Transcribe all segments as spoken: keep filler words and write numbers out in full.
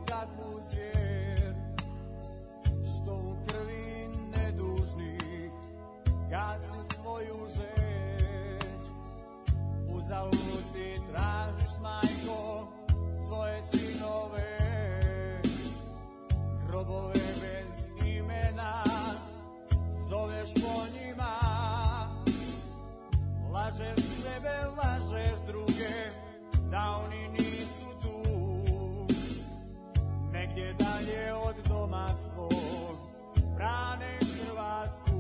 takvu zvijer, što u krvi nedužnih gasi svoju žeć. Uzalud ti tražiš, majko, svoje sinove, grobove bez imena, zoveš po njima. Lažeš sebe, lažeš druge, da oni nisu tu, negdje dalje od doma svog, brane Hrvatsku.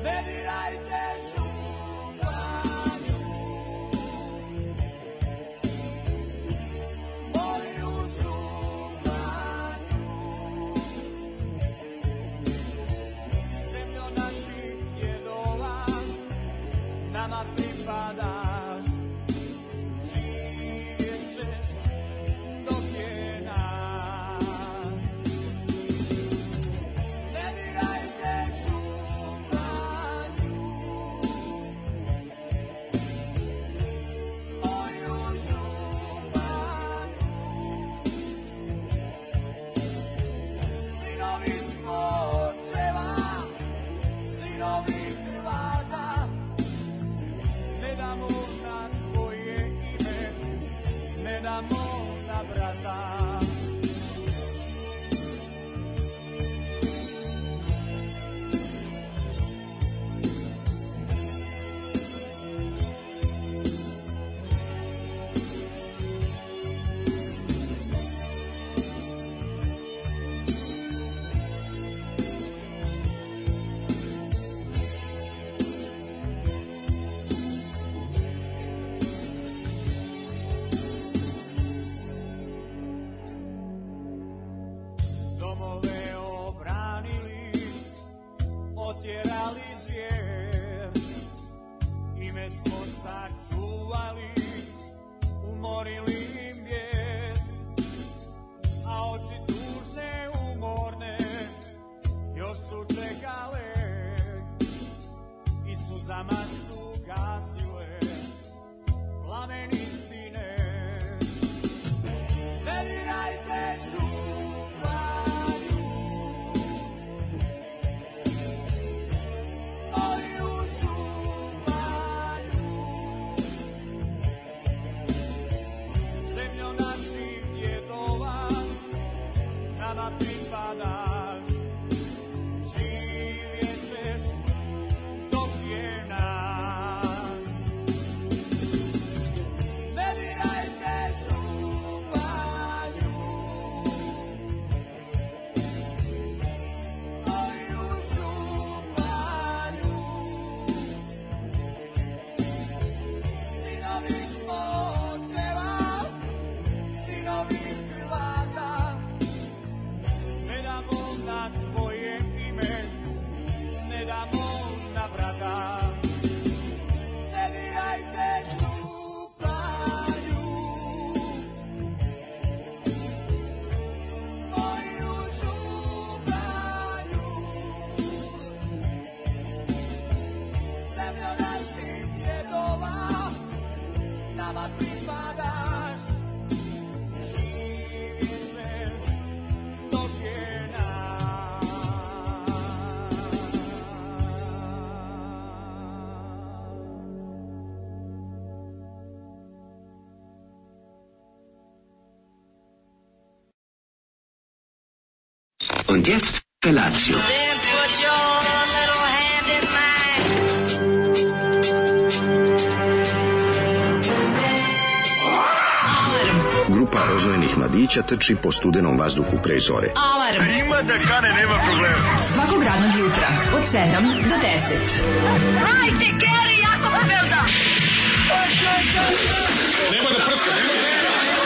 Ne dirajte županju, moju županju, zemljo naših djedova, nama pripadaš, živjet ćeš dok je nas. Ne dirajte županju, moju županju, sinovi smo očeva, sinovi Hrvata, ne damo na tvoje ime, ne damo na brata. Domove obranili, otjerali zvijer, ime smo sačuvali, umorili im bijes, a oči tužne, umorne, još su čekale i suzama su gasile plamen istine. Ne dirajte županju, moju županju, zemljo naših djedova, nama pripadaš, živjet ćeš dok je nas. Ne dirajte županju, moju županju, sinovi smo očeva, sinovi Hrvata, ne damo na tvoje ime, ne damo na brata. Ne dirajte županju, moju županju, zemljo naših djedova, nama pripadaš, živjet ćeš dok je nas. Und jetzt Felatio. Then put your little hand in mine. Grupa rozvojenih mladića trči po studenom vazduhu pre zore. Alarm. Ima da kane, nema problema. Svakog radnog jutra od sedam do deset. Hajde, Geri, jako se velda. Nema da prska, nema da prska.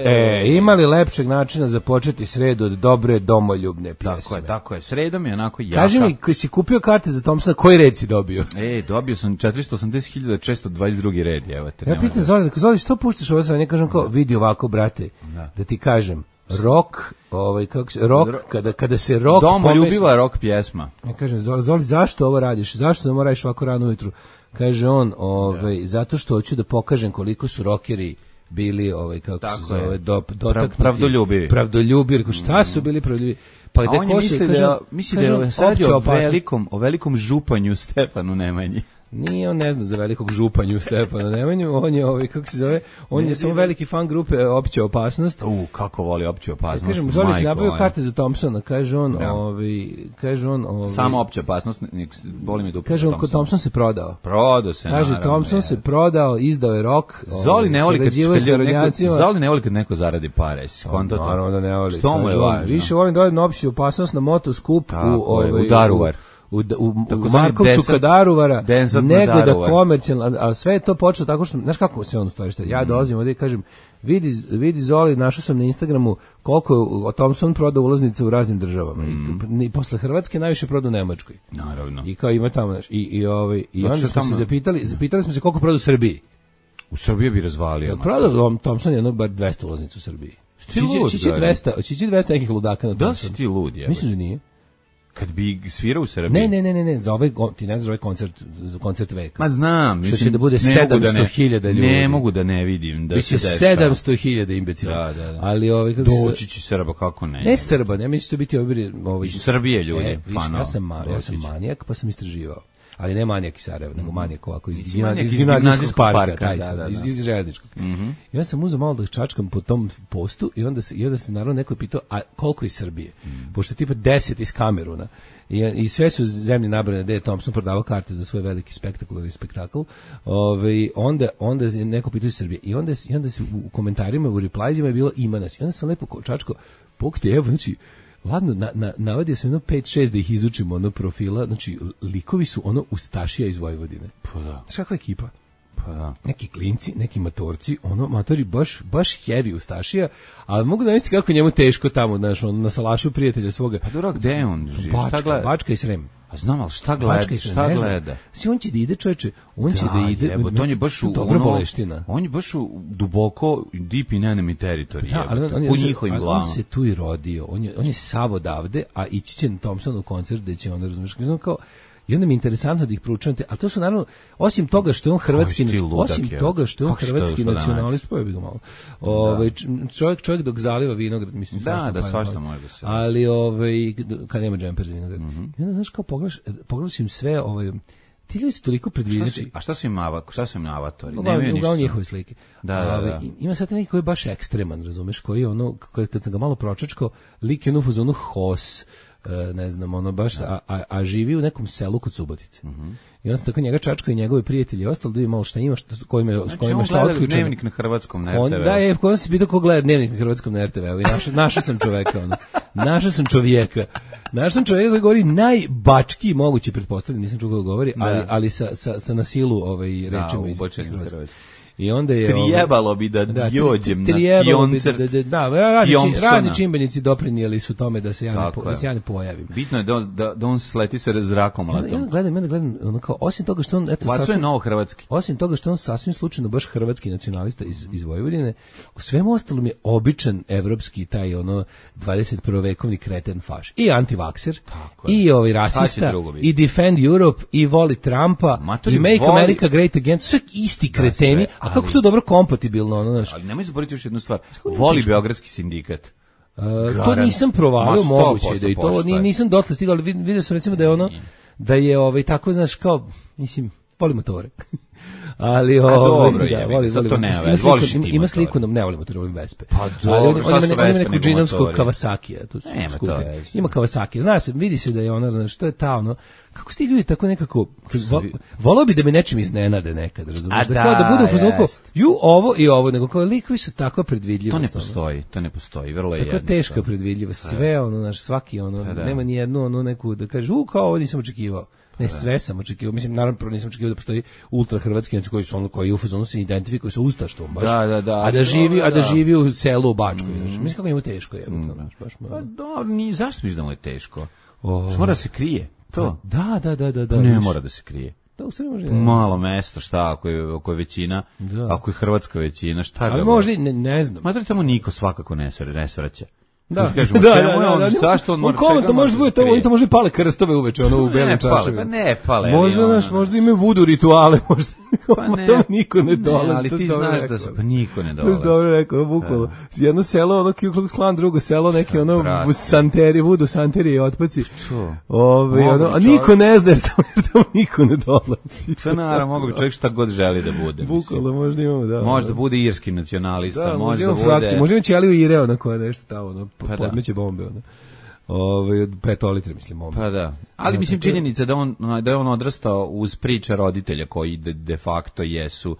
E, ima li lepšeg načina za početi sredu od dobre domoljubne pjesme? Tako je, tako je. Sredom je onako jaka. Kaži mi, koji si kupio karte za Thompsona, koji red si dobio? E, dobio sam četiristo osamdeset hiljada šesto dvadeset drugi red, evo te. Ja pitam Zoli, Zoli, što puštaš ovo sranje? Ja kažem kao, vidi ovako, brate, da, da ti kažem, rock, ovaj kako se rock kada kada se rock domoljubiva rock pjesma. Ja kažem Zoli, zašto ovo radiš? Zašto da moraš ovako rano ujutru? Kaže on, ovaj ja. zato što hoću da pokažem koliko su rockeri bili ovaj kako Tako se zove do, dotaknuti pravdoljubivi. Pravdoljubivi, rekao šta su bili pravdoljubivi? Pa gde ko se misli da misli da je sad o velikom o velikom županju Stefanu Nemanji. Nije on ne zna za velikog županju Stefana Nemanju, on je ovaj kako se zove, on ne je samo veliki fan grupe Opća opasnost. U kako voli Opću opasnost. Ja kažem, Zoli se nabavio karte za Thompsona, kaže on, ja. ovaj kaže on, ovaj samo Opća opasnost, boli mi dupe. Kaže on, kod Thompson se prodao. Prodao se, kaže naravno. Thompson je. se prodao, izdao je rok. Zoli ne voli kad neko, Zoli ne voli kad neko zaradi pare, skonto to. Naravno da ne voli. Što mu je važno? Više volim da odem na Opću opasnost na motoskup u ovaj u Daruvar. u, u, u Markovcu kod Daruvara, nego Daruvar. da komercijalno, a sve je to počelo tako što, znaš kako se on u stvari šta, ja dolazim ovdje i kažem, vidi, vidi Zoli, našao sam na Instagramu koliko Thompson prodao ulaznica u raznim državama, mm. I, i posle Hrvatske najviše prodao u Nemačkoj. Naravno. I kao ima tamo, znaš, i, i, ovaj, i onda smo se zapitali, zapitali smo se koliko prodao u Srbiji. U Srbiji bi razvalio. Ja, prodao Thompson jedno bar dvesta ulaznica u Srbiji. Čići dvesta, čići dvesta nekih ludaka na Thompsonu. Da si ti lud, je. Mislim da nije. Kad bi svirao u Srbiji? Ne, ne, ne, ne, ne, za ovaj, ti ne znaš ovaj koncert, za koncert veka. Ma znam, mislim, što će da bude sedamsto hiljada ljudi. Ne mogu da ne vidim da biće se dešava. sedamsto hiljada imbecila. Da, da, da. Ali ovaj kako doći će Srba, kako ne? Ne Srba, ne mislim da biti ovi ovaj iz Srbije ljudi, e, fano. Ja sam ma, ja sam manijak, pa sam istraživao. Ali ne manijak iz Sarajeva, nego manijak ovako iz, iz, iz, iz gimnazijskog parka, parka taj da, da, da. iz, iz željezničkog. Mm-hmm. I onda sam uzeo malo da čačkam po tom postu i onda se, i onda se naravno neko je pitao, a koliko iz Srbije? Mm. Pošto je tipa deset iz Kameruna. I, i sve su zemlje nabrane da je Thompson prodavao karte za svoj veliki spektakularni spektakl. Ove, onda, onda je neko pitao iz Srbije. I onda, i onda se u komentarima, u replajzima je bilo ima nas. I onda sam lepo čačko, pokte, evo, znači, ladno, na, na, navadio sam jedno pet šest da ih izučimo ono profila, znači likovi su ono ustašija iz Vojvodine. Pa da. Znaš kakva ekipa? Pa da. Neki klinci, neki matorci, ono, matori baš, baš heavy ustašija, ali mogu da misliti kako njemu teško tamo, znaš, on na salašu prijatelja svoga. Pa dobro, gde on živi? Bačka, šta gleda? Bačka i Srem. A znam, ali šta gleda? Šta gleda? Znači, on će da ide, čoveče, on da, će da ide. Jebo, on je baš u dobra ono, boleština. On je baš u duboko deep in enemy territory. Ja, ali on, on, u njihovim glavama. On se tu i rodio. On je, on je sav odavde, a ići će na Thompsonu koncert gde će onda, razumiješ, kao, i onda mi je interesantno da ih proučavate, ali to su naravno, osim toga što je on hrvatski, osim toga što je on hrvatski nacionalist, pojebi ga malo, ovaj, čovjek, čovjek dok zaliva vinograd, mislim, da, da, svašta može da se. Ali, ovaj, kad nema džemper za vinograd. Mm-hmm. I onda, znaš, kao pogledaš, pogledaš im sve, ovaj, ti ljudi su toliko predviđači. A šta su im avatori? Šta su im avatori? Nemaju ništa. Uglavnom njihove slike. Da, da, da. Ima sad neki koji je baš ekstreman, razumeš, koji je ono, kad sam ga malo pročačkao, lik je ono u fazonu Hos, ne znam, ono baš, a, a, a živi u nekom selu kod Subotice. Mm-hmm. I on se tako njega čačka i njegove prijatelji i ostalo da vidi malo šta ima, što, s kojima, znači, s kojima šta otključeno. Znači, on gleda dnevnik na hrvatskom na er te ve. On, da, je, ko se pitao ko gleda dnevnik na hrvatskom na er te ve. I našao, našao sam čoveka, ono. Našao sam čovjeka. Našao sam čovjeka koji govori najbački moguće, pretpostavljam, nisam čuo kako govori, ali, ali sa, sa, sa nasilu ovaj, rečima iz hrvatskog. I onda je trijebalo bi da, da dođem na koncert. Da, da, da, razni, razni čimbenici doprinijeli su tome da se ja ne, po, da se ja ne pojavim. Bitno je da, da, da on sleti se zrakom letom. Ja gledam, ja gledam, ono kao, osim toga što on, eto, sasvim, novo hrvatski. Osim toga što on sasvim slučajno baš hrvatski nacionalista iz, iz Vojvodine, u svemu ostalom je običan evropski taj ono dvadeset prvi vekovni kreten faš. I antivakser, i ovaj rasista, i defend Europe, i voli Trumpa, Matori, i make voli... America great again, sve isti kreteni. A kako to dobro kompatibilno, ono, znaš. Ali nemoj zaboraviti još jednu stvar. Voli beogradski sindikat. Uh, to nisam provalio, moguće da i to ni, nisam dotle stigao, ali vidio sam recimo da je ono, da je ovaj tako, znaš, kao, mislim, voli motore. Ali ovaj dobro, da, je, voli, voli, to ne, ima, voliš sliku, ima sliku, ne volim motore, volim Vespe. Pa dobro, šta su Vespe? On ima neku džinovsku Kawasaki, to su skupi. Ima Kawasaki, zna se, vidi se da je ona, znaš, što je ta ono, kako su ti ljudi tako nekako, vo, volao bi da me nečim iznenade nekad, razumiješ, da, da, kao da budu u fazonu, ju ovo i ovo, nego kao likovi su tako predvidljivost. To ne postoji, to ne postoji, vrlo je jednostavno. Tako teška predvidljivost, sve ono, znaš, svaki ono, nema ni jednu ono neku da kažeš, u, kao ovo nisam očekivao. Ne, sve sam očekivao, mislim, naravno, prvo nisam očekivao da postoji ultra hrvatski koji su ono, koji u fazonu se identifikuju sa ustaštvom, baš. Da, da, da. A da živi, a da živi u selu u Bačkoj, mm. znači, mislim kako njemu teško je. Mm. Baš, baš, pa dobro, ni zašto misliš da mu je teško? Oh. Mora da se krije. To. Da, da, da, da, da. Ne mora da se krije. Da, u stvari može. Malo mesto, šta, ako je, ako je većina, da. Ako je hrvatska većina, šta ga. Ali možda, ne, ne znam. Ma da tamo niko svakako ne svraća. Da, kažemo, da, čemu da, je da, on, da, zašto on mora, čega to može bude, to oni to može pale krstove uveče, ono u belim čaševima. Pa ne pale. Možda naš, možda imaju vudu rituale, možda. Pa ne, to niko ne dolazi. Ali ti znaš da se pa niko ne dolazi. To je dobro rekao, bukvalno. Jedno selo, ono Ku Klux Klan, drugo selo, neki ono u santeri, vudu santeri i otpaci. Ove, ono, a niko ne zna što tamo niko ne dolazi. Šta naravno, mogu bi čovjek šta god želi da bude. Bukvalno, možda imamo, da. Možda bude irski nacionalista, da, možda bude. Frakcije, možda ima Ćeliju Ireo na koja nešto tamo, ono, podmeće bombe, ono. Ovaj od petolitre mislim on. Pa da. Ali mislim činjenica da on da je on odrastao uz priče roditelja koji de, de facto jesu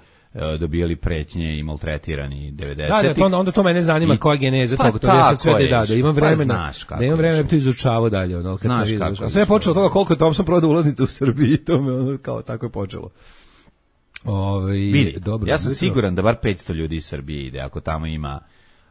dobijali pretnje i maltretirani devedesetih. Da, da, pa onda, onda to mene zanima I, koja geneza pa toga. To ja sad sve da, da, da imam vremena. Pa da imam vremena da to izučavao dalje. Ono, kad znaš sam vidio. A sve je počelo toga koliko je Thompson prodao ulaznice u Srbiji. To me ono, kao tako je počelo. Ove, Vidi, dobro, ja sam dobro. Siguran da bar petsto ljudi iz Srbije ide, ako tamo ima...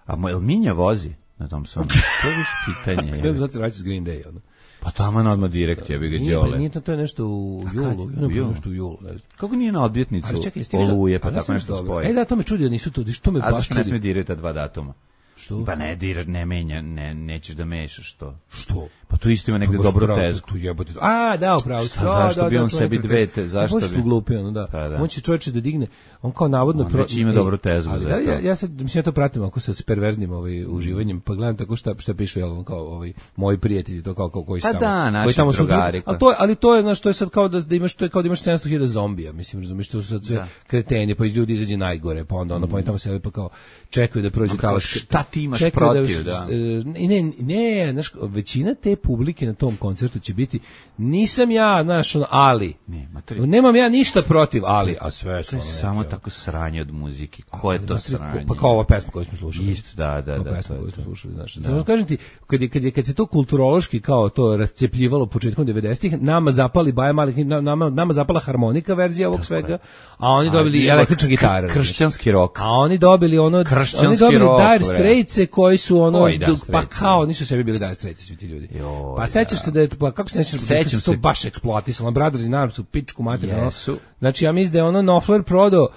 A moj Minja vozi na tom svom? To je viš pitanje. Ne znam, znači vraća s Green Day, ono. Pa tamo je odmah direkt, ja bih ga djole. Nije, nije to, to je nešto u julu. U julu? Nešto u julu. Kako nije na odbjetnicu Oluje, pa tako nešto spoje? E da, to me čudi da nisu to, što me baš čudi. A zašto ne smije dirati ta dva datuma? Što? Pa ne, dir, ne menja, ne, nećeš da mešaš to. Što? Pa tu isto ima negde dobru tezgu. Tu jebote. A, da, upravo. Šta, zašto da, bi on da, sebi dve te, zašto bi? Možeš glupi, ono, da. Pa, da. On će čovječe da digne, on kao navodno... On pro... već ima e, dobru tezgu ali, za da, to. Ja, ja sad, mislim, ja to pratim ako sa perverznim ovaj, uživanjem, pa gledam tako šta, šta pišu, jel, on kao ovaj, moji prijatelji, to kao, kao koji pa tamo. Da, naši tamo drugari. Ali to, ali to je, znaš, to je sad kao da, da imaš, to je kao da imaš sedamsto hiljada zombija, mislim, razumiješ, to su sad sve da. Kreteni, pa iz ljudi izađe najgore, pa onda ono, pa oni tamo sebe pa kao čekaju da prođe talac. Šta ti imaš protiv, da? Ne, ne, znaš, većina te publike na tom koncertu će biti, nisam ja, znaš, ono, ali, ne, materi... nemam ja ništa protiv, ali, a sve su to je ono samo neke, tako sranje od muzike, ko je to materi, sranje? Pa kao ova pesma koju smo slušali. Isto, da, da, da. pesma koju smo slušali, znaš. Da. Znači, kažem ti, kad, je, kad, je, kad se to kulturološki kao to rascepljivalo početkom devedesetih, nama zapali Baja Malih, nama, nama zapala harmonika verzija ovog tako svega, je. A oni dobili električna gitara. Kršćanski rok. A oni dobili ono, oni dobili Dire Straits koji su ono, pa kao, nisu sebi bili Dire Straits svi ti ljudi. Jo, pa sećaš se da je, pa kako se nećeš da se to baš eksploatisalo, Brothers in Arms u pičku materinu. Znači ja mislim da je ono Knopfler prodao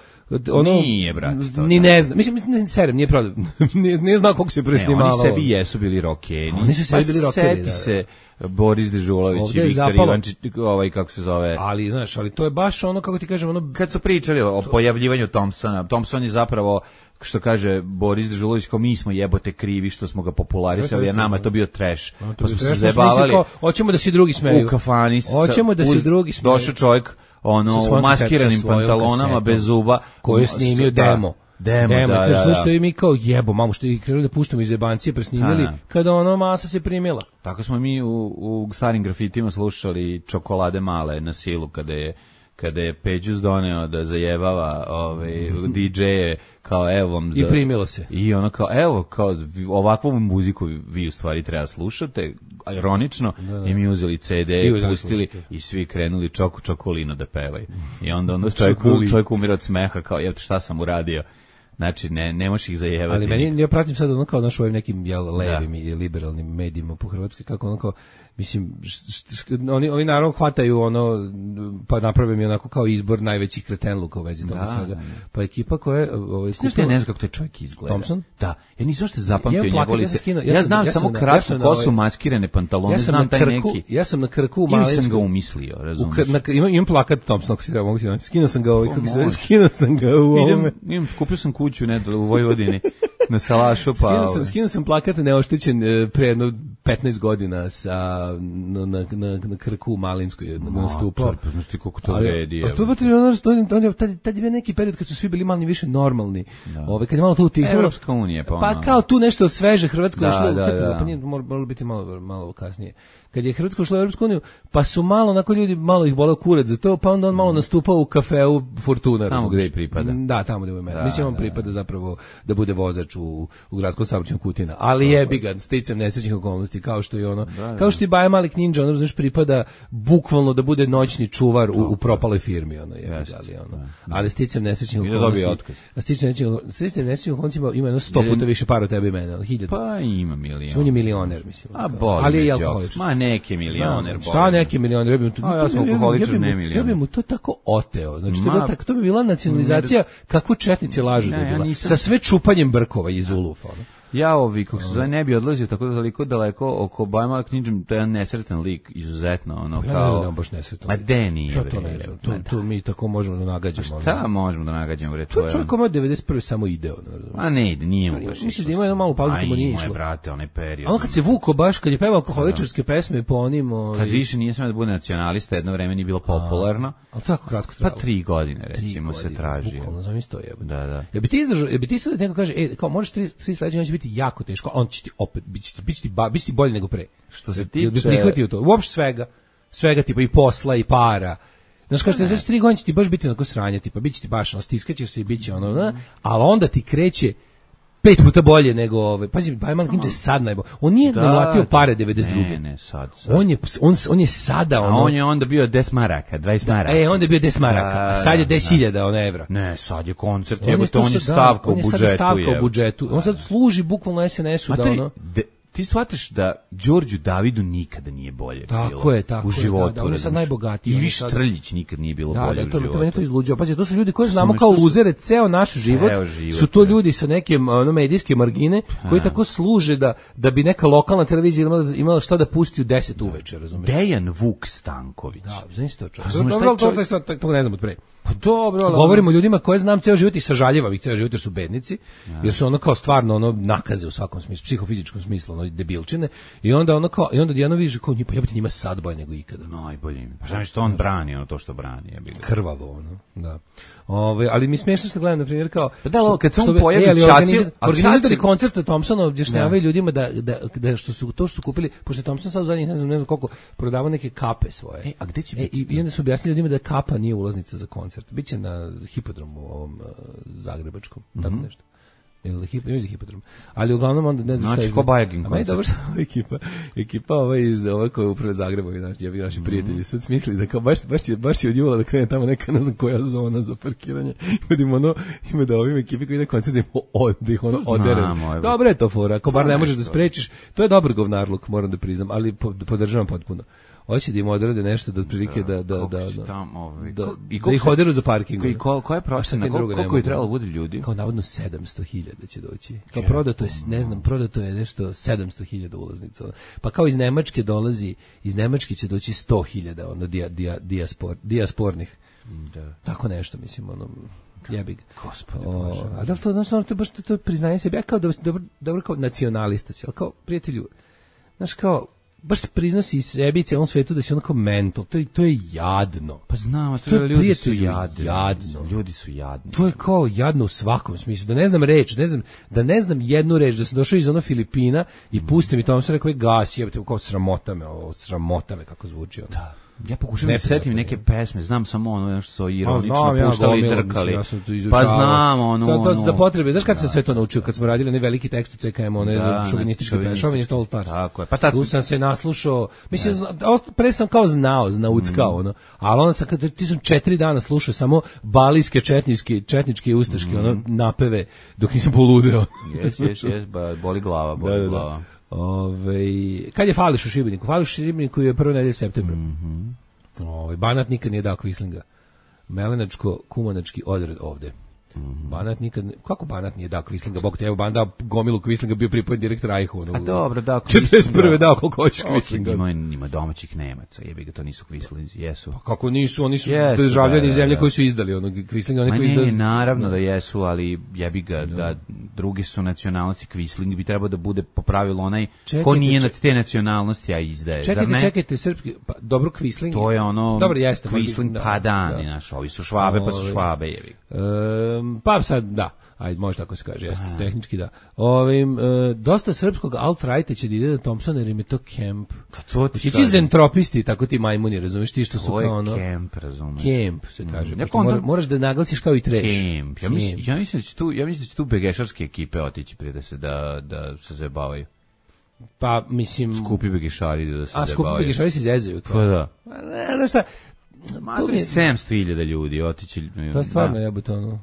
ono nije brat to. Ni ne znam. Mislim ne serem, nije prodao. ne, ne znam kako se presnimalo. Oni sebi jesu bili rokeri. Oni su sebi bili rokeri. Seti se Boris Dežulović i Viktor Ivančić, ovaj kako se zove. Ali znaš, ali to je baš ono kako ti kažem, ono kad su pričali o pojavljivanju Thompsona. Thompson je zapravo što kaže Boris Dežulović, kao mi smo jebote krivi što smo ga popularisali, jer nama je to bio trash. No, to pa smo se zabavali. Hoćemo da se drugi smeju. U kafani. Hoćemo da se drugi smeju. Došao čovjek ono u maskiranim pantalonama bez zuba koji je snimio demo. Demo, demo da, da, da. I mi kao jebo, mamu što je krenuli da puštamo iz jebancije presnimili, ha, kada ono masa se primila. Tako smo mi u, u starim grafitima slušali Čokolade male na silu kada je kada je Peđus doneo da zajebava ovaj D J-e kao evo vam da, i primilo se. I ono kao evo kao ovakvu muziku vi u stvari treba slušate, ironično, da, da. I mi uzeli C D i pustili i svi krenuli čoku čokolino da pevaju. I onda onda čovjek, čovjek umire od smeha kao jel šta sam uradio. Znači, ne, ne možeš ih zajevati. Ali meni, ja pratim sad ono kao, znaš, u ovim nekim jel, levim da. I liberalnim medijima po Hrvatskoj, kako ono kao, mislim, št, št, oni, oni naravno hvataju ono, pa naprave mi onako kao izbor najvećih kretenluka u vezi toga da, svega. Da. Pa ekipa koja je... Ovaj, kupila... Ja ne znam kako taj čovjek izgleda. Thompson? Da. Ja nisam zašto zapamtio njegov lice. Ja, ja znam ja samo na, kratko ja kosu, maskirane pantalone, ja znam taj krku, neki. Ja sam na krku u Malinskoj. Ili sam ga umislio, razumiješ. Na, imam, imam plakat Thompsona, ako si treba mogu ti da skinuo sam ga ovaj, kako se skinuo sam ga u ovome. Idem, kupio sam kuću ne, u Vojvodini. Na Salašu, pa... Skinuo sam, skinuo sam plakat neoštećen pre jedno petnaest godina sa, na, na, na, na krku u Malinskoj nastupao. Pa znaš ti koliko to vredi. A to je ono, tad, tad je bio neki period kad su svi bili malo više normalni. Da. Ove, kad je malo to utihlo. Evropska unija, pa ono. Pa kao tu nešto sveže Hrvatsko da, ušlo, da, kad, da. Pa nije, moralo biti malo, malo kasnije. Kad je Hrvatska ušla u Evropsku uniju, pa su malo, onako ljudi, malo ih boleo kurac za to, pa onda on malo nastupao u kafeu Fortuna. Tamo gde i pripada. Da, tamo gde mu je. Mislim, on pripada zapravo da bude vozač u, u gradskom saobraćaju Kutina. Ali jebi ga, sticam nesrećnih okolnosti, kao što je ono, da, kao što i Baja Malik Ninja, ono, znaš, pripada bukvalno da bude noćni čuvar u, u propaloj firmi, ono, je, ali ono. Ali sticam nesrećnih okolnosti. A sticam nesrećnih okolnosti ima jedno sto puta više para od tebe i mene, hiljadu. Pa ima milion. On je milioner, mislim. A boli, ali je alkoholičar. Ma neki milioner. Šta neki milioner? Ja bih mu, ja sam alkoholičar, ne milioner. Ja bih mu to tako oteo. Znači, to, tako, to bi bila nacionalizacija kako četnici lažu da je bila. Sa sve čupanjem brkova iz Ulufa. Ja ovi, kako se zove, ne bi odlazio tako toliko daleko oko Bajmala knjižem, to je jedan nesretan lik, izuzetno, ono, ja kao... Ja ne znam da on baš nesretan. Ma de nije, ja to ne znam, tu, tu mi tako možemo da nagađamo. Šta možemo da nagađamo, bre, to je... Čovjek ima devedeset prve samo ide, ono. A ne ide, nije mu baš. Misliš da ima jednu malu pauzu kako nije išlo? Aj, moje brate, onaj period. A on kad se vuko baš, kad je pevao alkoholičarske pesme po onim... Kad više nije smeo da bude nacionalista, jedno vreme nije bilo popularno. Ali tako kratko trajalo. Pa tri godine, recimo, se traži. Bukvalno, znam isto jebe. Da, da. Ja bi ti izdržao, ja bi ti sad neko kaže, e, kao možeš tri, tri sledeće, on će biti jako teško, on će ti opet, bit će ti, bit će ti, ba, bit će ti bolje nego pre. Što se tiče... Ja bi prihvatio to, uopšte svega, svega tipa i posla i para. Znaš, kao što je tri godine će ti baš biti onako sranje, tipa, bit će ti baš, ono, stiskaćeš se i bit će ono, da, ali onda ti kreće pet puta bolje nego ove. Pazi, Bajman Kinč je sad najbolje. On nije da, nalatio pare devedeset druge. Ne, ne, sad, sad. On je, on, on je sada ono... A on je onda bio deset maraka, dvadeset maraka. Da, e, onda je bio deset maraka, a sad je deset hiljada ono evra. Ne, sad je koncert, on je, to, on je stavka da, u budžetu. On je sada stavka u budžetu. On sad služi bukvalno es en esu da ono... De, ti shvataš da Đorđu Davidu nikada nije bolje tako bilo je, tako u životu. Da, da, on je sad najbogatiji. Ivi Štrljić nikad nije bilo da, bolje da, u to, životu. To meni to izluđuje. Pazi, to su ljudi koji znamo kao luzere ceo naš život. Ceo život su to ne. ljudi sa neke ono, medijske margine koji tako služe da, da bi neka lokalna televizija imala, imala šta da pusti u deset uveče, razumiješ? Dejan Vuk Stanković. Da, znaš to čovjek. Dobro, to, to, to ne znam od pre. Pa dobro, ali... Govorimo o ljudima koje znam ceo život i sažaljevam ih ceo život jer su bednici, ja. Jer su ono kao stvarno ono nakaze u svakom smislu, psihofizičkom smislu, ono debilčine i onda ono kao i onda Dijano vidiš kao pa jebote njima sad bolje nego ikada. Najbolje im. Pa znaš što on brani, ono to što brani, ja bih. Krvavo ono, da. Ove, ali mi smiješno se gledam na primjer kao pa da, što, kad se on što, pojavi e, Čaci, organizatori koncerta Thompsona objašnjavaju ljudima da, da, da što su to što su kupili, pošto je Thompson sad u zadnjih ne znam, ne znam koliko prodavao neke kape svoje. E, a gde će e, biti? I onda su objasnili ljudima da kapa nije ulaznica za koncert. Biće na hipodromu ovom uh, zagrebačkom, mm -hmm. tako nešto. Ili hip, ili hipodrom. Ali uglavnom onda ne znam znači, šta je. Znači, ko Bajagin koncert. A meni dobro što ekipa, ekipa ova iz ove koje uprave Zagrebovi, naši, ja bi naši mm -hmm. prijatelji, sad smislili da kao baš, baš, će, baš će od Jula da krene tamo neka, ne znam koja zona za parkiranje. Vidimo ono, ima da ovim ekipi koji ide koncert da, od, da ih ono odere. Dobro je to fora, ako bar ne možeš da sprečiš, to je dobar govnarluk, moram da priznam, ali podržavam potpuno. Hoće da im odrade nešto da otprilike da da da da tam ovaj da, i da ih oderu za parking. I ko koja je procena koliko je trebalo bude ljudi? Kao navodno sedamsto hiljada će doći. Kao prodato je, ne znam, prodato je nešto sedamsto hiljada ulaznica. Pa kao iz Nemačke dolazi, iz Nemačke će doći sto hiljada ono dia, dia, dijaspor, dijaspornih. Da. Tako nešto mislim ono jebi ga. Gospode Bože. A da to znači to baš to priznaje sebi ja kao da dobro dobro kao nacionalista, al kao prijatelju. Znaš kao baš priznosi sebi i celom svetu da si onako mental, to je, to je jadno. Pa znam, to je ljudi su jadni. Jadno. Ljudi su jadni. To je kao jadno u svakom smislu. Da ne znam reč, ne znam, da ne znam jednu reč, da sam došao iz ono Filipina i puste mi to, on se rekao, gasi, jebate, kao sramota me, ovo, sramota me kako zvuči. Ono. Da. Ja pokušam da se setim neke pesme, znam samo ono što su ironično ja, puštali i drkali. Ja pa znam ono. Sad to za potrebe, znaš kad sam sve to naučio, kad smo radili ne veliki tekst u C K M, one šovinističke pesme, šovinist All Stars. Tako je. Pa tad tu sam se naslušao, mislim, pre sam kao znao, znauckao, ono, ali onda sam, kad ti sam četiri dana slušao samo balijske, četničke, četničke i ustaške, ono, napeve, dok nisam poludeo. Jes, jes, jes, boli glava, boli glava. Ove, kad je Fališ u Šibeniku? Fališ u Šibeniku je prve nedelje septembra. Mm -hmm. Ove, Banat nikad nije dao kvislinga. Melenačko-kumanački odred ovde. Mm -hmm. Banat nikad, kako Banat nije dao kvislinga? Bog te, evo Banat dao gomilu kvislinga, bio pripojen direktor Ajhu. Ono, a dobro, dao kvislinga. četrdeset prve dao koliko hoćeš kvislinga. Ima, ima domaćih Nemaca, jebi ga, to nisu kvislinzi, jesu. Pa kako nisu, oni su yes, državljani da, zemlje da. koji su izdali ono kvislinga. Oni Ma koji ne, izdali... naravno da. da jesu, ali jebi ga, da, da drugi su nacionalnosti, kvisling bi trebao da bude po pravilu onaj čekajte, ko nije na te nacionalnosti, a izdaje. Čekajte, ne? čekajte, srpski, pa, dobro kvisling. To je ono, dobro, jeste, kvisling da, pa dan, da. Naš, ovi su švabe, pa su švabe, jebi. Um, pa sad, da. Ajde, može tako se kaže, jeste, tehnički da. Ovim, e, dosta srpskog alt-righta će da ide da Thompson, jer im je to kemp. Pa to ti kažem. Zentropisti, tako ti majmuni, razumiješ, ti što su kao ono... To je kemp, razumiješ. Kemp, se kaže. Mm. Ja mora, moraš da naglasiš kao i treš. Kemp. Ja mislim, ja mislim da će tu, ja mislim da će tu begešarske ekipe otići prije da se, da, da se zabavaju. Pa, mislim... Skupi begešari da se zabavaju. A, skupi begešari se zezaju. Pa da. Ne, ne, šta... Matri sedamsto hiljada ljudi otići. To je stvarno jebote ono.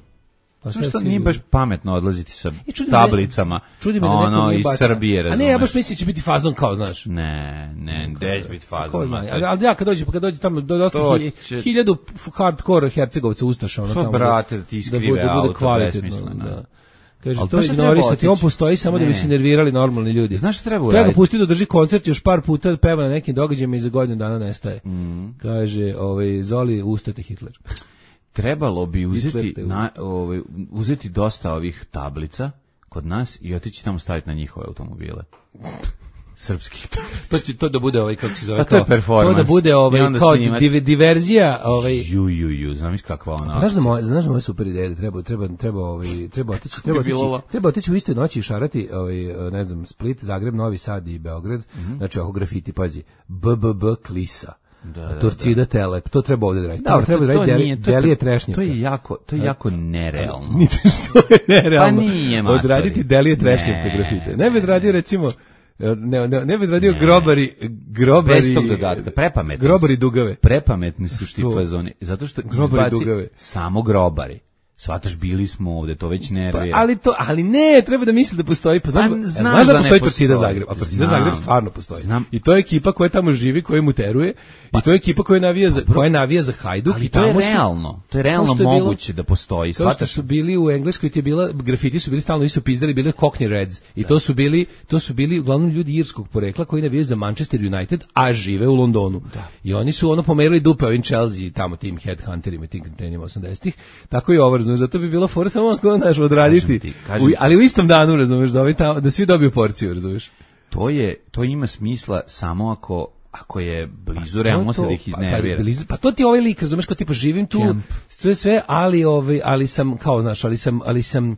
Pa sve što nije baš pametno odlaziti sa tablicama, čudi me da ono, iz Srbije, razumeš. A ne, ja baš mislim će biti fazon kao, znaš. Ne, ne, gde će biti fazon. Zna, ali, ali ja kad dođe, kad dođe tamo, do dosta će... hiljadu hardcore Hercegovca ustaša, ono to, tamo. Brate, da ti skrive da bude, auto, kvalitetno, da. Kaže, to je ignorisati, on postoji samo ne. da bi se nervirali normalni ljudi. Znaš šta treba uraditi? Treba ga pustiti da drži koncert još par puta, peva na nekim događajima i za godinu dana nestaje. Mm. Kaže, ovaj, Zoli, ustate Hitler. Trebalo bi uzeti, na, ovaj, uzeti dosta ovih tablica kod nas i otići tamo staviti na njihove automobile. Srpski. to će to da bude ovaj kako se zove a to je performans. To da bude ovaj kao div, diverzija, ovaj ju ju ju, znam kakva ona. Znaš da moje, znaš da moje super ideje, treba treba treba ovaj treba otići, treba otići, treba otići u iste noći i šarati ovaj ne znam Split, Zagreb, Novi Sad i Beograd. Mm-hmm. Znači oko grafiti, pazi. B B B Klisa. Da, da, Torcida da. Telep, to treba ovdje raditi. Da, treba raditi deli, delije trešnjaka. To je jako, to je jako nerealno. Niti što je nerealno. Pa nije, matori. Odraditi delije trešnjaka grafite. Ne bi odradio recimo Ne, ne, ne bi radio ne. grobari, grobari, bez tog dodatka, prepametni, grobari dugave. Prepametni su ti fazoni, zato što grobari dugave. Samo grobari. Svataš, bili smo ovde, to već nervira. Pa, ali to, ali ne, treba da misli da postoji. Pa znaš, pa, znaš, znaš da, da postoji Torcida Zagreb, a Torcida Zagreb stvarno postoji. Znam. I to je ekipa koja tamo živi, koja muteruje, pa, i to je ekipa koja navija za, koja navija za Hajduk. Ali i to tamo je realno, to je realno moguće bilo, da postoji. Kao što su bili u Engleskoj, ti je bila, grafiti su bili stalno, su pizdali, bili Cockney Reds. I da. to su bili, to su bili uglavnom ljudi irskog porekla koji navijaju za Manchester United, a žive u Londonu. Da. I oni su ono pomerili dupe ovim Chelsea, tamo tim headhunterima, tim kretenima osamdesetih. Tako i ovo, razumiješ, zato bi bilo for samo ako znaš odraditi, ti, u, ali u istom danu, razumeš, da, ovaj ta, da svi dobiju porciju, razumeš. To je, to ima smisla samo ako ako je blizu, realno se da ih iznervira. Pa, pa to ti ovaj lik, razumeš, kao tipa živim tu, Camp. sve sve, ali ovaj, ali sam kao, znaš, ali sam, ali sam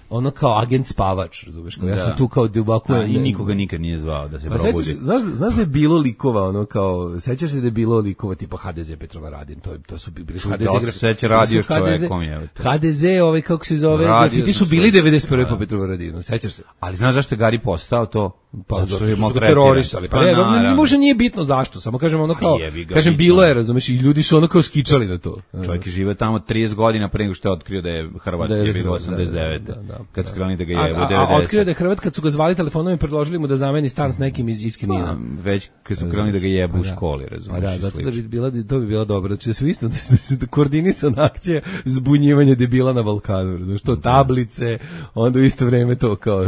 ono kao agent spavač, razumeš, kao ja sam tu kao duboko i nikoga nikad nije zvao da se pa probudi. Sećaš, znaš, znaš da je bilo likova, ono kao, sećaš se da je bilo likova tipa H D Z Petrovaradin, to to su bili H D Z. Da se seća radio s čovekom je. H D Z, ovaj kako se zove, grafiti su bili devedeset prve po Petrovaradinu, sećaš se? Ali znaš zašto je Gari postao to? Pa zato što je terorisali. Pa ne, ne, možda nije bitno zašto, samo kažem ono kao, kažem bilo je, razumeš, i ljudi su ono kao skičali na to. Čovjek žive tamo trideset godina pre nego što je otkrio da je Hrvat, je bilo osamdeset devete. Kad su krenuli da ga jebe u devedeset. A otkrio da je Hrvat kad su ga zvali telefonom i predložili mu da zameni stan s nekim iz iz Knina. Već kad su krenuli da ga jebe u školi, razumeš. Da, zato da bi bila to bi bilo dobro. Znači sve isto da se koordinisana akcija zbunjivanje debila na Balkanu, razumeš, to tablice, onda u isto vrijeme to kao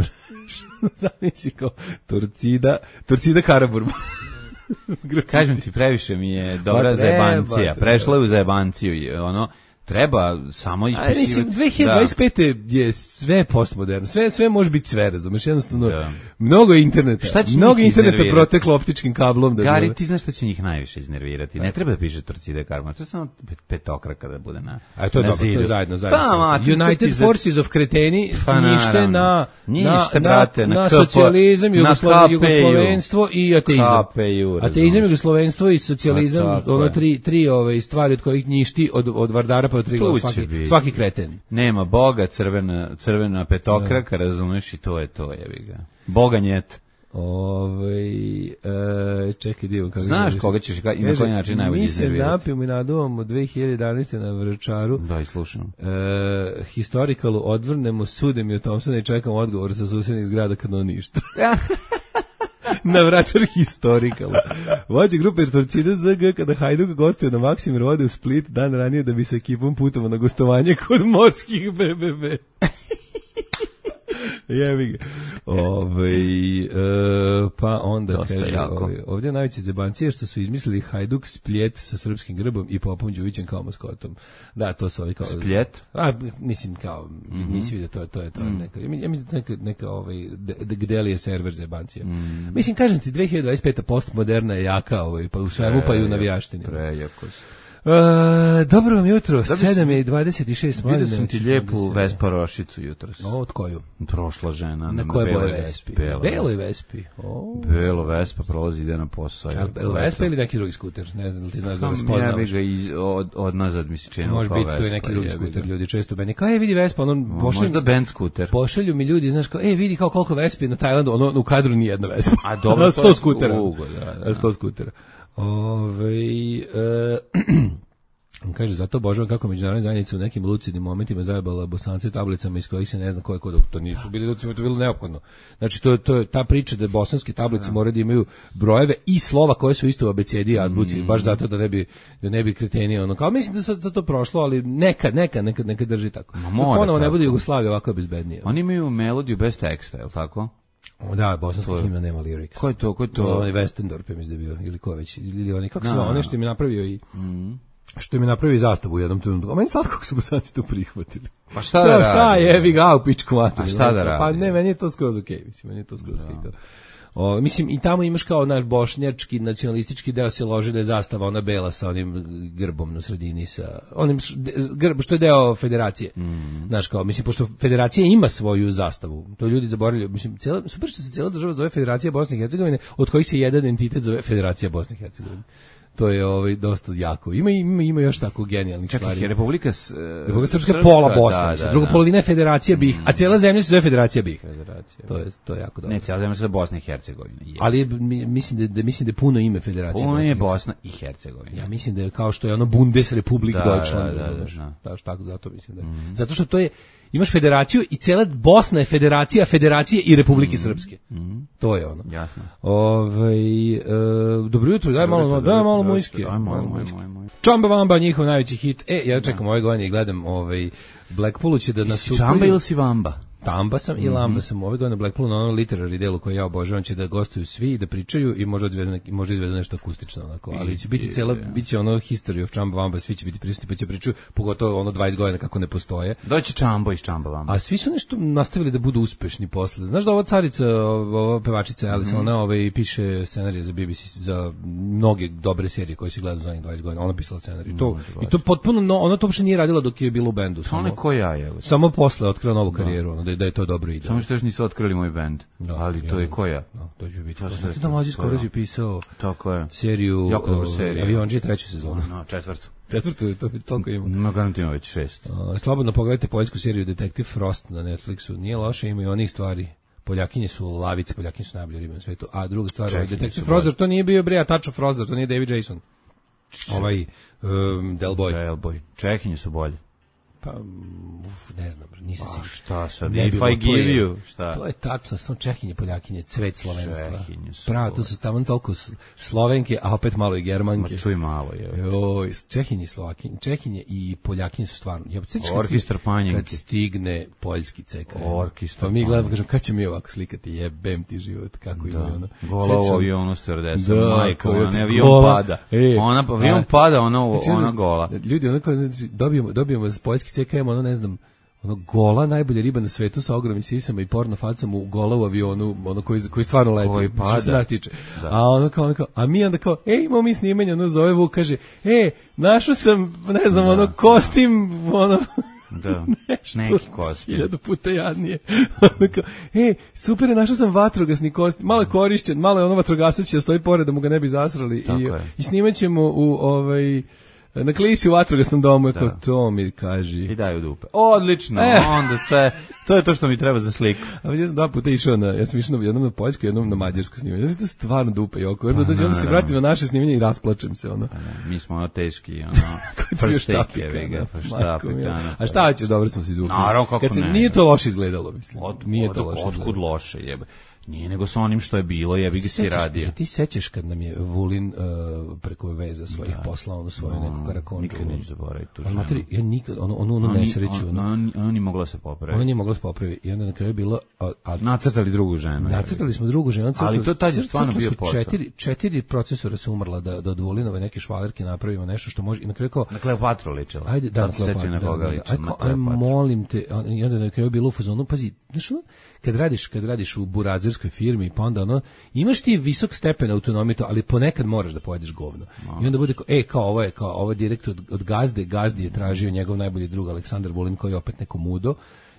zamisli kao Torcida, Torcida Karaburma. Kažem ti, previše mi je dobra zajebancija. Prešla je u zajebanciju, ono, treba samo ispisivati. A mislim, dve hiljade dvadeset pete Da. je sve postmoderno, sve, sve može biti sve, razumeš, jednostavno, da. mnogo je interneta, mnogo interneta proteklo optičkim kablom. Da Gari, ti znaš šta će njih najviše iznervirati, ne treba da piše Torcida Karaburma, to je samo petokraka da bude na A to je dobro, zidu. to je zajedno, zajedno. Pa, ma, United za... Forces of Kreteni pa, nište na, nište, na, brate, na, na, na socijalizam, na Jugoslo, jugoslovenstvo i ateizam. K P U, ateizam, jugoslovenstvo i socijalizam, ono tri, tri ove stvari od kojih ništi od, od Vardara pa od Trigla svaki. Svaki kreten. Nema Boga, crvena, crvena petokraka, razumeš, i to je to, jebi ga. Boga njet. Ovaj e, čekaj dio kako. Znaš koga ćeš i na koji način najbolje iznervirati. Mi se napijemo i naduvamo dve hiljade jedanaeste na Vračaru. Da, i slušam. E, historikalu odvrnemo, sudem i o Thompsona i čekamo odgovor sa susednih zgrada kad on ništa. Na Vračar historikal. Vođa grupe Torcida Z G kada Hajduk gostuje na Maksimir ode u Split dan ranije da bi sa ekipom putovao na gostovanje kod morskih B B B. Jebi ga. Ovaj e, pa onda kaže, ovaj, ovdje najveće zebancije što su izmislili Hajduk Spljet sa srpskim grbom i Popom Đujićem kao maskotom. Da, to su ovi kao Spljet. A mislim kao mm-hmm. mislim da to je to je to mm. neka. Ja mislim da neka neka ovaj gdje je server zebancija. Mm. Mislim kažem ti dve hiljade dvadeset peta postmoderna je jaka, ovaj pa u svemu pa i u navijaštini. Prejako. Uh, dobro vam jutro, sedam je i dvadeset šest. Vidio sam ti lijepu Vespa Rošicu jutros. O, od koju? Prošla žena. Na koje boje Vespi? Belo. Beloj Vespi. Oh. Belo Vespa prolazi, ide na posao. A Belo Vespa ili neki drugi skuter? Ne znam, ti znaš da ga spoznavaš. Ja bih ga iz, od, od nazad mi se činilo kao Vespa. Može biti to i neki drugi skuter, ljudi često meni. Kao, e, vidi Vespa, ono, pošalju, možda band skuter. Pošalju mi ljudi, znaš, kao, e, vidi kao koliko Vespi na Tajlandu, ono, u kadru ni jedna Vespa. A dobro, sto skutera. Ugo, da, da. sto skutera. Ove, e, On kaže, zato obožavam kako međunarodna zajednica u nekim lucidnim momentima zajebala Bosance tablicama iz kojih se ne zna ko je ko, to nisu bili lucidi, to je bilo neophodno. Znači, to, to je ta priča da bosanske tablice moraju da imaju brojeve i slova koje su isto u abecedi i azbuci, mm. baš zato da ne bi, da ne bi kreteni ono. Kao, mislim da sad za to prošlo, ali nekad, nekad, nekad, nekad drži tako. Ma mora, ponovo ne bude Jugoslavija ovako bezbednije. Oni imaju melodiju bez teksta, je li tako? O, da, bosanska himna nema lirika. Ko je to, ko je to? Onaj Westendorp, ja mislim da je bio, ili ko već, ili oni, kako se ono što mi napravio i... Mm. Što mi napravi zastavu u jednom trenutku. A meni slatko kako su Bosanci to prihvatili. Pa šta da, da šta je, evi ga u pičku materiju. A šta da radi? Pa ne, meni je to skroz okej, okay, mislim, meni je to skroz okej. Okay. O, mislim, i tamo imaš kao naš bošnjački, nacionalistički deo se loži da je zastava ona bela sa onim grbom na sredini, sa onim grb, što je deo federacije. Mm. Znaš, kao, mislim, pošto federacija ima svoju zastavu, to ljudi zaboravili, mislim, cijela, super što se cijela država zove Federacija Bosne i Hercegovine, od kojih se jedan entitet zove Federacija Bosne i Hercegovine. To je ovaj dosta jako. Ima ima ima još tako genijalnih Čekaj, stvari. Republika uh, Republika Srpska je pola Bosne, da, da, druga da. polovina je Federacija BiH, a cijela zemlja se zove Federacija BiH. Federacija. To je to je jako dobro. Ne, cijela zemlja se zove Bosna i Hercegovina. Je. Ali mi, mislim da, da mislim da je puno ime Federacije. Puno je Bosna i Hercegovina. Ja mislim da je kao što je ono Bundesrepublik da, Deutschland, da, da, znaš. da, Da, tako zato mislim da. Je. Mm. Zato što to je imaš federaciju i cela Bosna je federacija, federacije i Republike mm. Srpske. Mm. To je ono. Jasno. Ovaj e, dobro jutro, daj malo, daj malo mojski. Daj malo moj moj. Čamba Vamba, njihov najveći hit. E, ja čekam ove godine i gledam ovaj Blackpoolu će da nastupaju. Čamba ili si Vamba? Tamba sam i Lamba sam ove godine Blackpoolu na onom literary delu koji ja obožavam, će da gostuju svi i da pričaju i možda izvedu neki, možda izvedu nešto akustično onako, ali će biti cela biće ono history of Čamba Vamba, svi će biti prisutni pa će pričaju pogotovo ono dvadeset godina kako ne postoje. Doći Čambo iz Čamba Vamba. A svi su nešto nastavili da budu uspešni posle. Znaš da ova carica, ova pevačica Alice, mm-hmm. ona ovaj piše scenarije za B B C za mnoge dobre serije koje se gledaju za dvadeset godina. Ona pisala scenarij. Mm, to i to potpuno no, ona to uopšte nije radila dok je bila u bendu. Samo ko ja je. Samo posle otkrila novu karijeru, ono, da, da je to dobro ide. Samo što još nisu otkrili moj bend, da, ali to je koja? Da, to će biti. Znači da mlađi skoro je pisao tako je. seriju, jako dobru seriju. Avionđije treću sezonu. No, četvrtu. Četvrtu, to je toliko ima. No, garantujem već šest. Uh, slobodno pogledajte poljsku seriju Detektiv Frost na Netflixu. Nije loše, ima i onih stvari. Poljakinje su lavice, Poljakinje su najbolje ribe na svetu. A druga stvar, ovaj Detektiv Frost, to nije bio Brea Tačo Frost, to nije David Jason. Ovaj um, Del Boy. Del Boy. Čehinje su bolje. Pa, uf, ne znam, nisam sigurno. Šta sad, if I give you, šta? To je tačno, samo Čehinje, Poljakinje, cvet slovenstva. Pravo, to su tamo toliko Slovenke, a opet malo i Germanke. Ma čuj malo, je. Joj, Čehinje, Slovakinje, Čehinje i Poljakinje su stvarno. Ja, Orkestar Panjenke. Kad stigne poljski C K. Orkestar. Pa mi gledamo, kažem, kad ćemo mi ovako slikati, jebem ti život, kako ima ono. Gola u avionu stewardesa, majka, ona avion pada. Ona, avion pada, ona gola. Ljudi, onako, dobijemo, dobijemo poljski C K, ono ne znam, ono gola najbolja riba na svetu sa ogromnim sisama i porno facom u gola u avionu, ono koji koji stvarno leti, koji pada. Što se nas tiče. Da. A ono kao, ono kao, a mi onda kao, ej, imamo mi snimanje, ono zove Vuk, kaže, e, našao sam, ne znam, da, ono kostim, ono da, nešto, neki kostim. Hiljadu puta jadnije. Ono kao, e, super je, našao sam vatrogasni kostim, malo je korišćen, malo je ono vatrogasac da stoji pored da mu ga ne bi zasrali i, i snimat ćemo u ovaj na klisi u vatrogasnom domu, ako to mi kaži. I daju dupe. Odlično, e. Onda sve, to je to što mi treba za sliku. A ja sam dva puta išao na, ja sam išao jednom na poljsku, jednom na mađarsku snimanje. Ja sam to stvarno dupe i oko. Onda dođe, onda se vratim na naše snimanje i rasplačem se, ono. Mi smo ono teški, ono, prsteke, vega, prštapika. A šta ćeš, dobro smo se izvukli. Naravno, kako ne. Nije to loše izgledalo, mislim. Nije to loše. Otkud loše, jebe. Nije nego sa onim što je bilo, jebi ga si radio. Ti sećaš kad nam je Vulin uh, preko veza svojih poslao ono svoju no, neku karakonču. Nikad neću zaboraviti tu ženu. Materi, ja nikad, ono, ono, ono nesreću. Ono, ono, ono nije mogla se popraviti. Ono nije mogla se popraviti. I onda na kraju je bilo... A, a, nacrtali drugu ženu. Nacrtali smo drugu ženu. Ali to tad je stvarno bio posao. Četiri, četiri procesora su umrla da, da od Vulinove neke švalerke napravimo nešto što može... I na kraju kao... Na Kleopatru ličila. Ajde, da, na Kleopatru. Na koga ličila. Aj, molim te. I onda na kraju je bilo u fazonu, pazi, znaš ono, kad radiš, kad radiš u burazerskoj firmi, pa onda ono, imaš ti visok stepen autonomije, ali ponekad moraš da pojedeš govno. No. I onda bude kao, e, kao ovo je, kao ovo je direkt od, od gazde, gazdi je tražio njegov najbolji drug Aleksandar Vulin, koji je opet neko mudo,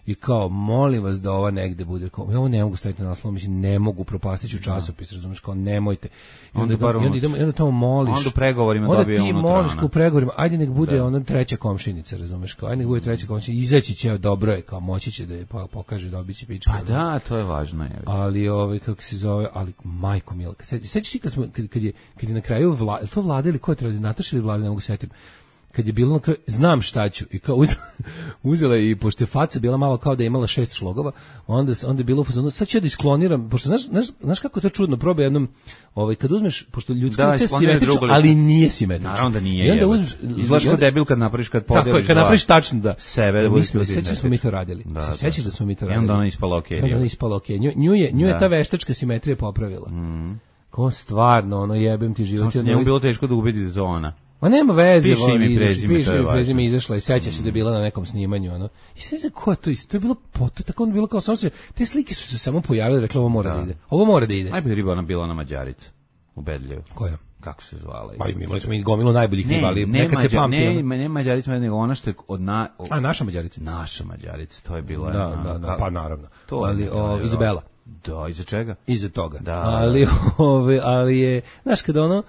i kao, molim vas da ova negde bude, kao, ja ovo ne mogu staviti na naslov, mislim, ne mogu, propastiću časopis, razumiješ, kao, nemojte. I onda, onda, onda, idemo, onda tamo moliš. Onda u pregovorima onda dobije unutra. Onda ti moliš u pregovorima, ajde nek bude ono treća komšinica, razumiješ, kao, ajde nek bude treća komšinica, izaći će, dobro je, kao, moći će da je pokaže, dobit će pička. Pa da, to je važno. Je. Ali, ovaj, kako se zove, ali, majko mila, sećaš ti kad, smo, kad, kad, je, kad je na kraju, vla, to Vlada ili ko je trebali, Nataša ili Vlada, ne mogu setim, kad je bilo na kraju, znam šta ću, i kao uzela, uzela i pošto je faca bila malo kao da je imala šest šlogova, onda, onda je bilo, sad ću ja da iskloniram, pošto znaš, znaš, znaš kako je to čudno, probaj jednom, ovaj, kad uzmeš, pošto ljudsko lice je simetrično, ali nije simetrično. Naravno da nije. I onda uzmeš, izgledaš kao debil kad napraviš, kad podeliš tako je, kad napraviš tačno da. Sebe da budeš. Sećaš da smo mi to radili. Da, se sećaš da smo mi to radili. I onda ona ispala okej. Onda ona ispala okej. Nju, nju je, nju je ta veštačka simetrija popravila. Mm. Ko stvarno, ono jebem ti život. Njemu bilo teško da ubedi da zona. Ma nema veze, piši imi i prezime, piši imi prezime izašla i seća se da je bila na nekom snimanju, ono. I sve se ko je to isto, to je bilo poto, tako ono bilo kao samo se, te slike su se samo pojavile, rekla ovo mora da, da ide. Ovo mora da ide. Najbolja riba ona bila na Mađarica, u Bedljevu. Koja? Kako se zvala? Pa imali smo i gomilu najboljih riba, ali nekad se pamti. Ne, ne, ne Mađarica, nego ona što je od na... O, A, naša Mađarica? Naša Mađarica, to je bila... Da, na, da, da, pa naravno. To ali, je, o, Izabela. Da, iza čega? Iza toga. Da, ali, ove, ali je, znaš, kada ono,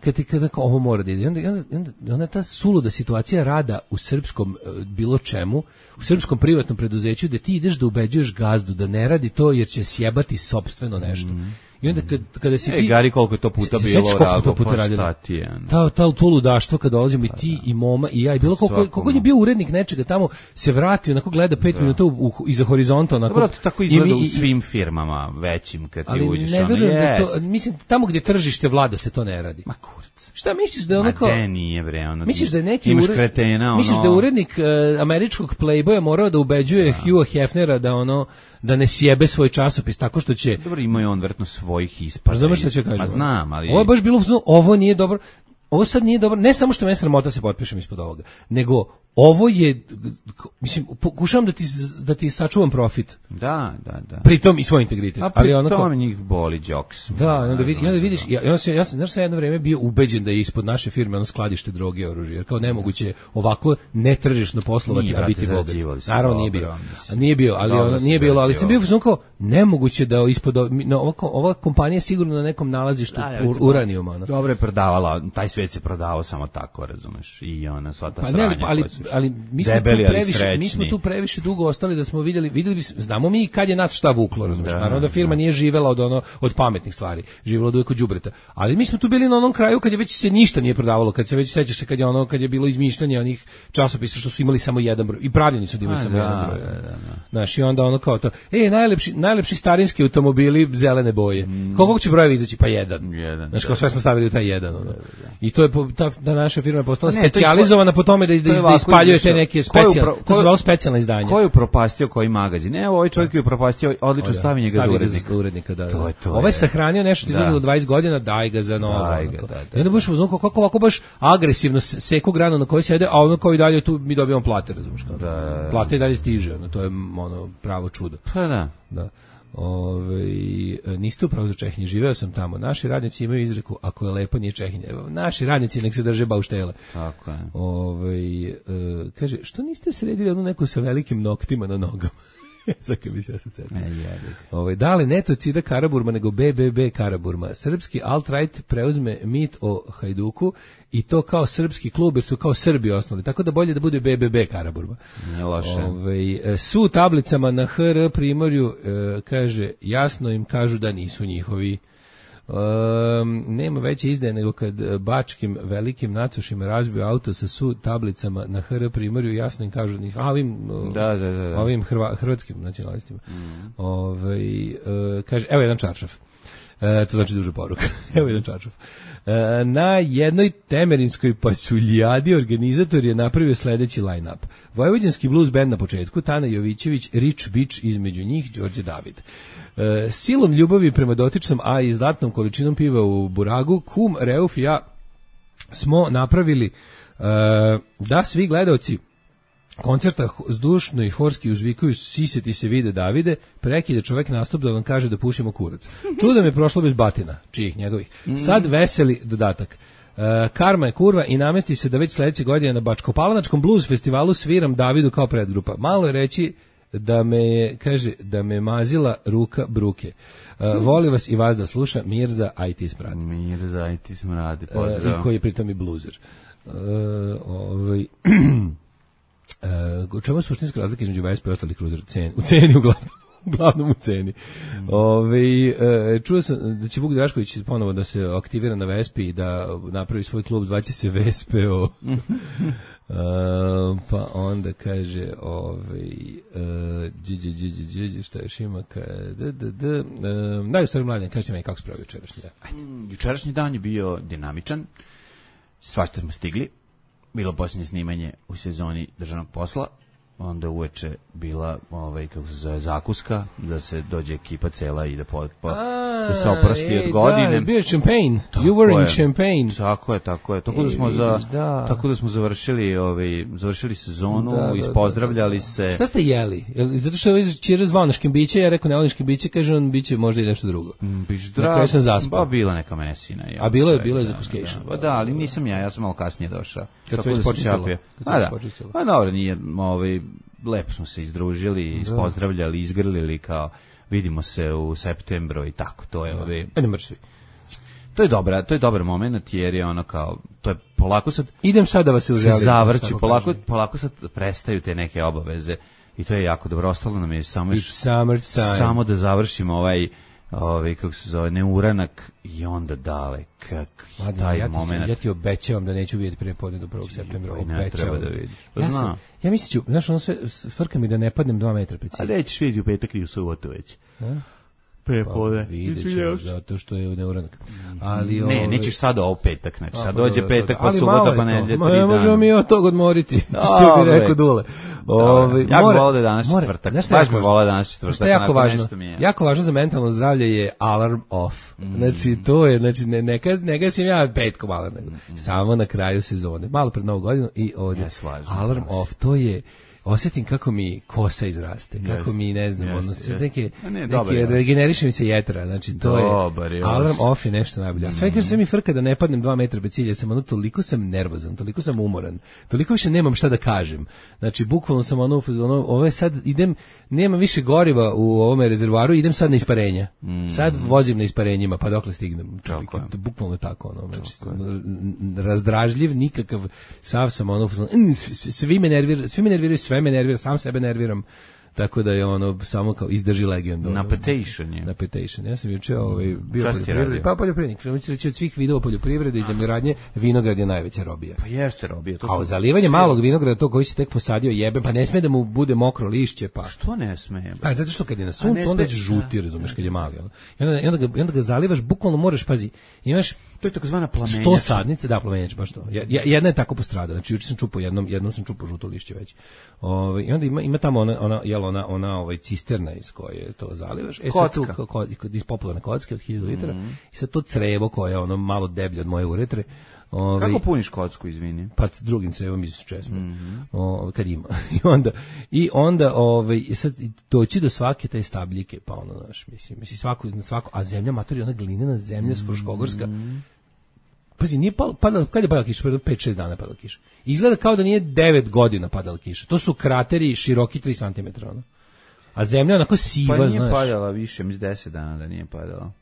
kad ti kada ovo mora da ide, onda, onda, onda ta suluda situacija rada u srpskom bilo čemu, u srpskom privatnom preduzeću, da ti ideš da ubeđuješ gazdu da ne radi to jer će sjebati sopstveno nešto. Mm. I onda kad, kada si ti... E, Gari, koliko je to puta bilo rago, pa šta ti je? Ta, ta, to ludaštvo kada dolazimo i ti i Moma i ja, i bilo koliko, koliko je bio urednik nečega tamo, se vrati, onako gleda pet da. minuta u, u, iza horizonta. Onako, dobro, to tako izgleda u svim firmama većim kad ti uđeš. Ali ne verujem da to, mislim, tamo gdje tržište vlada se to ne radi. Ma kurac. Šta misliš da je ono kao... Ma de nije bre, ono... Misliš da je neki imaš ured... kretena, ono... Misliš da je urednik uh, američkog Playboya morao da ubeđuje da. Hugha Hefnera da ono... da ne sjebe svoj časopis tako što će... Dobro, ima je on vjerojatno svojih ispada. Znaš što će kažem? Ma znam, ali... Ovo je baš bilo, ovo nije dobro, ovo sad nije dobro, ne samo što me sramota se potpišem ispod ovoga, nego ovo je, mislim, pokušavam da ti, da ti sačuvam profit. Da, da, da. Pritom i svoj integritet. A pri ali tome njih boli džoks. Da, onda, vidi, onda vidiš, ja, ja, sam, ja sam, znaš, sam jedno vreme bio ubeđen da je ispod naše firme ono skladište droge i oružje, jer kao nemoguće ovako netržišno poslovati, nije, a biti bogat. Naravno nije bio. A nije bio, ali ono, nije bilo, ali sam bio kao nemoguće da ispod, no, ova, ova kompanija sigurno na nekom nalazištu da, ur, uranijuma. Ono. Dobro je prodavala, taj svet se prodavao samo tako, razumeš, i ona sva ta pa sranja. Ne, ali, ali mi smo, debeli, tu previše, mi smo tu previše dugo ostali da smo vidjeli, vidjeli bi, znamo mi kad je nas šta vuklo, razumiješ, da, naravno da firma da. nije živela od ono od pametnih stvari, živela od uvijek od đubreta, ali mi smo tu bili na onom kraju kad je već se ništa nije prodavalo, kad se već sećaš se kad je ono kad je bilo izmišljanje onih časopisa što su imali samo jedan broj i pravljeni su da imali samo da, jedan broj. Da, da, da. Znaš, i onda ono kao to, ej, najlepši najlepši starinski automobili zelene boje. Mm. Koliko će brojevi izaći? Pa jedan. jedan Znaš, kao sve smo stavili u taj jedan. Ono. Da, da, da. I to je ta da naša firma je postala specijalizovana po tome da, da, da ispaljuje te neke specijalne, to se zvalo specijalna izdanja. Ko je upropastio koji magazin? Evo, ovaj čovjek je upropastio, odlično stavi njega za urednika. urednika da, to je to. Ovaj je sahranio nešto izlazilo dvadeset godina, daj ga za novo. I onda baš uzmano kako ovako baš agresivno seku granu na kojoj sede, a ono kao i dalje tu mi dobijamo plate, razumiješ kao. Da. Plate i dalje stiže, ono, to je ono pravo čudo. Pa da. Da. Ove, niste upravo za Čehinje, živeo sam tamo. Naši radnici imaju izreku, ako je lepo nije Čehinje. Naši radnici nek se drže bauštele. Tako je. Ove, kaže, što niste sredili onu neku sa velikim noktima na nogama? Zaka bi se ja sad setio. Ovaj da li netocida Karaburma nego B B B Karaburma. Srpski alt-right preuzme mit o Hajduku i to kao srpski klub jer su kao Srbi osnovali. Tako da bolje da bude B B B Karaburma. Nije loše. Ovaj su tablicama na H R Primorju e, kaže jasno im kažu da nisu njihovi. Um, nema veće izdaje nego kad bačkim velikim nacušima razbio auto sa su tablicama na H R Primorju, jasno im kažu njih, a ovim, da, da, da, da. ovim hrva, hrvatskim nacionalistima. Mm. Ovaj, uh, kaže, evo jedan čaršaf. Uh, to znači duža poruka. Evo jedan čaršaf. Uh, na jednoj temerinskoj pasuljadi organizator je napravio sledeći line-up. Vojvođanski blues band na početku, Tana Jovićević, Rich Beach između njih, Đorđe David. Uh, silom ljubavi prema dotičnom, a i izdatnom količinom piva u buragu, kum, Reuf i ja smo napravili uh, da svi gledaoci koncerta zdušno i horski uzvikaju siseti se vide Davide, prekide čovek nastup da vam kaže da pušimo kurac. Čudo mi je prošlo bez batina, čijih njegovih. Sad veseli dodatak. Uh, karma je kurva i namesti se da već sledeće godine na Bačkopalanačkom blues festivalu sviram Davidu kao predgrupa. Malo je reći da me je, kaže, da me mazila ruka bruke. Uh, voli vas i vas da sluša Mirza I T Smradi. Mirza I T Smradi, pozdrav. Uh, I koji je pritom i bluzer. Uh, ovaj... Uh, u čemu je suštinska razlika između Vespa i ostalih kruzera? Cen, u ceni uglavnom. Uglavnom u ceni. Mm. Ove, e, čuo sam da će Vuk Drašković ponovo da se aktivira na Vespi i da napravi svoj klub, zvaće se Vespeo. Uh, pa onda kaže ovaj uh, dži, dži, dži, dži, šta još ima d, d, d, uh, daj u stvari mladen, kažete meni kako se pravi jučerašnji dan. Jučerašnji dan je bio dinamičan, svašta smo stigli, bilo posljednje snimanje u sezoni državnog posla, onda uveče bila ovaj kako se zove zakuska da se dođe ekipa cela i da po, po, A, da se oprosti od godine. Da, bio je Champagne. You were in Champagne. Tako je, tako je. Tako da smo za da. tako da smo završili ovaj završili sezonu, da, da, ispozdravljali da, da. se. Šta ste jeli? Zato što je Čira zvao na škimbiće, ja rekao ne volim škimbiće, kaže on biće možda i nešto drugo. Biš zdrav. Na sam zaspao. Ba bila neka mesina. A bilo je, bilo je za Puscation. Da, da, ali nisam ja, ja sam malo kasnije došao. Kad se već počistilo. A da. Pa dobro, nije ovaj lepo smo se izdružili, ispozdravljali, izgrlili kao vidimo se u septembru i tako, to je ovaj ne mršvi. To je dobra, to je dobar momenat jer je ono kao to je polako sad idem sad da vas uželim. Zavrću, polako kažem. polako sad prestaju te neke obaveze i to je jako dobro. Ostalo nam je samo još samo da završimo ovaj ovaj kako se zove neuranak i onda dale kak taj ja momenat. Ja ti obećavam da neću vidjeti prije podne do prvog septembra, obećavam da vidiš. Ja sam, ja mislim ću, znaš, ono sve frka mi da ne padnem dva metra pred cilj. A nećeš vidjeti u petak i u subotu već. Pre podne. Vidjet ću, zato što je neuranak. Ali ne, ove... nećeš sad ovo petak, znači sad dođe petak pa subota pa nedelja tri dana. Ne možemo mi od tog odmoriti, što bi rekao Dule. Ove, ja bih volao da je danas četvrtak, baš bih volao da je danas četvrtak. Što je jako važno, jako važno za mentalno zdravlje je alarm off. Znači to je, znači ne, neka, neka sam ja petkom alarm, nego samo na kraju sezone, malo pred novu godinu i ovdje alarm off, to je osjetim kako mi kosa izraste, kako mi, ne znam, jest, ono, sve neke, ne, neke regeneriše mi se jetra, znači to dobar, je, alarm off je nešto najbolje. A sve kaže sve mi frka da ne padnem dva metra bez cilja, sam ono, toliko sam nervozan, toliko sam umoran, toliko više nemam šta da kažem. Znači, bukvalno sam ono, ono ovo je sad, idem, nema više goriva u ovome rezervoaru, idem sad na isparenja. Mm. Sad vozim na isparenjima, pa dokle stignem. Toliko, to, bukvalno tako, ono, znači, razdražljiv, nikakav, sav sam ono, svi me nerviraju, svi me nerviraju, sve me nervira, sam sebe nerviram, tako da je ono samo kao izdrži legendu. Na petition je. Na petition. Ja sam juče ovaj, bio poljoprivrednik, pa poljoprivrednik. Krenući reći od svih vidova poljoprivrede i zemljoradnje, vinograd je najveća robija. Pa jeste robija. To a zalivanje malog vinograda, to koji si tek posadio jebe, pa ne sme da mu bude mokro lišće. Pa što ne sme? Pa zato što kad je na suncu, onda je žuti, razumeš, kad je mali. Ono. I onda, onda, ga, onda ga zalivaš, bukvalno moraš, pazi, imaš to je takozvana plamenjača. sto sadnice, da, plamenjač, baš to. Jedna je tako postradala. Znači juče sam čupao jednom, jednom sam čupao žuto lišće već. Ovaj i onda ima ima tamo ona ona jel ona ona ovaj cisterna iz koje to zalivaš. E sad tu kod iz popularne kocke od hiljadu litara. Mm. I sad to crevo koje je ono malo deblje od moje uretre. Ovaj, kako puniš kocku, izvini? Pa s drugim crevom iz česme. Mm-hmm. O, kad ima. I onda i onda ovaj sad doći do svake te stabljike, pa ono, znaš, mislim, mislim svako svako, a zemlja matori, ona glinena zemlja mm-hmm. Fruškogorska. Pazi, nije palo, padala, kad je padala kiša? Pre pet šest dana padala kiša. Izgleda kao da nije devet godina padala kiša. To su krateri široki tri centimetra, ono. A zemlja onako siva, znaš. Pa nije znaš. Padala više, mislim deset dana da nije padala.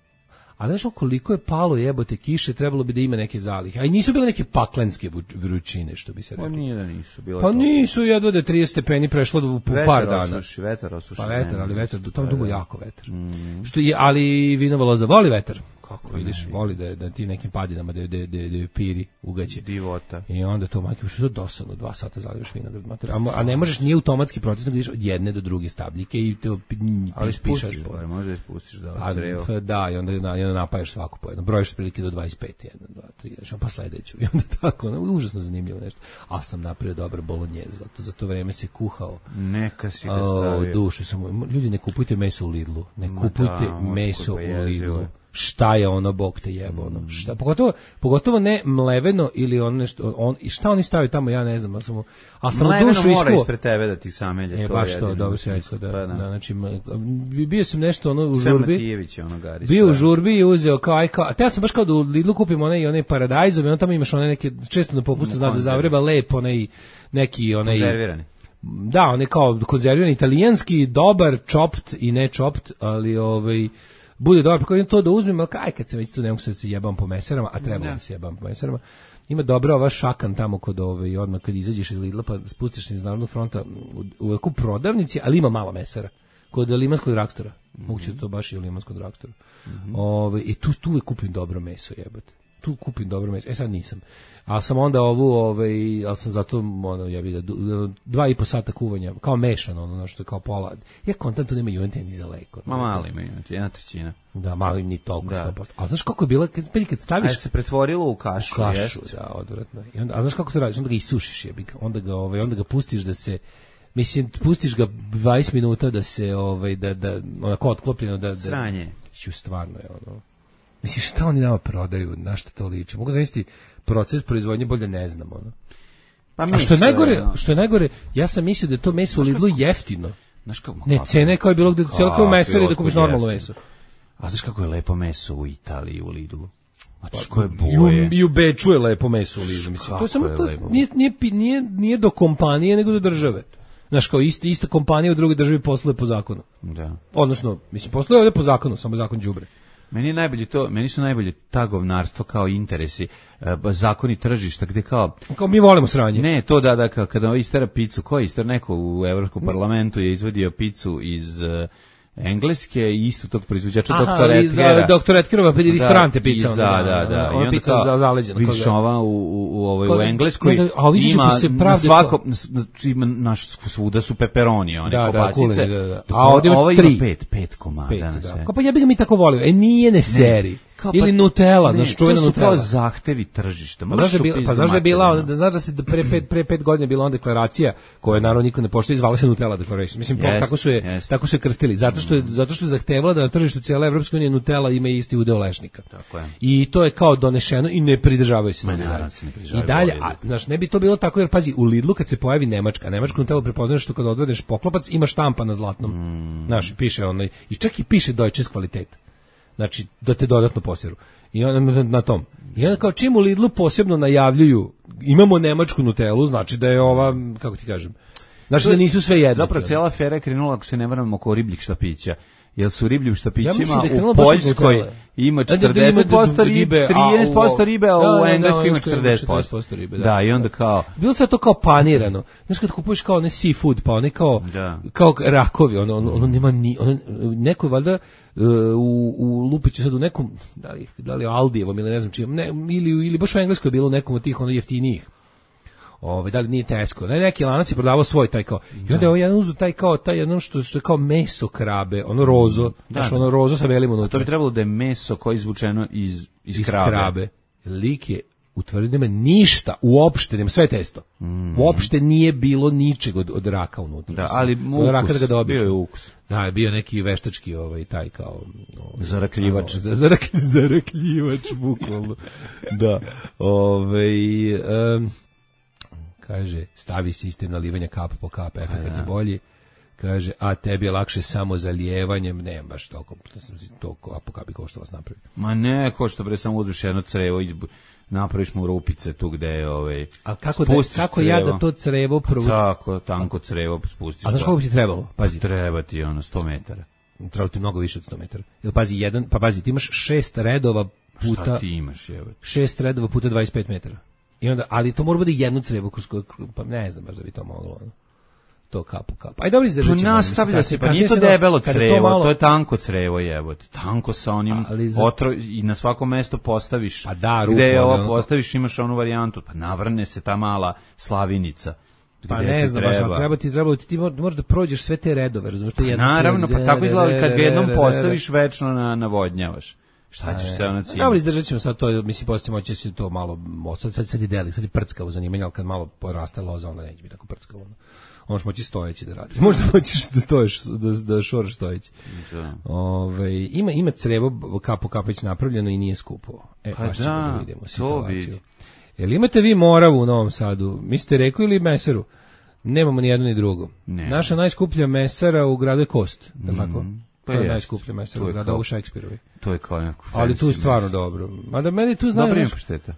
A znaš koliko je palo jebote kiše, trebalo bi da ima neke zalihe. A i nisu bile neke paklenske vrućine, što bi se reklo. Pa nije da nisu. Bila pa to. Nisu, jedva da je trideset stepeni prešlo do vetar par dana. Osuši, vetar osuši. Pa vetar, ali vetar, tamo dugo jako vetar. Mm. Što je, ali vinova loza voli vetar. Kako vidiš, ne, voli da da ti nekim padinama da da da, da piri ugaće divota. I onda to majke što je dosadno, dva sata zalivaš vinograd mater. A, a ne možeš nije automatski proces, nego ideš od jedne do druge stabljike i te ali spišaš, pa možeš ispustiš da crevo. Pa da, i onda na, i onda napajaš svaku po jedno. Brojiš prilike do dvadeset pet, jedan, dva, tri, znači pa sledeću. I onda tako, no, užasno zanimljivo nešto. A sam napravio dobar bolognjez, zato za to vreme se kuhao. Neka si ga stavio. O, dušu samo. Ljudi, ne kupujte meso u Lidlu. Ne kupujte da, meso u Lidlu. Šta je ono, bog te jebo, ono, šta, pogotovo, pogotovo ne mleveno ili on nešto, on, šta oni stavaju tamo, ja ne znam, ali sam, ali sam mleveno dušu mora ispred tebe da ti samelje, e, to baš to, dobro se rekao, da, da, da, znači, bio sam nešto, ono, u Sve žurbi, Matijević, ono, gari, bio u žurbi i uzeo kao, aj, kao, te ja sam baš kao da u Lidlu kupim one i one paradajzove, on tamo imaš one neke, često na popustu zna da zavreba lep, onaj, neki, onaj, konzervirani. Da, on je kao konzervirani, italijanski, dobar, chopped i ne chopped, ali, ovaj, bude dobro, kako to da uzmem, ali kaj kad se već tu ne mogu se jebam po meserama, a treba da se jebam po meserama. Ima dobra ova šakan tamo kod ove i odmah kad izađeš iz Lidla pa spustiš se iz Narodnog fronta u, u prodavnici, ali ima malo mesara. Kod limanskog dragstora. Mm-hmm. Moguće da to baš i u limanskom dragstoru. Mm-hmm. Ove, i tu tu uvek kupim dobro meso, jebote. tu kupim dobro meso. E sad nisam. Ali sam onda ovu, ovaj, ali sam zato, ono, ja bih da, dva i po sata kuvanja, kao mešano, ono, što je kao pola. Ja kontam, tu nema juventija ni za leko. Ma mali ima juventija, jedna trećina. Da, malo im ni toliko, sto posto. A znaš kako je bila, kad, kad staviš... A se pretvorilo u kašu, u kašu, jest? da, odvratno. I onda, a znaš kako to radiš? Onda ga isušiš, jebik. Onda ga, ovaj, onda ga pustiš da se... Mislim, pustiš ga dvadeset minuta da se, ovaj, da, da, onako otklopljeno, da... da Sranje. Ću, stvarno je, ono... Mislim, šta oni nama prodaju, na šta to liči? Mogu zamisliti proces proizvodnje, bolje ne znam, ono. Pa a što je najgore, no. što je najgore, ja sam mislio da je to meso u Lidlu jeftino. Znaš kako? Ne, cene kao je bilo gde celo kao mesari da kupiš normalno meso. A znaš kako je lepo meso u Italiji, u Lidlu? Znači, pa, koje boje. I u Beču je lepo meso u Lidlu, mislim. To je samo to, nije, nije, nije, nije do kompanije, nego do države. Znaš, kao ista, ista kompanija u drugoj državi posluje po zakonu. Da. Odnosno, mislim, posluje ovdje po zakonu, samo zakon đubre. Meni je najbolje to, meni su najbolje ta govnarstvo kao interesi, zakoni tržišta, gde kao... Kao mi volimo sranje. Ne, to da, da, kao kada istera picu, ko je istera, neko u Evropskom parlamentu je izvadio picu iz... Engleske i isto tog proizvođača doktora Etkera. Da, doktor Etkerova restorante pizza. Da, da, da. Ona pizza za zaleđena. Vidiš ova u, u, u, ovoj, u Engleskoj ima na svako, ima naš svuda su peperoni, one da, kobasice. Da, da, da. A ovdje ima tri. Pet, pet komada. Pet, da. Kao pa ja bih ga mi tako volio. E nije ne seri. Ili Nutella, znaš, čuvena Nutella. To su kao zahtevi tržišta. Pa znaš da je pa znaš da je bila, da znaš da se pre pet pre pet godina bila ona deklaracija koju naravno niko ne poštuje, zvala se Nutella Declaration. Mislim yes, tako su je yes. tako su je krstili, zato što je zato što je zahtevala da na tržištu cijele Evropske unije Nutella ima isti udeo lešnika. Tako je. I to je kao donešeno i ne pridržavaju se. Ne, I dalje, a znaš, ne bi to bilo tako jer pazi, u Lidlu kad se pojavi Nemačka, Nemačku Nutellu prepoznaš što kad odvedeš poklopac ima štampa na zlatnom. Mm. Znaš, piše onaj i čak i piše Deutsches Qualität. Znači da te dodatno poseru. I onda na tom. I onda kao čim u Lidlu posebno najavljuju imamo nemačku Nutellu, znači da je ova, kako ti kažem, znači da nisu sve jednake. Zapravo cijela afera je krenula, ako se ne varam, oko ribljih štapića. Jer su ribljim štapićima ja u Poljskoj ima četrdeset posto ribe, trinaest posto ribe, a u Engleskoj ima četrdeset posto ribe. Da, i onda kao... Bilo se to kao panirano. Znaš kad kupuješ kao ne seafood, pa one kao, kao rakovi, ono, ono, ono nema ni... Ono, neko valjda u, u Lupiću sad u nekom, da li, da li Aldijevom ili ne znam čijem, ne, ili, ili baš u Engleskoj je bilo u nekom od tih ono jeftinijih. Ove, da li nije Tesco, ne, neki lanac je prodavao svoj taj kao, i onda je ovaj jedan uzu taj kao, taj jedno što, što je kao meso krabe, ono rozo, da, znaš, ono rozo sa velim unutra. To bi trebalo da je meso koje je izvučeno iz, iz, iz krabe. krabe. Lik je utvrdio da nema ništa, uopšte, nema sve testo. Mm. Uopšte nije bilo ničeg od, od raka unutra. Da, ali ukus, raka da ga bio je ukus. Da, je bio neki veštački ovaj, taj kao... Ovaj, zarakljivač. Za, zarak, zarakljivač, bukvalno. Da. Ovaj... Um, kaže, stavi sistem nalivanja kap po kap, efekt je bolji. Kaže, a tebi je lakše samo zalijevanjem, ne baš toliko, to kap po kap bi košta vas napraviti. Ma ne, košta bre, samo uzduš jedno crevo, izbu, napraviš mu rupice tu gde je, ovaj, a kako, da, kako ja da to crevo provučem? Tako, tanko crevo spustiš. A znaš kako bi ti trebalo? Pazi. Treba ti ono, sto metara. Trebalo ti mnogo više od sto metara. Jel, pazi, jedan, pa pazi, ti imaš šest redova puta... Šta ti imaš, evo? Šest redova puta dvadeset pet metara. I onda, ali to mora bude jedno crevo kroz koje, pa ne znam baš da bi to moglo, ono. To kapu kapu. Aj dobro izdržat ćemo. Nastavlja se, pa nije to debelo crevo, to, malo... to je tanko crevo, jebote. Tanko sa onim za... otro, i na svako mesto postaviš. Pa da, rupo, gde je ovo postaviš, imaš onu varijantu, pa navrne se ta mala slavinica. Pa ne znam, baš, ali treba ti, treba ti, ti možeš da prođeš sve te redove, razumiješ, to je jedno. Naravno, pa tako izgleda kad ga jednom postaviš, večno na, navodnjavaš. Šta ćeš se ono cimati? Dobro, izdržat ćemo sad to, mislim, poslije moći se to malo, sad, sad, sad je deli, sad je prckavo zanimanje, ali kad malo poraste loza, onda neće biti tako prckavo. Ono. Možeš moći stojeći da radiš. Možda moćeš da stoješ, da, da šoraš stojeći. Ove, ima, ima crevo kapo kapeć napravljeno i nije skupo. E, pa da, da vidimo situaciju. Jel imate vi Moravu u Novom Sadu? Mislite Reku ili Mesaru? Nemamo ni jedno ni drugo. Ne. Naša najskuplja mesara u gradu je Kost, da mm. tako? Pa to je najskuplja mesara u gradu u Šekspirovi. To je kao neko. Ali tu je stvarno dobro. Mada meni tu znaju... Dobro ima pašteta.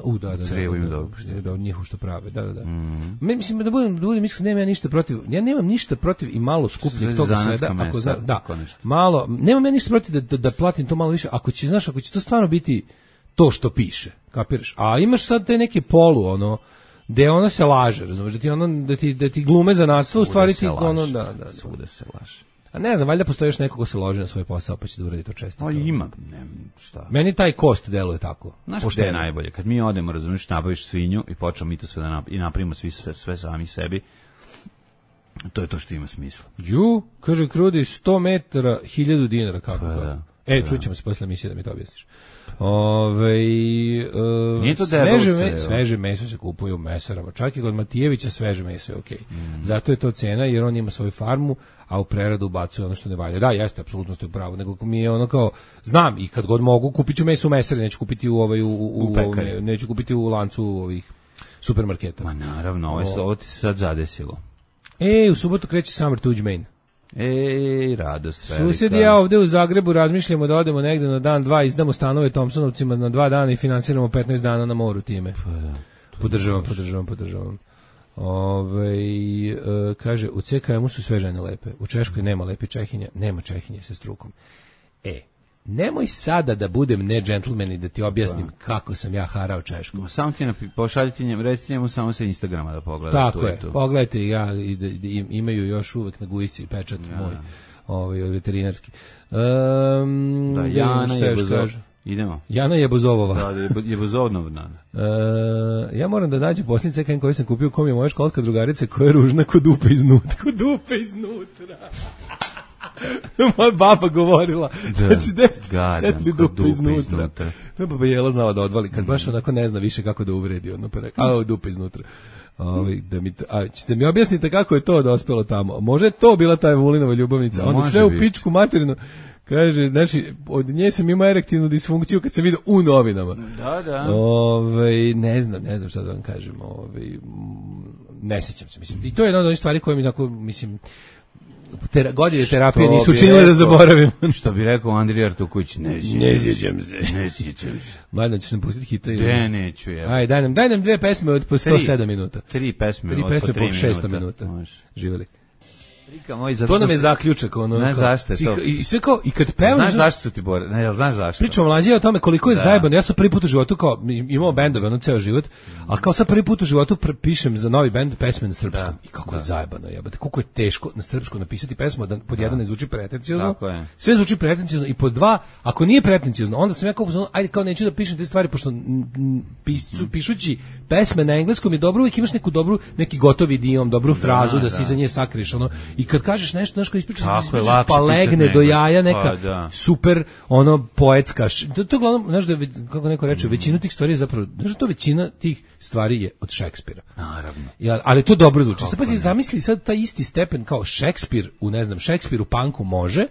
U, da, da, Crevo da, ima da, dobro pašteta. Da, njihovo što prave, da, da, da. Mm. Mislim, da budem, da budem iskren, nemam ja ništa protiv, ja nemam ništa protiv i malo skupljeg toga sveda, ako zna, da, malo, nemam ja ništa protiv da, da, da platim to malo više, ako će, znaš, ako će to stvarno biti to što piše, kapiraš, a imaš sad te neke polu, ono, gde ono se laže, razumiješ, da ti ono, da ti, da ti glume za nadstvo, u stvari ti ono, da, da, svuda se laže. A ne znam, valjda postoji još neko ko se loži na svoj posao pa će da uradi to često. Pa ima, ne, šta. Meni taj kost deluje tako. Znaš gde je najbolje? Kad mi odemo, razumiješ, nabaviš svinju i počnemo mi to sve da nap i napravimo svi sve, sve sami sebi, to je to što ima smisla. Ju, kaže Krudi, sto metara, hiljadu dinara, kako pa, to? Da, e, pa, čućemo se posle emisije da mi to objasniš. Ove, uh, Nije to sveže, deruce, me, sveže meso se kupuje u mesarama, čak i kod Matijevića sveže meso je okej. Okay. Mm. Zato je to cena, jer on ima svoju farmu, a u preradu ubacuje ono što ne valja. Da, jeste, apsolutno ste u pravu, nego mi je ono kao, znam, i kad god mogu, kupit ću meso u mesari, neću kupiti u, ovaj, u, u, u ovome, neću kupiti u lancu ovih supermarketa. Ma naravno, ovo, ovo ti se sad zadesilo. E, u subotu kreće Summer Tuđ Main. Ej, radost velika. Susjed i ja ovde u Zagrebu razmišljamo da odemo negde na dan, dva, izdamo stanove Thompsonovcima na dva dana i finansiramo petnaest dana na moru time. Pa da. Podržavam, podržavam, podržavam. Ove, e, kaže, u C K M-u su sve žene lepe. U Češkoj nema lepe Čehinja, nema Čehinje sa strukom. E, nemoj sada da budem ne džentlmen i da ti objasnim pa. kako sam ja harao Češkom. Samo ti napi, pošaljite njemu, recite njemu samo sa Instagrama da pogleda. Tako tu je, tu. Pogledajte, ja, i da, da imaju još uvek na gujsci pečat ja. moj, ovaj, veterinarski. Um, da, Jana je Bozov. Idemo. Jana je Bozovova. Da, da je Bozovnov dan. Uh, ja moram da nađem posljednji C K M koji sam kupio, kom je moja školska drugarica koja je ružna kod dupe iznutra. Kod dupe iznutra. Moja baba govorila, da, znači deset setli dupe iznutra. iznutra. To je baba Jela znala da odvali, kad baš onako ne zna više kako da uvredi, ono pa rekao, a dupe iznutra. Ovi, da mi, a ćete mi objasnite kako je to dospelo tamo. Može je to bila ta Vulinova ljubavnica, onda sve u pičku materinu. Kaže, znači, od nje sam imao erektivnu disfunkciju kad sam vidio u novinama. Da, da. Ove, ne znam, ne znam šta da vam kažem. Ove, ne sjećam se, mislim. I to je jedna od onih stvari koje mi, tako, mislim, tera, godine terapije nisu učinile da zaboravim. Što bi rekao Andrija Artuković, ne sjećam se. Ne sjećam se. Mladen, ćeš nam pustiti hita? Ne, neću, ja. Aj, daj nam, daj nam dve pesme od po sto sedam minuta. Tri pesme Tri od pesme po tri po šesto minuta. minuta. Živjeli. Moj, to nam je zaključak, ono. Znaš zašto je to? I, i sve kao, i kad pevam... Znaš zašto su ti bore? Ne, znaš zašto? Pričamo mlađe o tome koliko je da. zajebano. Ja sam prvi put u životu, kao, imao bendove, ono, ceo život, a kao sad prvi put u životu pišem za novi bend pesme na srpskom. Da. I kako da. je zajebano, jebate. Koliko je teško na srpskom napisati pesmu, da pod jedan ne zvuči pretenciozno. Sve zvuči pretenciozno i pod dva, ako nije pretenciozno, onda sam ja kao, ajde, kao neću da pišem te stvari, pošto pisu, pišući pesme na engleskom je dobro, uvijek imaš neku dobru, neki gotovi idiom, dobru frazu da, da se iza nje sakriš, ono. I kad kažeš nešto, znaš, kao ispričaš, pa legne do jaja neka pa, da. super, ono, poetska. To, to uglavnom, znaš da, kako neko reče, mm. većinu tih stvari je zapravo, znaš da to većina tih stvari je od Šekspira. Naravno. Ja, ali to dobro zvuči. Sad pa si zamisli sad taj isti stepen kao Šekspir, u ne znam, Šekspir u punku može,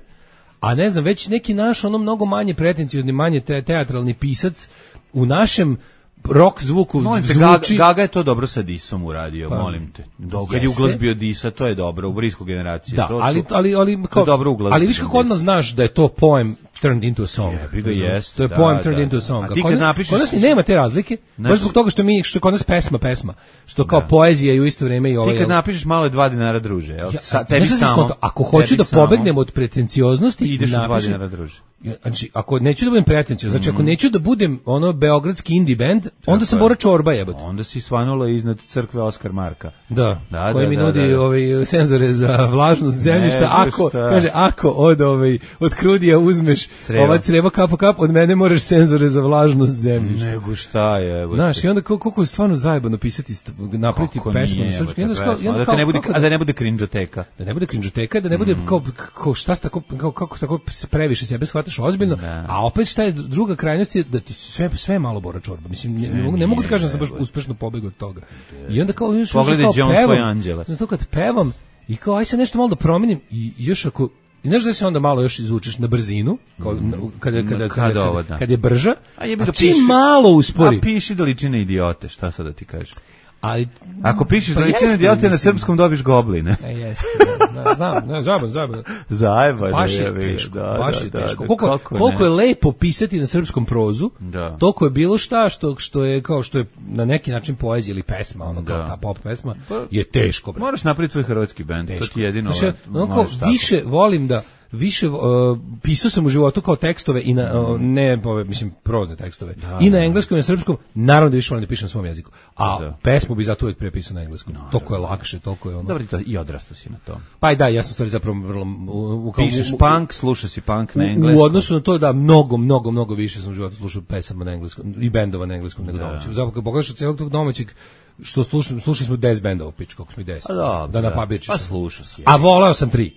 a ne znam, već neki naš, ono, mnogo manje pretenciozni, manje te, teatralni pisac u našem rock zvuku molim te, zvuči... Gaga, Gaga je to dobro sa Disom uradio, pa, molim te. Dok kad je uglazbio Disa, to je dobro, u brisku generaciju. Da, to ali, su, ali, ali, kao, ali viš kako odmah znaš da je to poem turned into a song. Je, bi jest, to je da, poem turned da, into a song. A ti kad napišeš... Kod nas ni nema te razlike, znači, baš zbog toga što mi, što kod nas pesma, pesma, što kao da. poezija i u isto vrijeme i ovaj... Ti kad napišeš malo je dva dinara druže, jel? Ja, Sa, tebi samo... Ako hoću da pobegnem od pretencioznosti... Ideš na dva dinara druže. Znači, ako neću da budem pretenciozan, znači, ako neću da budem ono beogradski indie band, onda sam Bora Čorba, jebote. Onda si svanula iznad crkve Oskar Marka. Da, da koji da, mi da, nudi da, da. Ovaj, senzore za vlažnost zemljišta. Ne, ako, šta? kaže, ako od, ovaj, od Krudija uzmeš Creva. ova creva kap po kap, od mene moraš senzore za vlažnost zemljišta. Nego šta je? Znaš, i onda koliko je stvarno zajebano pisati, napraviti pesmu na srpskom. Da te ne bude, a da ne bude krinđoteka. Da ne bude krinđoteka, da ne bude kao, kao šta tako, kao, kako tako previše sebe shvataš ozbiljno. Da. A opet šta je druga krajnost je da ti sve sve malo Bora Čorba. Mislim ne, ne, mogu, ne mogu da kažem da sam baš uspešno pobegao od toga. I onda kao još pogledaj John svoje anđele. Zato kad pevam i kao aj se nešto malo da promenim i još ako i znaš da se onda malo još izvučeš na brzinu, kao kada kada kada kad je brža, a, a čim malo uspori. A piši da liči na idiote, šta sad da ti kažeš? Ali ako pišeš pa da liči na idiote na srpskom dobiš gobline. E jeste. Da, znam, ne, zajeban, zajeban. Zajeban. Baš je teško, da, baš je da, teško. Da, koliko, koliko je lepo pisati na srpskom prozu, da. toliko je bilo šta što što je kao što je na neki način poezija ili pesma, ono kao da. ta pop pesma, je teško. Bre. Moraš napraviti svoj hrvatski bend, to ti jedino. Znači, onako više volim da više uh, pisao sam u životu kao tekstove i na uh, ne, mislim, prozne tekstove. Da, I na engleskom i na srpskom, naravno da više volim da pišem na svom jeziku. A da. pesmu bi zato uvijek prepisao na engleskom. No, toliko je lakše, toliko je ono. Dobro, i odrastao si na to. Pa i da, ja sam stvari zapravo vrlo u, u, kao, pišeš u, punk, slušaš si punk na engleskom. U odnosu na to da mnogo, mnogo, mnogo više sam u životu slušao pesama na engleskom i bendova na engleskom nego domaćeg. Zapravo kad pogledaš od cijelog tog domaćeg što slušali, slušali smo deset bendova, pič, kako smo i deset. Da, da napabičiš. Pa slušao si. A voleo sam tri.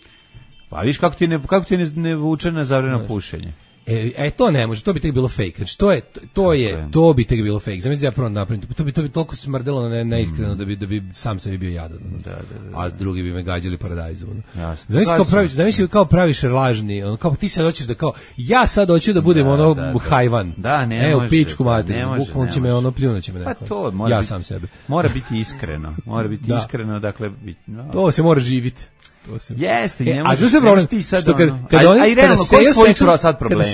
Pa viš kako ti ne, kako ti ne, ne vuče na zabrano pušenje. E, e to ne može, to bi tek bilo fake. Znači to je to je to bi tek bilo fake. Zamisli ja prvo napravim, to bi to bi toliko smrdelo ne neiskreno mm. da bi da bi sam sebi bio jadan. Da, da, da, da. A drugi bi me gađali paradajzom. Zamisli kao praviš, zamisli kao praviš lažni, on kao ti sad hoćeš da kao ja sad hoću da budem da, ono da, da. hajvan. Da, ne e, može. U pičku mater. Bukvalno će me ono pljunuće me neko. Pa to mora ja biti, sam sebe. Mora biti iskreno. Mora biti da. iskreno, dakle biti. No. To se mora živiti. Jeste, ne e, možeš. A što je problem? Ti sad što kad, ono, kad oni, aj, realno, koji su tvoji sad problemi?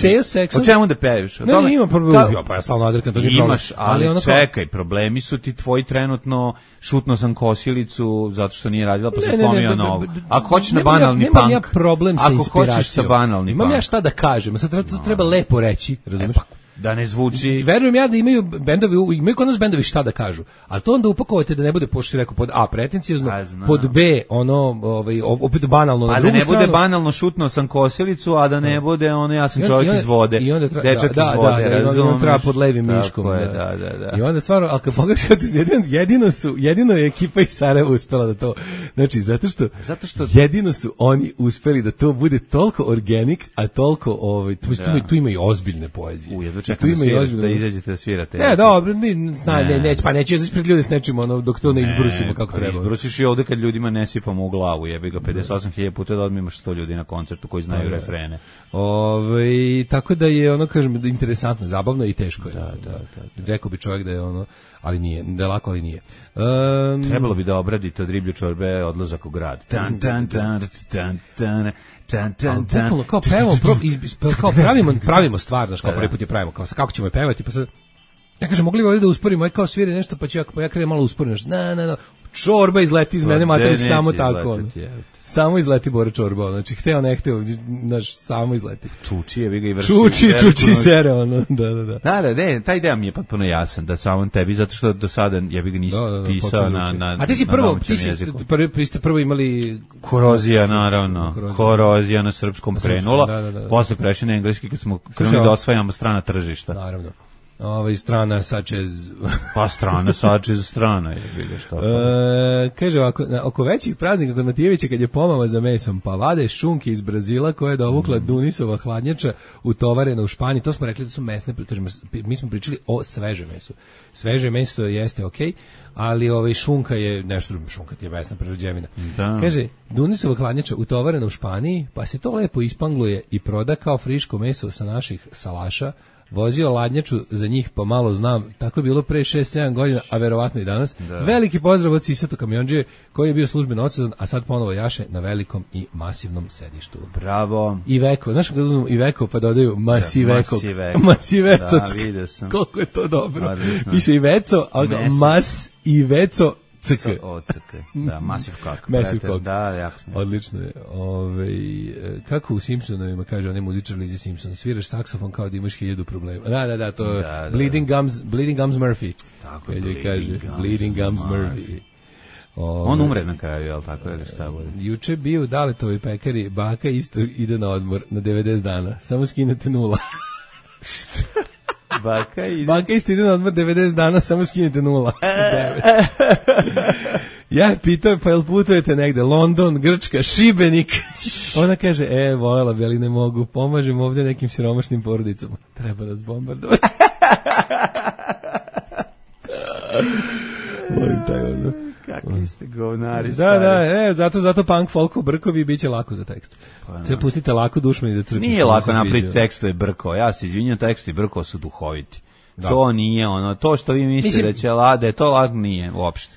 O čemu da peviš? Ne, ne, imam problem. Ja, pa ja stalno odrekam, to nije problem. Imaš, ali, ali čekaj, problemi su ti tvoji trenutno, šutno sam kosilicu zato što nije radila, pa se slomio nogu. Ako hoćeš na banalni punk, nemam ja problem sa inspiracijom. Ako hoćeš sa banalni punk. Imam ja šta da kažem, sad to treba lepo reći, razumiješ? Da ne zvuči. I verujem ja da imaju bendovi, imaju kod nas bendovi šta da kažu, ali to onda upakovate da ne bude, pošto si rekao, pod A, pretencijozno, pod B, ono, ovaj, opet banalno na drugu stranu. A da ne bude banalno šutno sam kosilicu, a da ne bude ono, ja sam čovjek iz vode, dečak iz vode, razumiješ? I onda treba pod levim miškom. Da, da, da. I onda stvarno, ali kad pogledaš, jedino su, jedino je ekipa iz Sarajeva uspela da to, znači, zato što, zato što jedino su oni uspeli da to bude toliko organik, a toliko, ovaj, tu, tu ima i ozbiljne poezije. Tu ima i ozbiljno da izađete da svirate. Ne, dobro, mi zna, ne, ne, pa neće izaći pred ljude s nečim, ono, dok to ne izbrusimo kako pa treba. Izbrusiš i ovde kad ljudima ne sipamo u glavu, jebi ga pedeset osam hiljada puta da odmimaš sto ljudi na koncertu koji znaju da, refrene. Ove, tako da je ono, kažem, interesantno, zabavno i teško je. Da, da, da. Rekao bi čovjek da je ono, ali nije, da je lako, ali nije. Um, Trebalo bi da obradite od riblje čorbe odlazak u grad. Tan, tan, tan, tan, tan. Tan, tan, tan. Ali, kao pevamo, pro, iz, kao pravimo, pravimo stvar, znaš, kao prvi put je pravimo, kao kako ćemo je pevati, pa sad, ja kažem, mogli bi ovdje da usporimo, aj kao sviri nešto, pa ću ja, pa ja krenem malo usporim, na, na, na, čorba izleti iz mene, materi, samo tako, ono. Samo izleti Bora čorba, znači, hteo, ne hteo, znaš, samo izleti. Čuči je, vi ga i vrši. Čuči, čuči sere, ono, da, da, da. Da, da, ne, ta ideja mi je potpuno jasan, da samo tebi, zato što do sada, ja bih ga nisi da, da, da, pisao na, na, a ti si prvo, ti si prvi, prvi ste prvo imali... Korozija, naravno, korozija, korozija na srpskom na krenula, da, da, da, da. Posle prešli na engleski kad smo krenuli da osvajamo strana tržišta. Naravno. Ovaj strana sačez pa strana sačez strana je bilo što. E, kaže ovako, na, oko većih praznika kod Matijevića kad je pomama za mesom, pa vade šunke iz Brazila koje je dovukla mm. Dunisova hladnjača utovarena u Španiji. To smo rekli da su mesne, kažemo, mi smo pričali o svežem mesu. Sveže meso jeste okej, okay, ali ovaj šunka je nešto drugo, šunka je mesna prerađevina. Da. Kaže, Dunisova hladnjača utovarena u Španiji, pa se to lepo ispangluje i proda kao friško meso sa naših salaša. Vozio ladnjaču za njih, pa malo znam, tako je bilo pre šest sedam godina, a verovatno i danas. Da. Veliki pozdrav od Sisato kamionđe koji je bio službeno odsudan, a sad ponovo jaše na velikom i masivnom sedištu. Bravo. Iveco, znaš kako uzmemo Iveco pa dodaju Masiveko. Da, Masiveco. Da, vidio sam. Koliko je to dobro. Piše Iveco, a Mas Iveco C K. O, C K. Da, Massive Cock. Massive Cock. Da, jako smiješno. Odlično je. Ove, kako u Simpsonovima kaže onaj muzičar Lizzie Simpson, sviraš saksofon kao da imaš hiljadu problema. Da, da, da, to je da, da, Bleeding Gums, Bleeding Gums Murphy. Tako je, Bleeding, kaže, Gums, Bleeding Gums Murphy. Murphy. Ove, on umre na kraju, jel tako je, šta bude? Juče bio u Daletovoj pekari, baka isto ide na odmor na devedeset dana. Samo skinete nula. Šta? Baka ide. Baka isto ide na odmor devedeset dana, samo skinete nula. Ja je pitao, pa jel putujete negde? London, Grčka, Šibenik. Ona kaže, e, volela bi, ali ne mogu. Pomažem ovdje nekim siromašnim porodicama. Treba nas bombardovati. Volim taj ono. Kakvi ste govnari da, stari. Da, e, zato, zato punk, folko, brkovi bit će lako za tekst. Pa, sve pustite lako dušmani da crpite. Nije lako napraviti tekstove brko. Ja se izvinjam, tekstovi brko su duhoviti. Da. To nije ono, to što vi mislite Mislim, da će lade, to lako nije uopšte.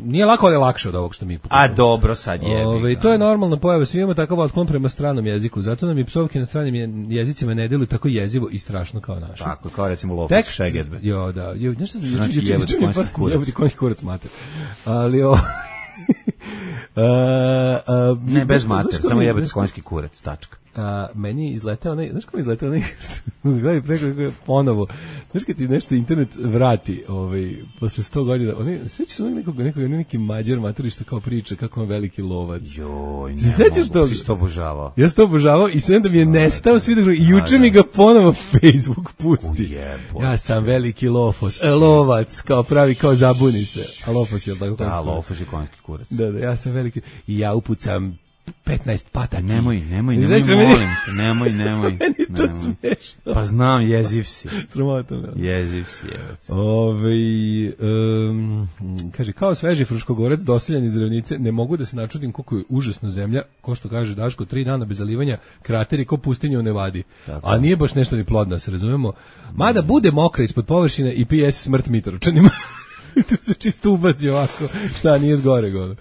Nije lako, ali je lakše od ovog što mi pokušamo. A dobro, sad jebi. Ove, to je normalna pojava, svi imamo takav otklon prema stranom jeziku, zato nam i psovke na stranim jezicima ne deluju tako jezivo i strašno kao naši. Tako, kao recimo Lofus Šegedbe. Jo, da, jo, nešto znači jebati konjski kurac. Jebati konjski kurac, mater. Ali o... Uh, uh, ne, bez mater, samo jebati konjski kurac, tačka. a, meni izletao onaj, znaš kako mi izletao onaj, gledaj preko ponovo, znaš kad ti nešto internet vrati, ovaj, posle sto godina, onaj, sećaš se nekog, nekog, neki Mađar maturi što kao priča kako on veliki lovac. Joj, ne sećaš mogu, ti si to obožavao. Ja sam to obožavao i sve da mi je nestao svi da i juče mi ga ponovo Facebook pusti. Ujebo, ja sam veliki lofos, e, lovac, kao pravi, kao zabuni se. A lofos je tako? Da, lofos je konjski kurac. Da, da, ja sam veliki i ja upucam petnaest pataki. Nemoj, nemoj, nemoj, nemoj molim te, nemoj, nemoj. Meni to nemoj. smešno. Pa znam, jeziv si. Sramotno. Jeziv si, evo. Ove, um, kaže, kao sveži Fruškogorec, doseljan iz Ravnice, ne mogu da se načudim koliko je užasna zemlja, ko što kaže Daško, tri dana bez zalivanja, krateri ko pustinje u Nevadi. Tako. A nije baš nešto ni plodno, se razumemo. Mada bude mokra ispod površine i P S smrt Mitrovčanima. Tu se čisto ubaci ovako, šta nije zgore gore.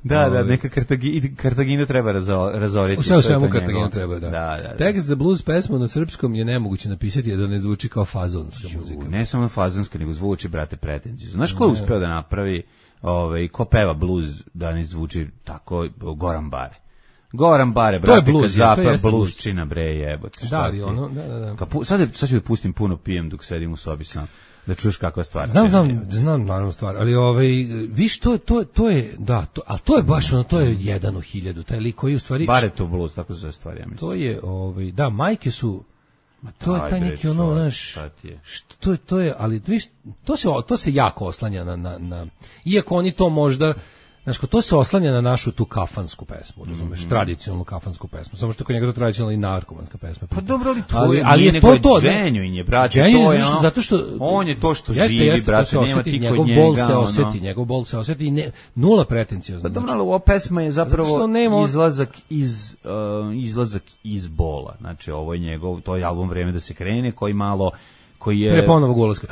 Da, da, neka Kartagi, Kartaginu treba razo, razoriti. U svemu Kartaginu treba, da. Da, da, da. Tekst za blues pesmu na srpskom je nemoguće napisati, jer da ne zvuči kao fazonska Ju, muzika. Ne samo fazonska, nego zvuči, brate, pretenziju. Znaš ko je uspeo da napravi, ovaj, ko peva blues da ne zvuči tako, Goran Bare? Goran Bare, brate, blues, Kazapa, bluesčina, bre, jebote. Da, ali ono, da, da, da. Kapu, sad, je, sad ću da pustim puno pijem dok sedim u sobi sam. Da čuješ kakva stvar. Znam, znam, znam naravno stvar, ali ovaj viš to to to je da, to, al to je baš ono, to je jedan u hiljadu, taj lik koji u stvari Bare to blues, tako se zove stvar, ja mislim. To je ovaj da, majke su Ma to je taj neki ono, znaš, što to je to je, ali viš to se to se jako oslanja na na na iako oni to možda znaš, to se oslanja na našu tu kafansku pesmu, razumeš, mm -hmm. tradicionalnu kafansku pesmu, samo što kod njega to tradicionalna i narkomanska pesma. Pa dobro, ali to ali, je, ali je to to, Ženju je, brate, Ženju to je, je, zato što on je to što jeste, živi, jeste, brate, to nema osjeti, ti njegov kod njega. Bol se ono. osjeti, njegov bol se osjeti i ne, nula pretenciozno. Pa dobro, ali ova pesma je zapravo nema... izlazak iz, uh, izlazak iz bola, znači ovo je njegov, to je album Vreme da se krene, koji malo koji je pre ponovog ulaska.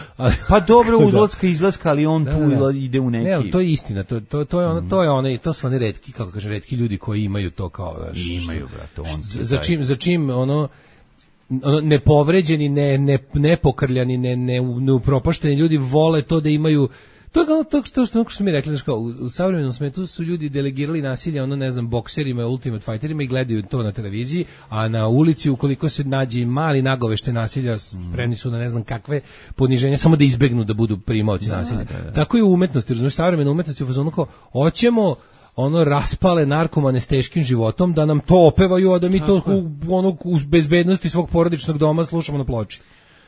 Pa dobro, uzlaska izlaska, ali on da, tu da, da. ide u neki. Ne, to je istina, to to to je ono, to je one, to su oni retki, kako kaže, retki ljudi koji imaju to kao, znaš, imaju, brate, on za čim za čim ono ono nepovređeni, ne ne nepokrljani, ne ne neupropašteni ljudi vole to da imaju. To je kao to što što što mi rekli, znači kao u, u savremenom svetu su ljudi delegirali nasilje, ono ne znam, bokserima, ultimate fighterima i gledaju to na televiziji, a na ulici ukoliko se nađe mali nagovešte nasilja, spremni su na ne znam kakve poniženja samo da izbegnu da budu primaoci da, nasilja. Da, da. Tako i u umetnosti, znači savremena umetnost je u fazonu kao hoćemo ono raspale narkomane s teškim životom da nam to opevaju, a da mi tako to u, ono u bezbednosti svog porodičnog doma slušamo na ploči.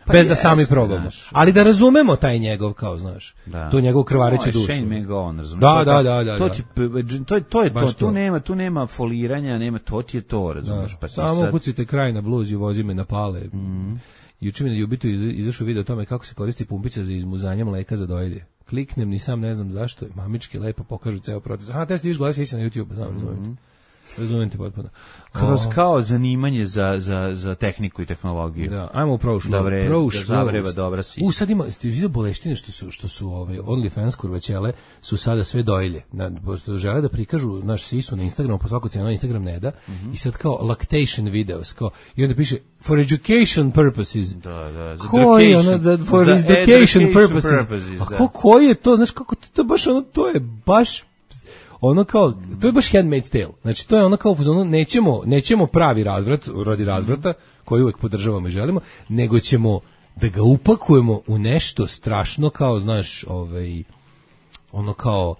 Pa bez da sami probamo. Ali da razumemo taj njegov, kao, znaš, da. Tu njegovu krvareću dušu. Shane McGowan, razumiješ? Da, da, da, da. To, ti, to, to je to, tu nema, tu nema foliranja, nema, to ti je to, razumiješ? Da. Pa samo sad... kucite kraj na bluz i vozi me na pale. Mm. Juče mi na Jubitu izašao video o tome kako se koristi pumpica za izmuzanje mleka za dojilje. Kliknem, ni sam ne znam zašto, mamički lepo pokažu ceo proces. Aha, te ste viš gleda se na YouTube, znam, razumijete. Mm. Razumijem te potpuno. Kroz kao zanimanje za, za, za tehniku i tehnologiju. Da, ajmo u prošlo. Dobre, da zavreva dobra si. U, sad ima, ste vidio boleštine što su, što su ovaj, OnlyFans kurvaćele, su sada sve dojilje. Na, žele da prikažu naš sisu na Instagramu, po svaku cijenu Instagram ne da, mm -hmm. i sad kao lactation videos, kao, i onda piše, for education purposes. Da, da, za koji ono, da, for education purposes. purposes a ko, koji je to, znaš, kako to, to baš ono, to je baš ono kao, to je baš Handmaid's Tale. Znači, to je ono kao, ono, nećemo, nećemo pravi razvrat, radi razvrata, koji uvek podržavamo i želimo, nego ćemo da ga upakujemo u nešto strašno kao, znaš, ovaj, ono kao,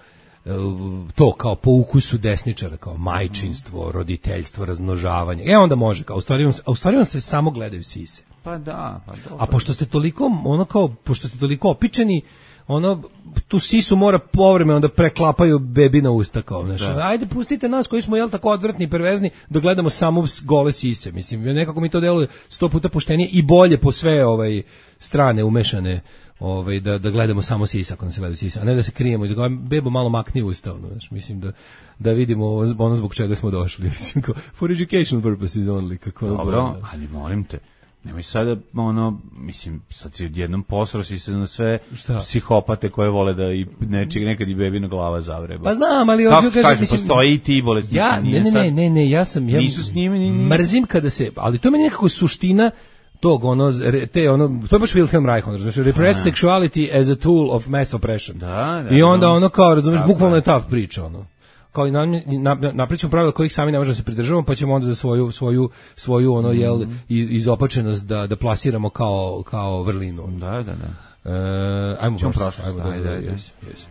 to kao po ukusu desničara, kao majčinstvo, roditeljstvo, razmnožavanje. E, onda može, kao, u stvari, a u stvari on se samo gledaju sise. Pa da, pa dobro. A pošto ste toliko, ono kao, pošto ste toliko opičeni, ono, tu sisu mora povremeno da preklapaju bebi na usta, kao, znaš, ajde pustite nas koji smo, jel, tako odvrtni i perverzni, da gledamo samo gole sise, mislim, nekako mi to deluje sto puta poštenije i bolje po sve ovaj strane umešane, ovaj, da, da gledamo samo sisa ako nas gledaju sisa, a ne da se krijemo, iza bebo malo makni usta, ono, znaš, mislim da da vidimo ono zbog čega smo došli, mislim, kao, for educational purposes only, kako. Dobro, ali molim te, nemoj sada, ono, mislim, sad si odjednom posro si se na sve šta? Psihopate koje vole da i nečeg, nekad i bebina glava zavreba. Pa znam, ali kako kažem, kažem, mislim, postoji i ti bolesti. Ja, ne, ne, ne, ne, ne, ja sam, ja nisu s njimi, ni, ni. Mrzim kada se, ali to je meni nekako suština tog, ono, te, ono, to je baš Wilhelm Reich, ono, znači, repressed sexuality as a tool of mass oppression. Da, da. I onda ono kao, razumiješ, bukvalno je ta priča, ono. kao i na, na, napričamo pravila kojih sami ne možemo se pridržavamo, pa ćemo onda da svoju svoju svoju ono jel mm-hmm. izopačenost da da plasiramo kao kao vrlinu. Da, da, da. E, ajmo prošlost, ajmo da, da, yes, yes.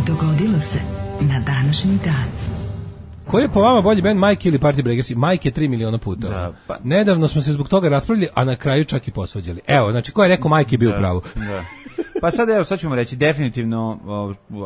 Dogodilo se na današnji dan. Koji je po vama bolji band, Mike ili Party Breakers? Mike je tri miliona puta. Da, pa... Nedavno smo se zbog toga raspravljali, a na kraju čak i posvađali. Evo, znači, ko je rekao Mike je bio u pravu. Da. Pa sad, evo, sad ćemo reći, definitivno,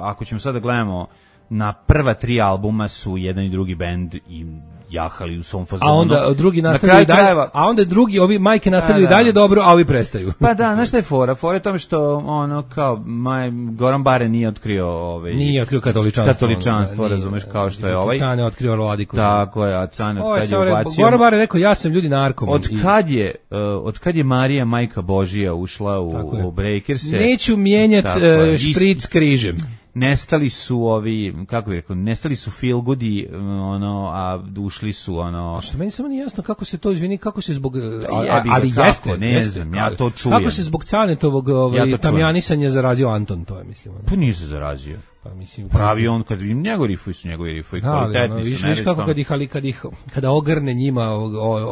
ako ćemo sad da gledamo, na prva tri albuma su jedan i drugi band i jahali u svom fazonu. A onda drugi nastavljaju dalje, krajeva... a onda drugi, ovi Majke nastavljaju dalje dobro, a ovi prestaju. Pa da, znaš šta je fora? Fora je tome što, ono, kao, Maj, Goran Bare nije otkrio... Ovaj, nije otkrio katoličanstvo. Katoličanstvo, ono, razumeš, kao nije, što je ovaj. Cane je otkrio Vladiku. Tako je, a Cane od kad je ubacio... Goran Bare rekao, ja sam ljudi narkoman. Od kad je, uh, od kad je Marija, majka Božija, ušla u, u Breakerse... Neću mijenjati uh, špric križem. Nestali su ovi, kako bih rekao, nestali su feel goodi, ono, a ušli su, ono... A što meni samo nije jasno kako se to, izvini, kako se zbog... A, ali kako, jeste, ne jeste, znam, ja to čujem. Kako se zbog Canetovog ovaj, ja tamjanisanja zarazio Anton, to je, mislim. Ono. Pa nije se zarazio. Pa mislim... Pravi on, kad im njegovi rifuju su njegovi rifuju, kvalitetni no, su. Viš, viš kako kad ih, ali kad ih, kada ogrne njima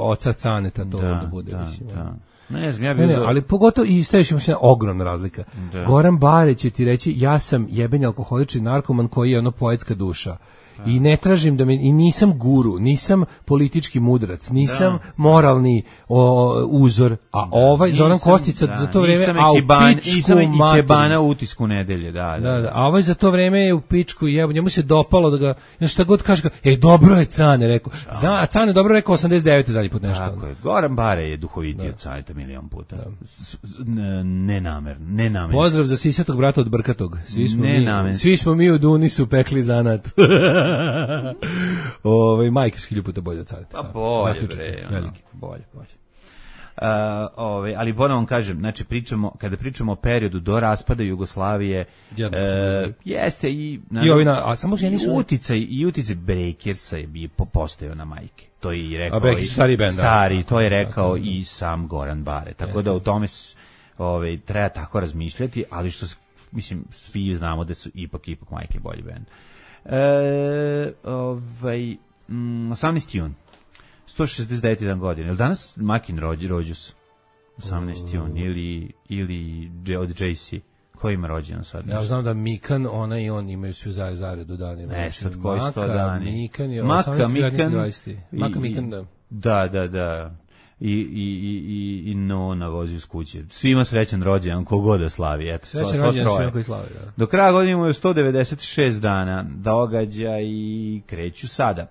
oca Caneta, to da, da bude, da, mislim. Da. Ne znam, ja bih... Ne, ne, ali pogotovo, i staviš se ogromna razlika. Da. Goran Bare će ti reći, ja sam jebeni alkoholični narkoman koji je ono poetska duša. Da. I ne tražim da me, i nisam guru, nisam politički mudrac, nisam da. moralni o, uzor, a da. ovaj nisam, Zoran Kostica da. za to vreme, nisam a u ban, pičku nisam i Kebana u utisku nedelje, da, da. da, da. A ovaj za to vreme je u pičku i njemu se dopalo da ga, ja šta god kaže, ej, dobro je Cane, rekao, za, a Cane dobro rekao osamdeset devete zadnji put nešto. Tako je, Goran Bare je duhovitiji od Caneta milion puta. Nenamerno, nenamerno. Pozdrav za sisatog brata od Brkatog. Svi smo, mi, svi smo mi u Dunisu pekli zanat. Ovaj Majke hilju puta bolje od Caneta. Pa bolje, bre, veliki, bolje, bolje. Uh, ovaj, ali ponovo vam kažem, znači pričamo, kada pričamo o periodu do raspada Jugoslavije, uh, jeste i, i ovina, a samo že nisu uticaj i uticaj Breakersa je bi postojao na Majke. To je i rekao i stari bend, stari, to je rekao i sam Goran Bare. Tako da u tome ovaj treba tako razmišljati, ali što mislim svi znamo da su ipak ipak Majke bolji bend. E, ovaj, mm, osamnaesti jun sto šezdeset devete godine. Jel danas Makin rođi, rođus? osamnaesti jun ili, ili od J C. Ko ima rođendan sad? Ja znam da Mikan, ona i on imaju svi zared zaredu dani. Ne, sad koji sto dani? Mikan je Maka, Mikan, Maka, Mikan, da. Da, da, da. I, i, i, i Nona vozi uz kuće. Svima srećan rođendan, kogod da slavi. Eto, srećan rođendan svima koji slavi. Da. Do kraja godine imaju sto devedeset šest dana, događa i kreću sada.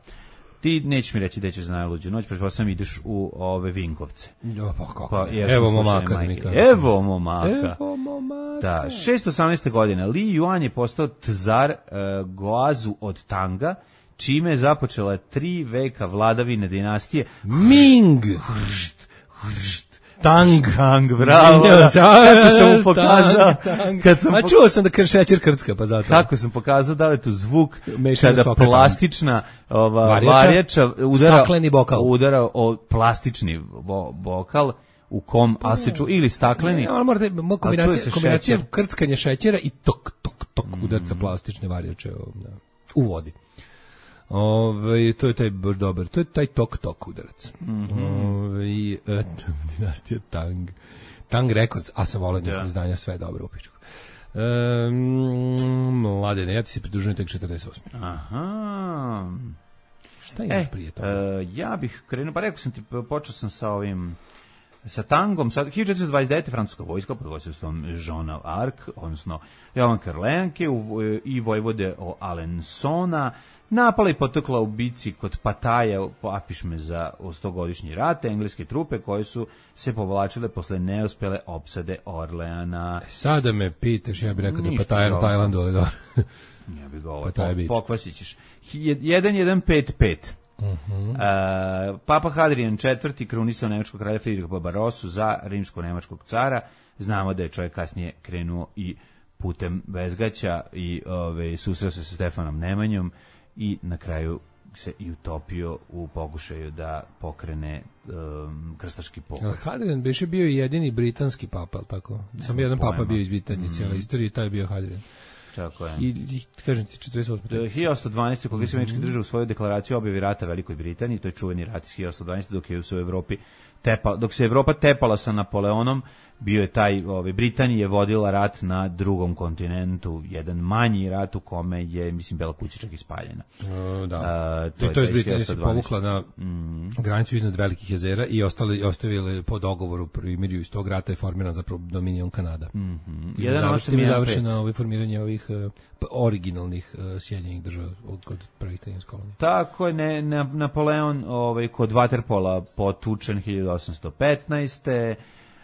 Ti nećeš mi reći da ćeš za najluđu noć, pretpostavljam ideš u ove Vinkovce. Jo, pa kako? Pa, evo momaka. Evo momaka. Evo momaka. Da, šesto osamnaeste godine Li Yuan je postao czar uh, Goazu od Tanga, čime je započela tri veka vladavine dinastije Ming. Hršt, hršt. Tang, Tang, bravo. Da. Kako sam mu pokazao, tang, tang. Kad sam, a čuo sam da kršećer krcka, pa zato. Kako sam pokazao da li je to zvuk Mešana kada soka, plastična ova varjača udara, stakleni bokal. udara o plastični bo, bokal u kom pa, asiču ili stakleni. Ne, ali morate, kombinacija, kombinacija krckanja šećera i tok, tok, tok mm. udarca plastične varjače u vodi. Ove, to je taj baš dobar, to je taj tok tok udarac. Mm-hmm. Ove, et, dinastija Tang. Tang Records, a sam volao njihove izdanja, sve dobro u pičku. Um, mladene, ja ti se pridružujem tek četrdeset osme. Aha. Šta imaš e, prije toga? Uh, ja bih krenuo, pa rekao sam ti, počeo sam sa ovim, sa Tangom, sa hiljadu četiristo dvadeset devete francuska vojska pod vodstvom Jeana Arc, odnosno Jovan Karlenke i vojvode o Alensona, napala i potekla u bici kod Pataja, apišme za stogodišnji rat, engleske trupe koje su se povlačile posle neuspele opsade Orleana. Sada me pitaš, ja bih rekao da je Pataja u Tajlandu, ali da. Ja bih ga ovo, pokvasit ćeš. jedan jedan pet pet. Uh-huh. Uh, Papa Hadrian četvrti krunisao nemačkog kralja Friedricha Barbarosu za rimsko-nemačkog cara. Znamo da je čovjek kasnije krenuo i putem Bezgaća i ove, susreo se sa Stefanom Nemanjom i na kraju se i utopio u pokušaju da pokrene um, krstaški pokret. Hadrian biše bio jedini britanski papa, al tako? Samo jedan pojma. Papa bio iz Britanije, mm. cijela istorija, taj je bio Hadrian. Tako je. I, i kažem ti četrdeset osme. hiljadu osamsto dvanaeste. Kongres američkih država u svojoj deklaraciji objavi rata Velikoj Britaniji, to je čuveni rat iz hiljadu osamsto dvanaeste. dok je u Evropi tepa, dok se Evropa tepala sa Napoleonom, bio je taj, ove, Britanija je vodila rat na drugom kontinentu, jedan manji rat u kome je, mislim, Bela kuća čak ispaljena. Uh, da. Uh, to I to je Britanija se povukla na mm. granicu iznad Velikih jezera i ostali, ostavili po dogovoru primirju iz tog rata je formiran zapravo Dominion Kanada. Mm -hmm. Završeno je završeno ovo formiranje ovih uh, originalnih uh, Sjedinjenih država od kod prvih trinaest kolonija. Tako je, ne, ne, Napoleon ovaj, kod Waterpola potučen hiljadu osamsto petnaeste.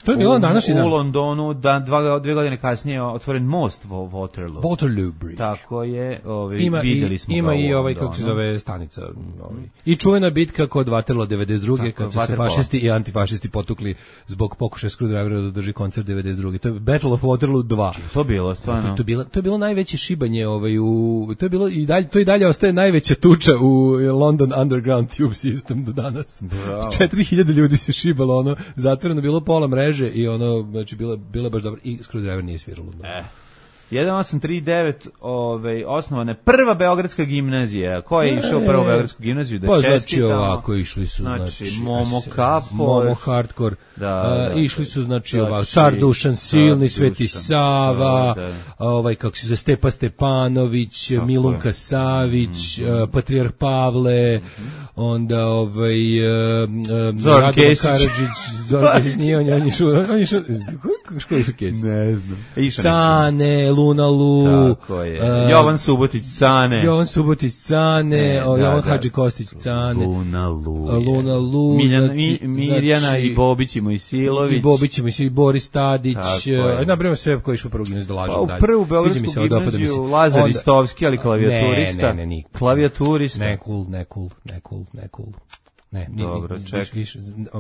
To je bilo na današnji dan. U Londonu, da, dva, dvije godine kasnije otvoren most Waterloo. Waterloo Bridge. Tako je, ovaj, ima videli i, smo ima i ovaj, kako se zove, stanica. Ovaj. I čuvena bitka kod Waterloo devedeset druge. Tako, kad su se fašisti i antifašisti potukli zbog pokušaja Screwdrivera da drži koncert devedeset druge. To je Battle of Waterloo dva. To bilo, stvarno. To, to, bilo, to je bilo najveće šibanje, ovaj, u, to je bilo i dalje, to i dalje ostaje najveća tuča u London Underground Tube System do danas. četiri hiljade ljudi se šibalo, ono, zatvoreno bilo pola mreže i ono, znači, bila, bila baš dobro i Screwdriver nije sviralo. Eh. jedan osam tri devet ovaj, osnovana je prva beogradska gimnazija. Ko je e, išao u prvu beogradsku gimnaziju da pa, čestitamo? Znači ovako, išli su, znači, znači Momo Kapor, Momo Hardcore, da, da, uh, išli su, znači, znači ovako, Car Dušan, Silni, Sveti Dušan, Sava, da, da. ovaj, kako se zove, Stepa Stepanović, tako Milunka je. Savić, mm -hmm. uh, Patrijarh Pavle, mm -hmm. onda ovaj, uh, uh, Zoran Kesić. Zoran Kesić nije, on je išao, on je išao, kako je išao Kesić? Ne znam. Cane, Luna Lu, tako je. Uh, Jovan Subotić Cane. Jovan Subotić Cane, e, o, da, Jovan da, Hadži Kostić Cane. Luna Lu. Luna Lu. Miljan, znači, Mirjana znači, i Bobić i Mojsilović. I Bobić i Mojsilović, Boris Tadić. Nabrajamo sve koji su u prvu gimnaziju da lažem dalje. Pa u prvu beogradsku gimnaziju Lazar Onda, Istovski, ali klavijaturista. Ne, ne, ne, ne. Klavijaturista. Ne cool, ne cool, ne cool, ne cool. Ne, dobro, čekaj. Više,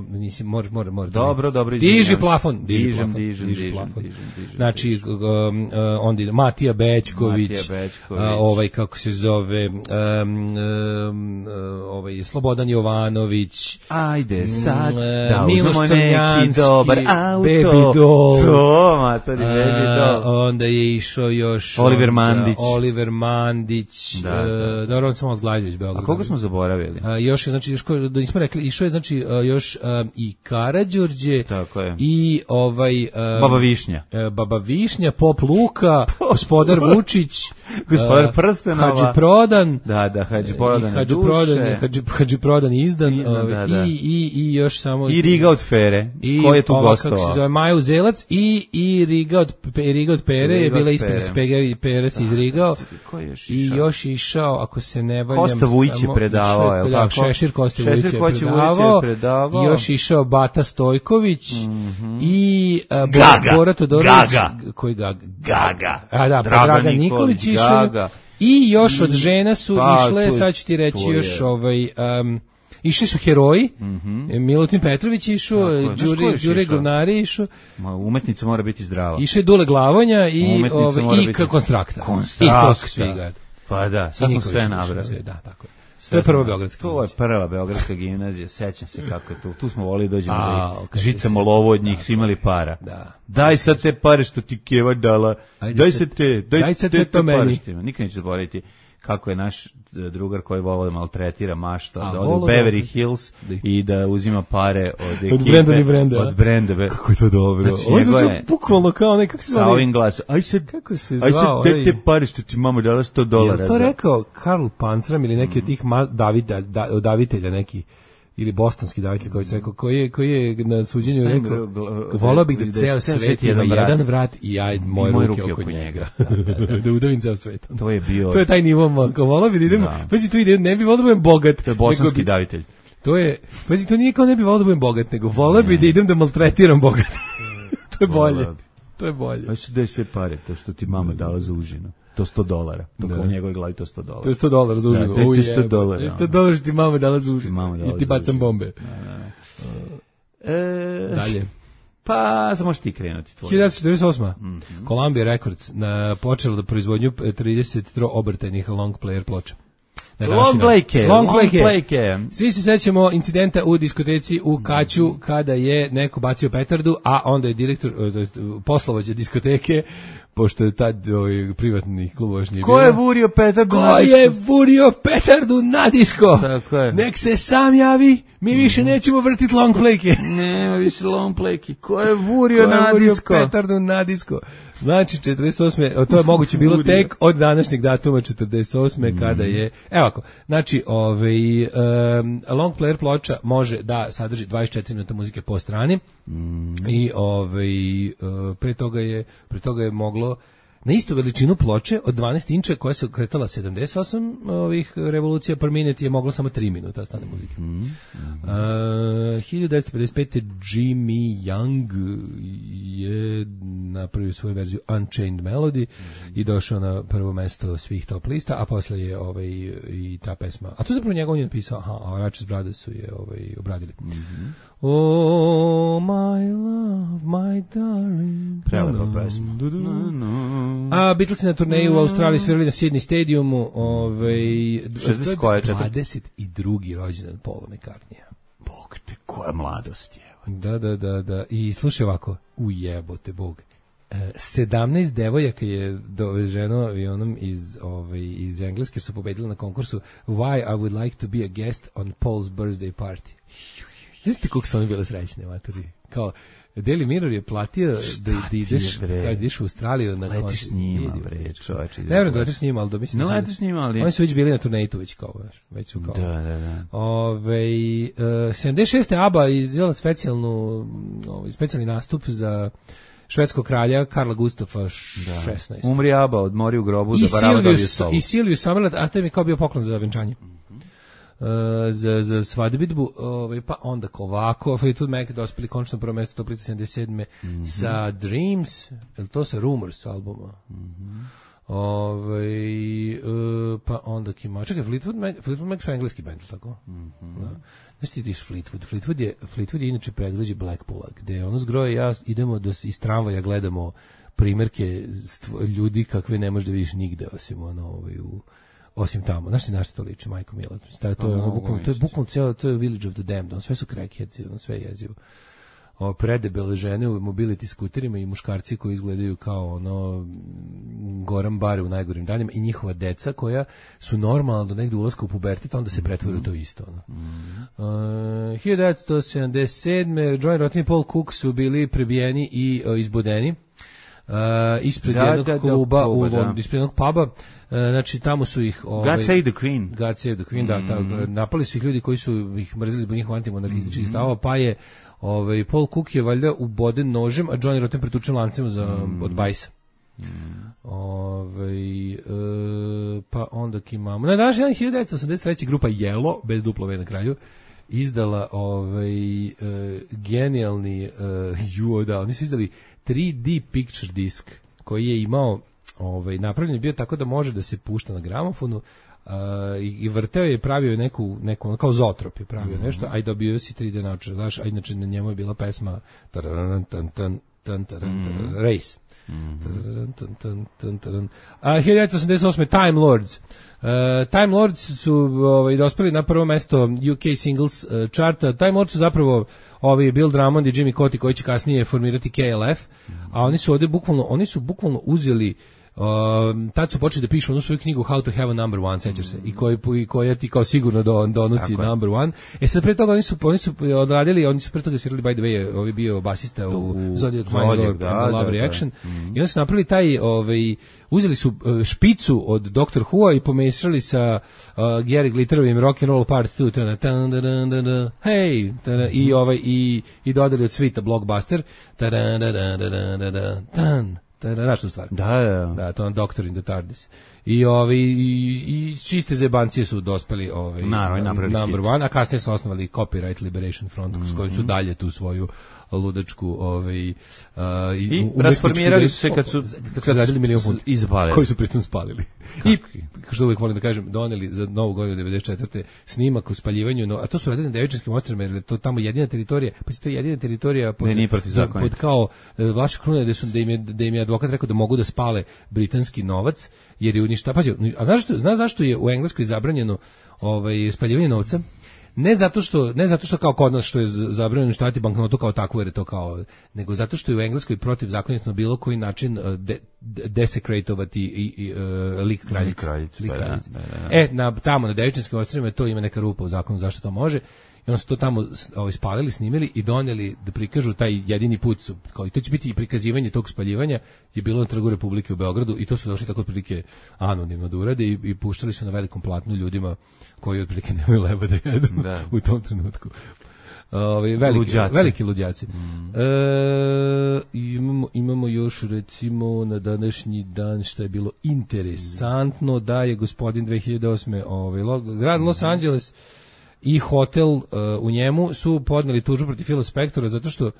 nisi, mora, mora, mora. Dobro, dobro. Diži plafon, diži dižem, plafon. Dižem, diži dižem, plafon. dižem, dižem. Znači, um, uh, onda ide Matija Bečković, Matija Bečković. Uh, ovaj, kako se zove, um, um, uh, ovaj, Slobodan Jovanović. Ajde, sad, uh, da Miloš uzmemo neki dobar auto. Baby Doll. To, matori, Baby Doll. Uh, onda je išao još... Oliver Mandić. Uh, Oliver Mandić. Da, da. Uh, dobro, on samo Zglajđević, Beograd. A koga smo zaboravili? Uh, još je, znači, još, da nismo rekli, išao je, znači, uh, još um, i Karađorđe. Tako je. I ovaj... Um, Baba Višnja. Uh, Baba Višnja, Pop Luka, Gospodar Vučić. Gospodar uh, Prstenova. Hadži Prodan. Da, da, Hadži Prodan. Hadži Prodan, Hadži, Hadži Prodan izdan. izdan ovaj, da, da. I, i, I još samo... I Riga od Fere. I ko je tu gostovao? Kako se zove, Maja Uzelac. I, i Riga od, Riga od Pere. Riga je bila ispred Spegari, Pere se izrigao. Ko je još išao? I još išao, ako se ne valjam... Kosta Vujić je predavao, je li tako? Šešir Kosta Vujić je predavao. predavao. I još išao Bata Stojković. Mm -hmm. I uh, Gaga. Bora Todorović. Gaga. Koji Gaga? Gaga. A da, Dragan, Dragan Nikolić išao. I još od žena su pa, išle, sad ću ti reći još ovaj... Um, išli su heroji, mm -hmm. Milutin Petrović išao, Đure Govnari išao. Umetnica mora biti zdrava. Išao je Dule Glavonja i, ove, i biti... Konstrakta. Konstrakta. I to svi gad. Pa da, sad smo sve nabrali. Da, tako je. To je prva beogradska gimnazija. To je prva beogradska gimnazija, sećam se kako je tu. Tu smo volili dođemo da okay, žicamo lovo od njih, svi imali para. Da. Daj sad te pare što ti Keva dala, Ajde daj se te, daj, daj se te, te pare što ima. Nikad neću zaboraviti kako je naš drugar koji voli da maltretira mašta, A, da ode u Beverly Hills i da uzima pare od ekipe. Od Brenda i Brenda. Od Brenda. Kako je to dobro. Znači, on je bukvalno kao nekak se sa ovim glasom. Aj se, kako se zvao? Aj se te, te pare što ti mama dala sto dolara. Je to rekao Karl Pantram ili neki mm. od tih Davida, da, davitelja neki, ili bostonski davitelj koji je rekao, koji je, koji je na suđenju rekao, volao bih da ceo svet ima jedan vrat i ja moje ruke, ruke oko njega. Da udavim ceo svet. To je bio... To je taj nivo, volao bih da idemo, pazi tu ide, ne bi volao da budem bogat. To je bosanski davitelj. To je, pazi, to nije kao ne bi volao da budem bogat, nego volao bih da idem da maltretiram bogat. To je bolje. To je bolje. Aj se daj sve pare, to što ti mama dala za užinu. To sto dolara. To kao u njegovoj glavi to sto dolara. To je sto dolara za užinu. Da, to je sto dolara. sto dolara što ti mama dala za užinu. I ti bacam bombe. E, Dalje. Pa, samo možeš ti krenuti. hiljadu četrdeset osma. Mm -hmm. Columbia Records na, počela da proizvodnju trideset tri obrtajnih long player ploča. Long Blake, Long Long Blake. Svi se sećamo incidenta u diskoteci u Kaću kada je neko bacio petardu, a onda je direktor, poslovođa diskoteke, pošto je tad ovaj, privatni klub još nije bilo. Ko je vurio petardu Ko na disko? Ko je vurio petardu na disko? Tako je. Nek se sam javi, mi više nećemo vrtiti long play-ke. Nema više long play-ke. Ko je vurio Ko je na vurio disko? petardu na disko? Znači, četrdeset osme to je moguće bilo tek od današnjeg datuma četrdeset osme Mm. kada je, evo ako, znači, ovaj, um, long player ploča može da sadrži dvadeset četiri minuta muzike po strani mm. i ovaj, uh, pre toga je, pre toga je moglo na istu veličinu ploče od dvanaest inča koja se kretala sedamdeset osam ovih revolucija per minute je moglo samo tri minuta stane muzike. Mm. Mm. Uh, hiljadu devetsto pedeset pete Jimmy Young je napravio svoju verziju Unchained Melody mm. i došao na prvo mesto svih top lista, a posle je ovaj, i ta pesma. A to zapravo njegov je napisao, aha, a Ratchet Brothers su je ovaj, obradili. Mm-hmm. Oh, my love, my darling. Prelepa pesma. No, no. A Beatlesi na turneju u Australiji svirali na Sydney stadiumu, ovaj šezdeset koje dvadeset drugi rođendan Paula McCartneya. Bog te, koja mladost je. Da, da, da, da. I slušaj ovako, ujebote Bog. E, sedamnaest devojaka je doveženo avionom iz, ovaj, iz Engleske, jer su pobedili na konkursu Why I would like to be a guest on Paul's birthday party. Znaš ti koliko su oni bile srećne, materi? Kao, Daily Mirror je platio da, da ideš, kad ideš u Australiju na koncert. Letiš s njima, bre, čovječe. Ne vjerujem da letiš s njima, ali da mislim... Ne letiš s njima, ali... Oni su već bili na turneju već kao, već su kao... Da, da, da. Ove, uh, sedamdeset šeste ABBA izvela specijalnu, ovaj, specijalni nastup za švedskog kralja Karla Gustafa šesnaestog. Da. Umri ABBA, odmori u grobu, da barava dobije solo. I Silvius Summerland, a to je mi kao bio poklon za venčanje. Uh, za, za svadbitbu, ovaj, pa onda ovako, Fleetwood Mac dospeli končno prvo mesto Toplite sedamdeset sedme Mm-hmm. sa Dreams, je to sa Rumors albuma? Mm-hmm. Ovaj, uh, pa onda kima, čekaj, Fleetwood Mac, Fleetwood Mac su engleski band, tako? Mm-hmm. Da. Znaš ti tiš Fleetwood? Fleetwood je, Fleetwood je inače predgrađe Blackpoola, gde ono zgroje ja idemo da iz tramvaja gledamo primjerke stvo, ljudi kakve ne možeš da vidiš nigde, osim ono, ovaj, u osim tamo. Znaš ti na što to liči, majko mila? To je, to je, ono, bukvalno, to je bukvalno cijelo, to je Village of the Damned, on sve su crackheads, on sve je jezivo. O, predebele žene u mobility skuterima i muškarci koji izgledaju kao ono Goran Bare u najgorim danima i njihova deca koja su normalno do negde ulaska u pubertet, onda se pretvore u to isto. Ono. Mm-hmm. Uh, hiljadu devetsto sedamdeset sedme Johnny Rotten i Paul Cook su bili prebijeni i uh, izbodeni. Uh, ispred da, jednog da, kluba, da, u, da. ispred jednog puba, uh, znači tamo su ih... Ovaj, God Save the Queen. God Save the Queen, mm-hmm. da, ta, napali su ih ljudi koji su ih mrzili zbog njihova antimonarhističkih mm-hmm. stavova, pa je ovaj, Paul Cook je valjda uboden nožem, a Johnny Rotten pretučen lancem za, mm-hmm. od bajsa. Mm-hmm. Ovaj, uh, pa onda imamo... Na današnji dan hiljadu devetsto osamdeset treće grupa Yellow, bez duplo V na kraju, izdala ovaj, uh, genijalni uh, juo, da, oni su izdali tri D picture disk koji je imao, ovaj, napravljen je bio tako da može da se pušta na gramofonu uh, i, i vrteo je, pravio je neku, neku kao zotrop je pravio mm-hmm. nešto, a i dobio si tri D naočare, znaš, a inače na njemu je bila pesma tararan, tan, tan, tan, taran, mm-hmm. Race. Mm-hmm. A hiljadu devetsto osamdeset osme Time Lords. Uh, Time Lords su ovaj, dospeli na prvo mesto U K Singles uh, charta. Time Lords su zapravo ovi Bill Drummond i Jimmy Cauty koji će kasnije formirati K L F, a oni su ovdje bukvalno, oni su bukvalno uzeli Um, tad su počeli da pišu onu svoju knjigu How to have a number one, sećaš se, i koji i koja ti kao sigurno do, donosi Tako number one. E sad pre toga oni su oni su odradili, oni su pre toga svirali by the way, ovi bio basista u, u Zodiac Mind da, Love da, Reaction. Da, da. Mm-hmm. I onda su napravili taj, ovaj, uzeli su špicu od Doctor Who-a i pomešali sa uh, Gary Glitterovim Rock and Roll Part two, tana, tan, da, da, da, da, hey, tana, i ovaj i i dodali od svita Blockbuster, da, da, da, da, da, da, tan. Da, da, znaš tu stvar. Da, da. Da, to je Doctor in the TARDIS. I ovi i, i čiste zebancije su dospeli ovaj Naravno, number hit. One, a kasnije su osnovali Copyright Liberation Front, mm-hmm. s kojim su dalje tu svoju ludačku ovaj, uh, i rasformirali su se kad su, kad su radili milion funta, izbalili. Koji su pritom spalili. Kako? I, što uvijek volim da kažem, doneli za novu godinu devedeset četvrte snimak o spaljivanju, no, a to su radili na Devičanskim ostrvima, jer je to tamo jedina teritorija, pa to je jedina teritorija pod, ne, pod, pod kao vaša kruna, da, su, da, im je, da im je advokat rekao da mogu da spale britanski novac, jer je uništa. Pazi, a znaš, što, znaš zašto je u Engleskoj zabranjeno ovaj, spaljivanje novca? Ne zato što ne zato što kao kod nas što je zabranjeno uništavati banknotu kao takvu, jer je to kao, nego zato što je u Engleskoj protivzakonito na bilo koji način de, de, desecratovati i, i uh, lik kraljice. kraljice, lik kraljice. Da, da, da. E, na, tamo na Devičanskim ostrvima to ima neka rupa u zakonu zašto to može. I onda su to tamo ovaj, spalili, snimili i doneli da prikažu taj jedini put. Su, kao, i to će biti i prikazivanje tog spaljivanja je bilo na Trgu Republike u Beogradu i to su došli tako otprilike anonimno da urade i, i puštali su na velikom platnu ljudima koji otprilike nemaju leba da jedu da. u tom trenutku. Ove, veliki, luđaci. veliki luđaci. Mm. E, imamo, imamo još recimo na današnji dan što je bilo interesantno da je gospodin dve hiljade osme ovaj, grad Los Angeles i hotel uh, u njemu su podneli tužbu protiv Phila Spectora zato što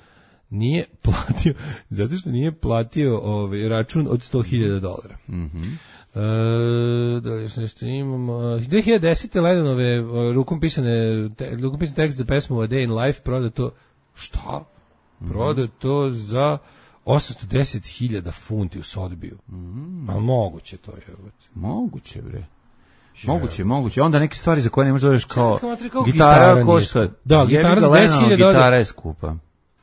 nije platio zato što nije platio ovaj račun od sto hiljada dolara. Mhm. E, da li još nešto imamo? dve hiljade desete Lennonove rukom pisane te, rukom pisane tekst za pesmu A Day in Life prodato šta? Prodato za osamsto deset hiljada funti u Sodbiju. Mm. A moguće to je. Moguće bre. Moguće, moguće. Onda neke stvari za koje ne možeš da reš kao, kao gitara, gitara košta. Da, gitara za deset hiljada dolara. Gitara je skupa.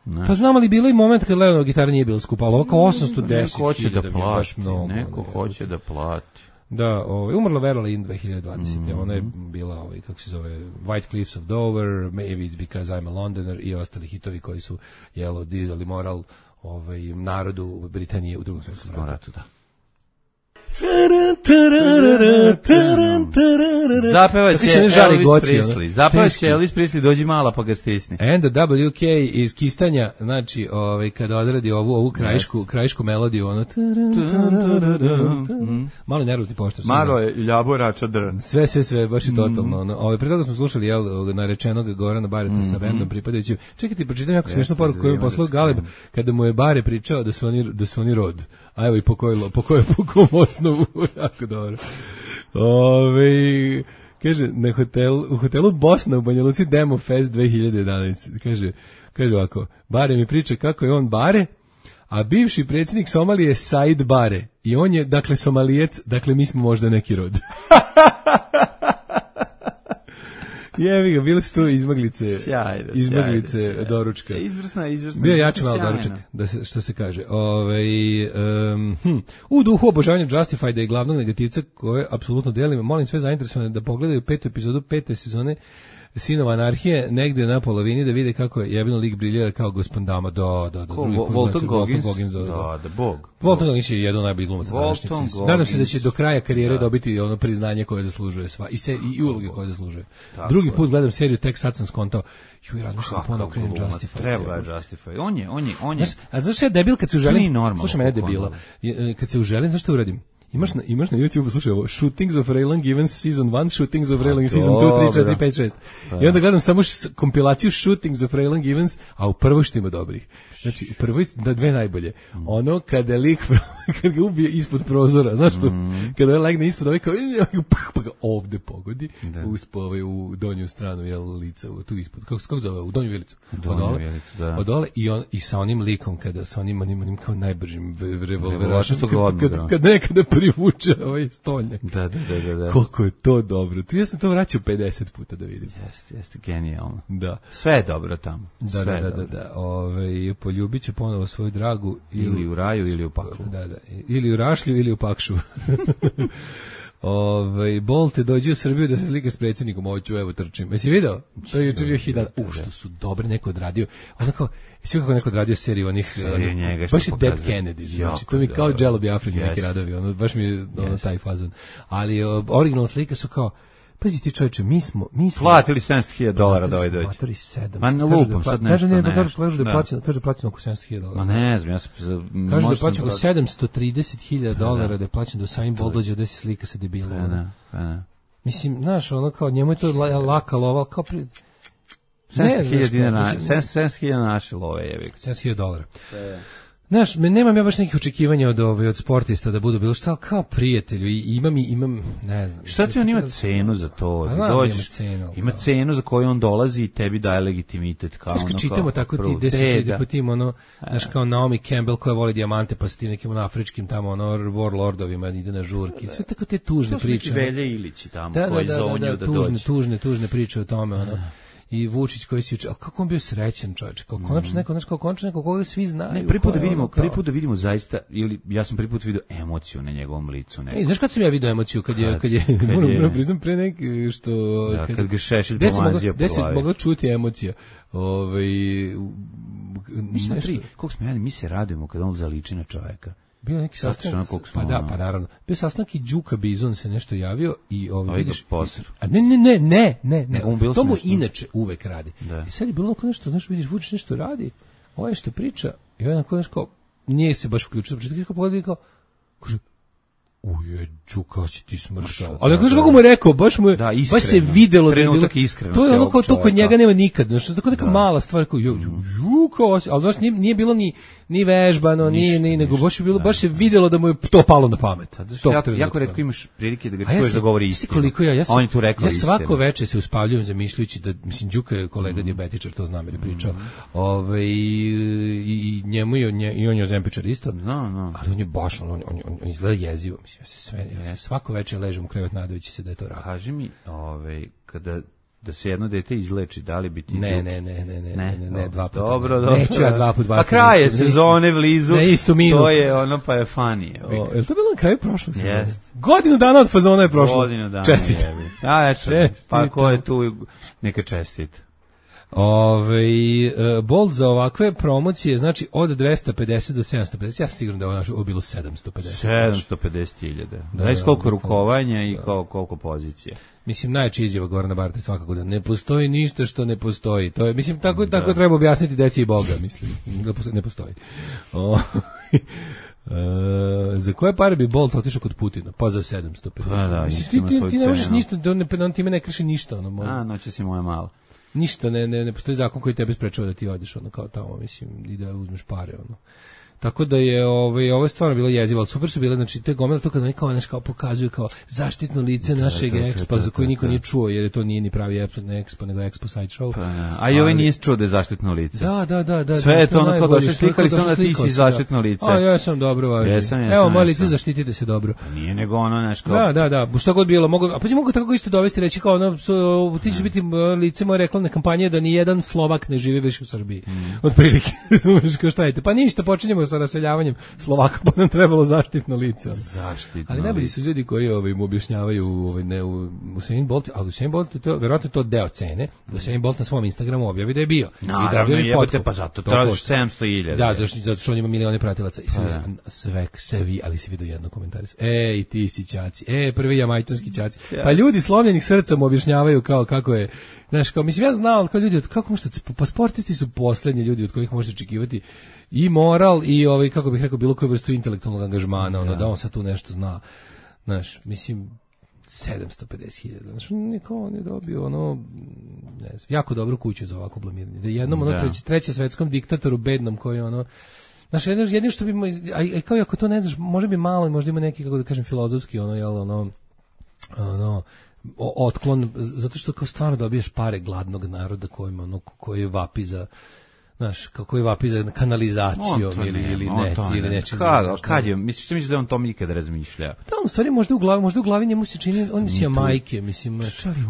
Ne. Pa znamo li bilo i moment kad Leonova gitara nije bila skupa, ali ovako osamsto deset hiljada da plati, baš mnogo. Neko ne, hoće da plati. Da, ovaj, umrla Vera Lynn dve hiljade dvadesete. Mm. Ona je bila, ovaj, kako se zove, White Cliffs of Dover, Maybe It's Because I'm a Londoner i ostali hitovi koji su, jelo, dizali moral ovaj, narodu Britanije u drugom svjetskom ratu. Da. Zapevaće Elvis Presley. Zapevaće Elvis Presley, dođi mala pa ga stisni. And the W K iz Kistanja, znači, ovaj kada odradi ovu ovu krajišku, krajišku melodiju, ono malo nervozni poštar. Malo je ljaborača dr. Sve sve sve baš je totalno. Ono, ovaj pre toga smo slušali jel narečenog Gorana Bareta sa bendom pripadajućim. Čekajte, pročitam jako smešnu poruku koju je poslao Galeb kada mu je Bare pričao da su oni da su oni rod. A evo i po kojoj, po kojoj, po kom osnovu, jako dobro. Ove, kaže, na hotel, u hotelu Bosna u Banja Luci Demo Fest dve hiljade jedanaeste. Kaže, kaže ovako, Bare mi priča kako je on Bare, a bivši predsjednik Somalije je Said Bare. I on je, dakle, Somalijec, dakle, mi smo možda neki rod. Jevi ga, bili su tu izmaglice, sjajno, izmaglice sjajno, sjajno. Doručka. Izvrsna, izvrsna. Bio je jači malo doručak, da se, što se kaže. Ove, um, hm. U duhu obožavanja Justifieda i glavnog negativca koje apsolutno delim, molim sve zainteresovane da pogledaju petu epizodu pete sezone Sinova anarhije, negde na polovini da vide kako je jebeno lik briljera kao gospod Dama. Da, da, da. Ko, Walton Goggins? Da, da, da, bog. Walton Goggins je jedan od najboljih glumaca današnjice. Nadam se da će do kraja karijere da. dobiti ono priznanje koje zaslužuje sva i se i uloge koje zaslužuje. Tako Drugi put gledam seriju, tek sad sam skontao. Ju, razmišljam ponovo krenem Justify. Treba je Justify. On je, on je, on je. Znaš, a znaš ja debil kad se uželim? Slušaj mene debila. Kad se uželim, znaš što uradim? Imaš na, imaš na YouTube, slušaj ovo, Shootings of Raylan Givens Season one, Shootings of Raylan Season two, three, four, five, six. I onda gledam samo š, kompilaciju Shootings of Raylan Givens, a u prvoj što ima dobrih. Znači, u prvoj, da dve najbolje. Ono, kada je lik, kada ga ubije ispod prozora, znaš što, mm. kada je legne ispod, ovaj kao, pa ga ovde pogodi, uspo ovaj u donju stranu, jel, lica, tu ispod, kako, kako zove, u donju vilicu. Donju vilicu, da. Odole, i, on, i sa onim likom, kada, sa onim, onim, onim kao najbržim revolverašom, kad, kad, kad nekada privuče ovaj stolnjak. Da, da, da, da. Koliko je to dobro. Tu ja sam to vraćao pedeset puta da vidim. Jeste, jeste, genijalno. Da. Sve je dobro tamo. Da, Sve da, da, dobro. da, da. Ove, poljubit će ponovo svoju dragu. Ili, ili u raju, ili u paklu. Da, da. Ili u rašlju, ili u pakšu. Ove, Bolte dođe u Srbiju da se slika s predsjednikom, hoću, evo trčim. Jesi video? To je juče bio hidan. U, što su dobre, neko odradio. Onako, svi kako neko odradio seriju onih, seriju njega, baš je Dead Kennedy, znači to mi kao Jello Biafra neki radovi, ono, baš mi je ono, taj fazon. Ali uh, originalna slika su kao, pazi ti čovječe, mi smo, mi smo platili sedamsto hiljada dolara da ovaj dođe. Matori sedam. Ma ne lupam sad nešto. Kaže ne, nešto. kaže kaže da je plaćeno, kaže plaćeno oko sedamsto hiljada dolara. Ma ne znam, ja sam kaže da je plaćeno sedamsto trideset hiljada dolara da je plaćeno do Sain Bolt dođe da se slika sa debilom. Pa ne, pa ne. Mislim, znaš, ono kao njemu je to laka lova, kao pri... sedamsto hiljada naše love je. sedamsto hiljada dolara. Znaš, nemam ja baš nekih očekivanja od ove, od sportista da budu bilo šta, ali kao prijatelju i imam i imam, ne znam. Šta ti on ima cenu za to? Ti dođeš, cenu, ima cenu za koju on dolazi i tebi daje legitimitet. Kao znaš, kad ono, čitamo kao, tako ti, gde se sjedi po tim, ono, znaš, kao Naomi Campbell koja voli dijamante, pa sa tim nekim ono, afričkim tamo, ono, warlordovima ide na žurki. Sve tako te tužne priče. To su neki Velje Ilići tamo, da, koji da, da, zonju da, da, da tužne, dođe. Tužne, tužne priče o tome, ono. I Vučić koji si učio, ali kako on bio srećan čovječ, kao konačno neko, znaš, kao konačno neko koga svi znaju. Ne, prvi put da vidimo, prvi put da vidimo zaista, ili ja sam prvi put vidio emociju na njegovom licu. Ej, znaš kad sam ja vidio emociju, kad je, kad je, kad je moram, moram priznam pre neki, što... Da, kad, kad ga Šešelj pomazio po glavi. Gde se mogla čuti emocija? Ove, mislim, nešto... koliko smo jeli, mi se radujemo kad on zaliči na čovjeka. Bio neki sastanak, pa da, pa naravno. Bio sastanak i Đuka Bizon se nešto javio i ovaj vidiš, a ne ne ne ne ne, ne. To mu inače uvek radi. Da. I sad je bilo onako nešto, znaš, vidiš Vučić nešto radi, ovaj što priča, i onako nešto nije se baš uključio, početak kao pogleda kao kaže uje, Đuka, si ti smršao. Ali znaš kako mu je rekao, baš mu je, da, baš se videlo da je bilo, to je ono kao to kod njega nema nikad, znači tako neka da. Mala stvar kao Đuka, ali baš nije, nije bilo ni ni vežbano, ni ni nego baš je bilo, da. Baš se videlo da mu je to palo na pamet. To jako, jako retko imaš prilike da ga čuješ da govori istinu. Koliko ja, ja sam, on je tu rekao ja svako veče se uspavljujem zamišljajući da, mislim, Đuka je kolega mm. dijabetičar, to znam jer je pričao, mm. Ove, i, i njemu i on je, i on je ozempičar isto, no, no. Ali on je baš, on, on, on, on izgleda jezivo, mislim, ja se sve, ja se svako veče ležem u krevet nadajući se da je to rado. Kaži mi, ovaj, kada da se jedno dete izleči, da li bi ti... Ne, ne, ne, ne, ne, ne, ne, ne, dva puta. Dobro, dobro. Neću ja dva puta. Pa kraj je sezone blizu. Na istu minu. To je ono, pa je funny. O, je li to bilo na kraju prošle sezone? Jest. Godinu dana od fazona je prošlo. Godinu dana. Čestit. A, eto, pa ko je tu, neka čestit. Ove, uh, Bolt za ovakve promocije, znači od dvesta pedeset do sedamsto pedeset, ja sam siguran da je ovo bilo sedamsto pedeset. sedamsto pedeset hiljada. Znaš koliko rukovanja i da. Koliko pozicije. Mislim, najjača izjava Gorana Barta svakako da ne postoji ništa što ne postoji. To je, mislim, tako, da. Tako treba objasniti deci i Boga, mislim, da ne postoji. O, Uh, za koje pare bi Bolt otišao kod Putina? Pa za sedamsto pedeset. Pa da, mislim, ti, ti, ti ne možeš ništa, da on, on time ne krši ništa. Ono, A, noće si moja mala. Ništa, ne, ne, ne postoji zakon koji tebe sprečava da ti odeš ono kao tamo, mislim, i da uzmeš pare, ono. Tako da je ovaj ovo je stvarno bilo jezivo, ali super su bile, znači te gomile to kad neki kao nešto kao pokazuju kao zaštitno lice da, našeg da, Expo da, za koji niko da. Nije čuo, jer je to nije ni pravi Expo, nego Expo side show. Pa, a i ovaj nije čuo da je zaštitno lice. Da, da, da, da. Sve da, je to ono kao došli slikali samo da ti si zaštitno lice. A ja sam dobro važno. Jesam, jesam, evo, moje lice zaštitite se dobro. Pa nije nego ono nešto. Da, da, da, šta god bilo, mogu, a pa mogu tako isto dovesti reći kao ono so, ti ćeš biti lice moje reklamne kampanje da ni jedan Slovak ne živi više u Srbiji. Otprilike, razumeš kao šta je. Pa ništa, počinjemo sa raseljavanjem Slovaka, pa nam trebalo zaštitno lice. Zaštitno. Ali najbolji su ljudi koji ovaj mu objašnjavaju ovaj ne u Usain Bolt, a Usain Bolt to verovatno to deo cene. Usain Bolt na svom Instagramu objavi da je bio. No, i da je jebote, pa zato tražiš sedamsto hiljada. Da, zato što, zato što on ima milione pratilaca i sve, sve se vi, ali se vidi jedno komentar. Ej, ti si ćaci. E, prvi jamajčanski ćaci. Pa ljudi slomljenih srca mu objašnjavaju kao kako je, znaš, kao mislim ja znao kao ljudi od kako možete, pa sportisti su poslednji ljudi od kojih možete očekivati i moral i ovaj kako bih rekao bilo koju vrstu intelektualnog angažmana, ono da, da on sad tu nešto zna. Znaš, mislim sedamsto pedeset hiljada. Znaš, niko on je dobio ono ne znam, jako dobru kuću za ovako blamiranje. Da jednom ono treći, treće svetskom diktatoru bednom koji ono znaš, jedino, jedino što bi a, a kao ako to ne znaš, može bi malo, možda ima neki kako da kažem filozofski ono jel ono ono otklon zato što kao stvarno dobiješ pare gladnog naroda kojima ono koji vapi za znaš, kako je vapi za kanalizacijom ili, ne, ili ne, ne, ili nečim. Kad, kad je, misliš, što misliš da on to ikad razmišlja? Da, u stvari možda u glavi, možda u glavi njemu se čini, on je majke, mislim,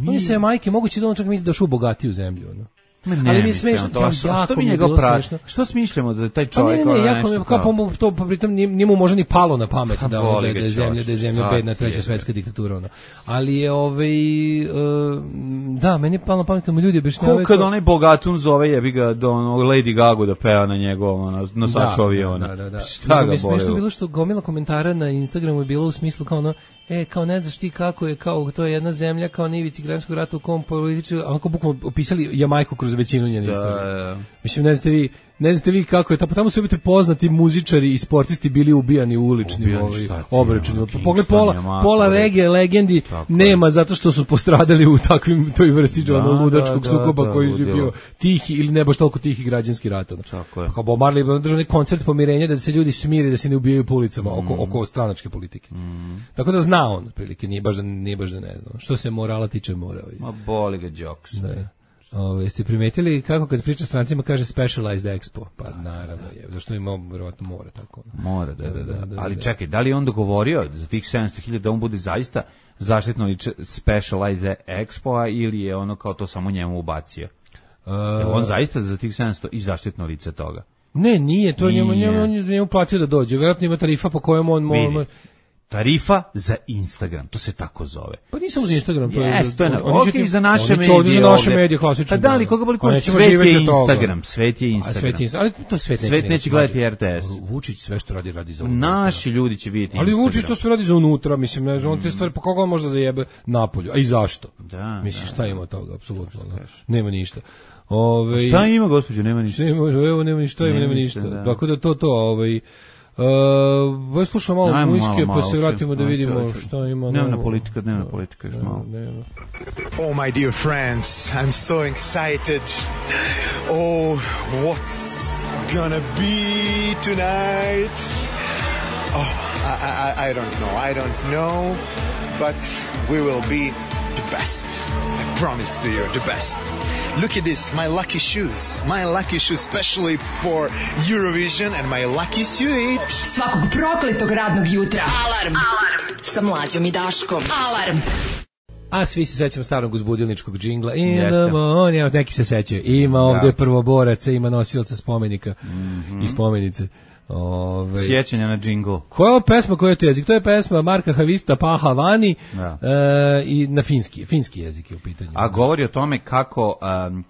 on je majke, moguće da on čak misli da u bogatiju zemlju, ono. Ne, ali mi je smešno to, što, što mi njega prati? Što smišljamo da taj čovjek pa ne, ne, ne, jako, kao po to pritom njemu može ni palo na pamet da da, da je zemlja, da je zemlja bedna treća svetska diktatura ona. Ali je ovaj uh, da, meni je palo na pamet kad mu ljudi objašnjavaju. Ko kad onaj bogatun zove jebi ga do Lady Gaga da peva na njegovom na nosaču aviona. Da, da, da. Šta ga boli? Smešno bilo što gomila komentara na Instagramu je bilo u smislu kao ono e, kao ne znaš ti kako je, kao to je jedna zemlja kao na ivici građanskog rata u kom politički, onako bukvalno opisali Jamajku kroz većinu njene istorije. Mislim, ne znate vi, ne znate vi kako je, tamo su biti poznati muzičari i sportisti bili ubijani u uličnim ovaj, obračunima. Pogled, pola, pola regije legendi nema zato što su postradali u takvim toj vrsti da, ono, ludačkog da, sukoba da, koji je bio tihi ili ne baš toliko tihi građanski rat. Pa kao Bob Marley je držao neki koncert pomirenja da se ljudi smire, da se ne ubijaju po ulicama mm. oko, oko stranačke politike. Mm. Tako da zna on, prilike, nije baš da, nije baš da ne znam. Što se morala tiče mora. Ma boli ga jokes. Ove, jeste primetili kako kad priča strancima kaže Specialized Expo? Pa naravno je, zašto ima verovatno mora tako. Mora, da, da, da. da Ali da. Čekaj, da li je on dogovorio za tih sedamsto hiljada da on bude zaista zaštitno lice Specialized Expo ili je ono kao to samo njemu ubacio? Uh, je on zaista za tih sedamsto i zaštitno lice toga? Ne, nije, to nije. njemu, njemu, njemu platio da dođe. Vjerojatno ima tarifa po kojem on... on Tarifa za Instagram, to se tako zove. Pa nisam za Instagram, to je. Yes, to je na, okay, za naše medije. Oni za naše medije klasično. Pa da li koga boli ko svet je Instagram, svet je Instagram. A svet je, ali to svet neće. Svet neće gledati R T S. Vučić sve što radi radi za unutra. Naši ljudi će vidjeti Instagram. Ali Vučić to sve radi za unutra, mislim, ne znam, on te stvari pa koga on možda zajebe napolju. A i zašto? Da. Mislim šta ima od toga, apsolutno. Nema ništa. Ove, šta ima, gospođo, nema ništa. Ima, evo nema ništa, ima, nema ništa. Tako da to to, ovaj Uh, slušamo malo Ajmo, muzičke, malo, pa se vratimo da vidimo šta ima. Dnevna politika, dnevna politika još malo. Oh my dear friends, I'm so excited. Oh, what's gonna be tonight? Oh, I, I, I don't know, I don't know, but we will be the best. I promise to you, the best. Look at this, my lucky shoes. My lucky shoes specially for Eurovision and my lucky suit. Svakog prokletog radnog jutra. Alarm. Alarm. Sa Mlađom i Daškom. Alarm. A svi se sećamo starog uzbudilničkog džingla. Idemo, evo neki se sećaju. Ima ovdje prvoboraca, ima nosilaca spomenika mm-hmm. i spomenice. Ove, sjećanja na džingl. Koja je pesma, koja je to jezik? To je pesma Marka Havista Paha Vani e, i na finski, finski jezik je u pitanju. A govori o tome kako um,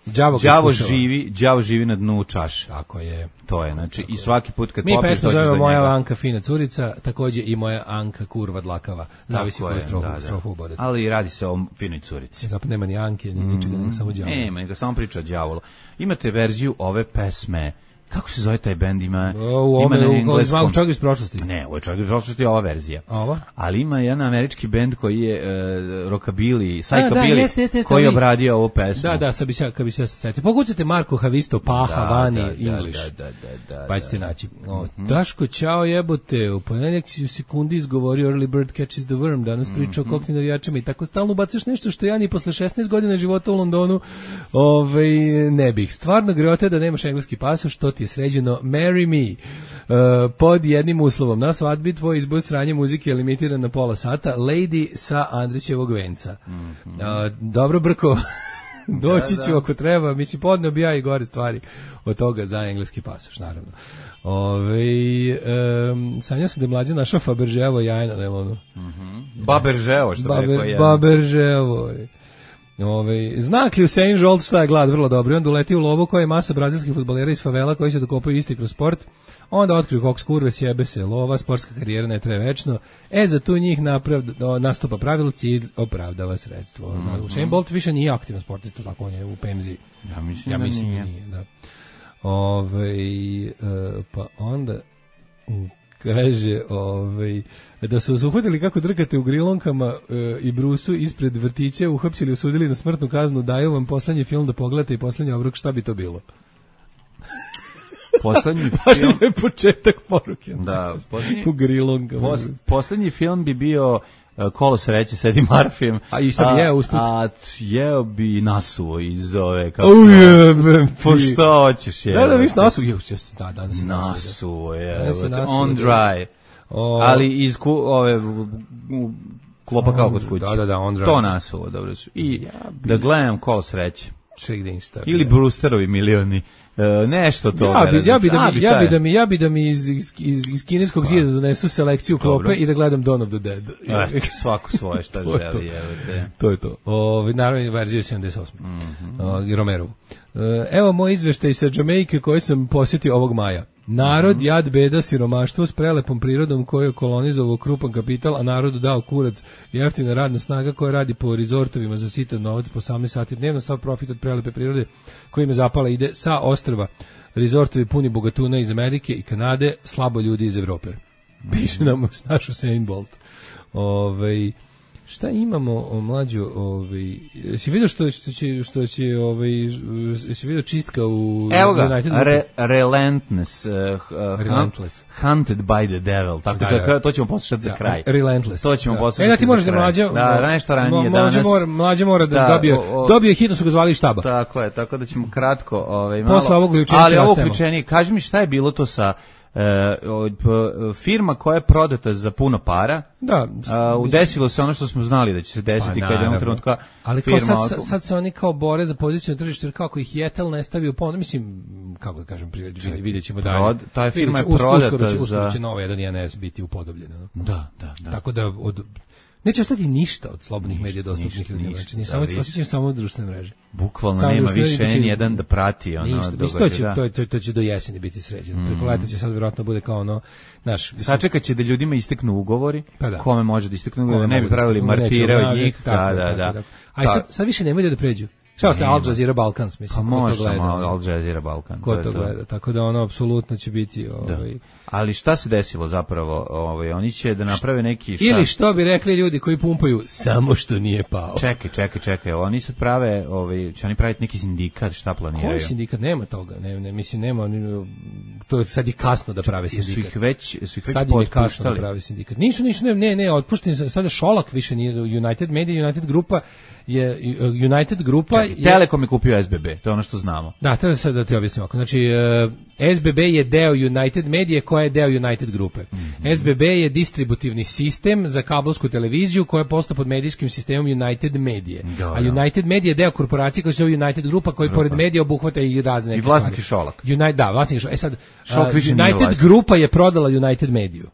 đavo živi, đavo živi na dnu čaše. Tako je. To je, znači tako i svaki put kad mi popiš pesma zovemo Moja Anka fina curica, takođe i Moja Anka kurva dlakava. Zavisi koju strofu, da, strofu ubodete. Ali radi se o finoj curici. Zapravo nema ni Anke, ni ničega, nego samo đavo. Nema, nego samo priča o đavolu. Imate verziju ove pesme. Kako se zove taj bend? Ima, o, ima na engleskom. U čovjek iz prošlosti. Ne, ovo je čovjek iz prošlosti, ova verzija. Ova? Ali ima jedan američki bend koji je uh, rockabilly, psychobilly, koji je obradio ovu pesmu. Da, da, sad bi se, kad bi se setio. Pokucajte Marko Havisto, Paha, da, Vani, da, English. Da, da, da, da, pa ćete naći. O, mm-hmm. Daško, ćao jebote, u ponedjeljak si u sekundi izgovorio Early Bird Catches the Worm, danas pričao mm-hmm. o kokni navijačima i tako stalno bacaš nešto što ja ni posle šesnaest godina života u Londonu ovaj, ne bih. Stvarno greote da nemaš engleski pasoš, što ti je sređeno. Marry me. Uh, pod jednim uslovom. Na svadbi tvoj izbor sranje muzike je limitiran na pola sata. Lady sa Andrićevog venca. Mm-hmm. Uh, dobro Brko. Doći ću da, da. ako treba. Mislim, podneo bi ja i gore stvari od toga za engleski pasoš, naravno. Ove, um, sanjao sam da je mlađa našao Faberževo jajna, ne ono. Mm-hmm. Baberževo, što Baber, rekao je. Baberževo. Ove, znak li Usain Bolt šta je glad, vrlo dobro. I onda uleti u lovu koja je masa brazilskih fudbalera iz favela koji se dokopaju isti kroz sport. Onda otkriju koks kurve, sjebe se lova, sportska karijera ne traje večno. E, za tu njih napravda, nastupa pravilo, cilj opravdava sredstvo. Mm-hmm. Usain Bolt više nije aktivno sportista, tako on je u Pemzi. Ja mislim, ja mislim da nije. nije da. Ove, e, pa onda... kaže ovaj, da su vas uhvatili kako drkate u grilonkama e, i brusu ispred vrtića, uhapsili, osudili na smrtnu kaznu, daju vam poslednji film da pogledate i poslednji obrok, šta bi to bilo? Poslednji film... Važno je početak poruke. Da, poslednji... u grilonkama. Pos, poslednji film bi bio Kolo sreće s Eddie Murphyjem. A i šta bi jeo usput? A jeo bi nasuo iz ove... Kako Ujebem ti. Po što hoćeš jeo? Da, da, viš nasuo. Da, da, da, nasuo je. On dry. O... Ali iz ku, ove... U, klopa kao kod kuće. Da, da, da, on dry. To nasuo, dobro su. I ja bi... da gledam Kolo sreće. Ček da insta. Ili Brewsterovi milioni. Uh, nešto to. Ja bi, ja bi da mi, ja bi da mi, ja bi da mi iz, iz, iz, iz kineskog pa. zida donesu selekciju klope Dobro. I da gledam Dawn of the Dead. Eh, svako svoje šta želi, je. To je to. Ovaj naravno verzija sedamdeset osme. Mm-hmm. Uh, Romerovu. Uh, evo moj izveštaj sa Jamajke koji sam posjetio ovog maja. Narod, jad, beda, siromaštvo s prelepom prirodom koju je kolonizovao krupan kapital, a narodu dao kurac, jeftina radna snaga koja radi po rezortovima za sitan novac po osamnaest sati dnevno, sav profit od prelepe prirode koji im je zapala ide sa ostrva. Rezortovi puni bogatuna iz Amerike i Kanade, slabo ljudi iz Evrope. Piše nam naš Usain Bolt. Ovaj šta imamo o mlađu, ovaj jesi vidio što što će što će ovaj jesi vidio čistka u Evo ga, re, Relentless, uh, uh, Relentless, Hunted by the Devil. Tako da, da, to ćemo poslušati za kraj. Relentless. To ćemo da. poslušati. E da ti možeš da mlađa. Da, nešto ranije danas. Mlađa mora, mlađa mora da, da dobije, o, o, dobije hitno su ga zvali štaba. Tako je, tako da ćemo kratko, ovaj malo. Posle ovog uključenja. Ali ovo uključenje, kaži mi šta je bilo to sa Uh, firma koja je prodata za puno para. Da, uh, desilo se ono što smo znali da će se desiti pa, kad je u trenutka ali firma. Ali sad, sad se oni kao bore za poziciju na tržištu, jer kako ih Jetel ne stavi u ponudu, mislim, kako da kažem, vidjet ćemo dalje. Prod, ta firma je prodata uskoro će, za... Uskoro će nova jedan I N S biti upodobljena. Da, da, da. Tako da od... Neće ostati ništa od slobodnih medija dostupnih ljudima. Znači, samo osjećam samo društvene mreže. Bukvalno samo nema više ni jedan da prati ono ništa, to će, to, to, to će do jeseni biti sređeno. Mm. Preko leta će sad vjerojatno bude kao ono naš. Sačekat će da ljudima isteknu ugovori, pa da. Kome može da isteknu ugovori, da ne bi pravili martire od njih. Da, da, da. A sad, sad više nemoj da pređu. Šta ste Al Jazeera Balkans, mislim, pa ko to gleda? Al Jazeera Balkan. Ko to, to gleda, tako da ono apsolutno će biti... Ovaj... Ali šta se desilo zapravo? Ovaj, oni će da naprave neki... Šta? Ili što bi rekli ljudi koji pumpaju, samo što nije pao. Čekaj, čekaj, čekaj, oni sad prave, ovaj, će oni praviti neki sindikat, šta planiraju? Koji sindikat? Nema toga, ne, ne, mislim, nema, to sad je kasno da prave sindikat. Su ih već, su ih već sad im je kasno da prave sindikat. Nisu, nisu, ne, ne, ne otpušteni, sada Šolak više nije United Media, United Grupa, je United Grupa Čekaj, je... Telekom je kupio S B B, to je ono što znamo. Da, treba sad da ti objasnim ovako. Znači, uh, S B B je deo United Media koja je deo United Grupe. Mm-hmm. S B B je distributivni sistem za kablovsku televiziju koja je postao pod medijskim sistemom United Media. Da, a United Media je deo korporacije koja se zove United Grupa koja pored medija obuhvata i razne neke stvari. I vlasnik je Šolak. United, da, vlasnik je Šolak. E sad, uh, United Grupa je prodala United Mediju.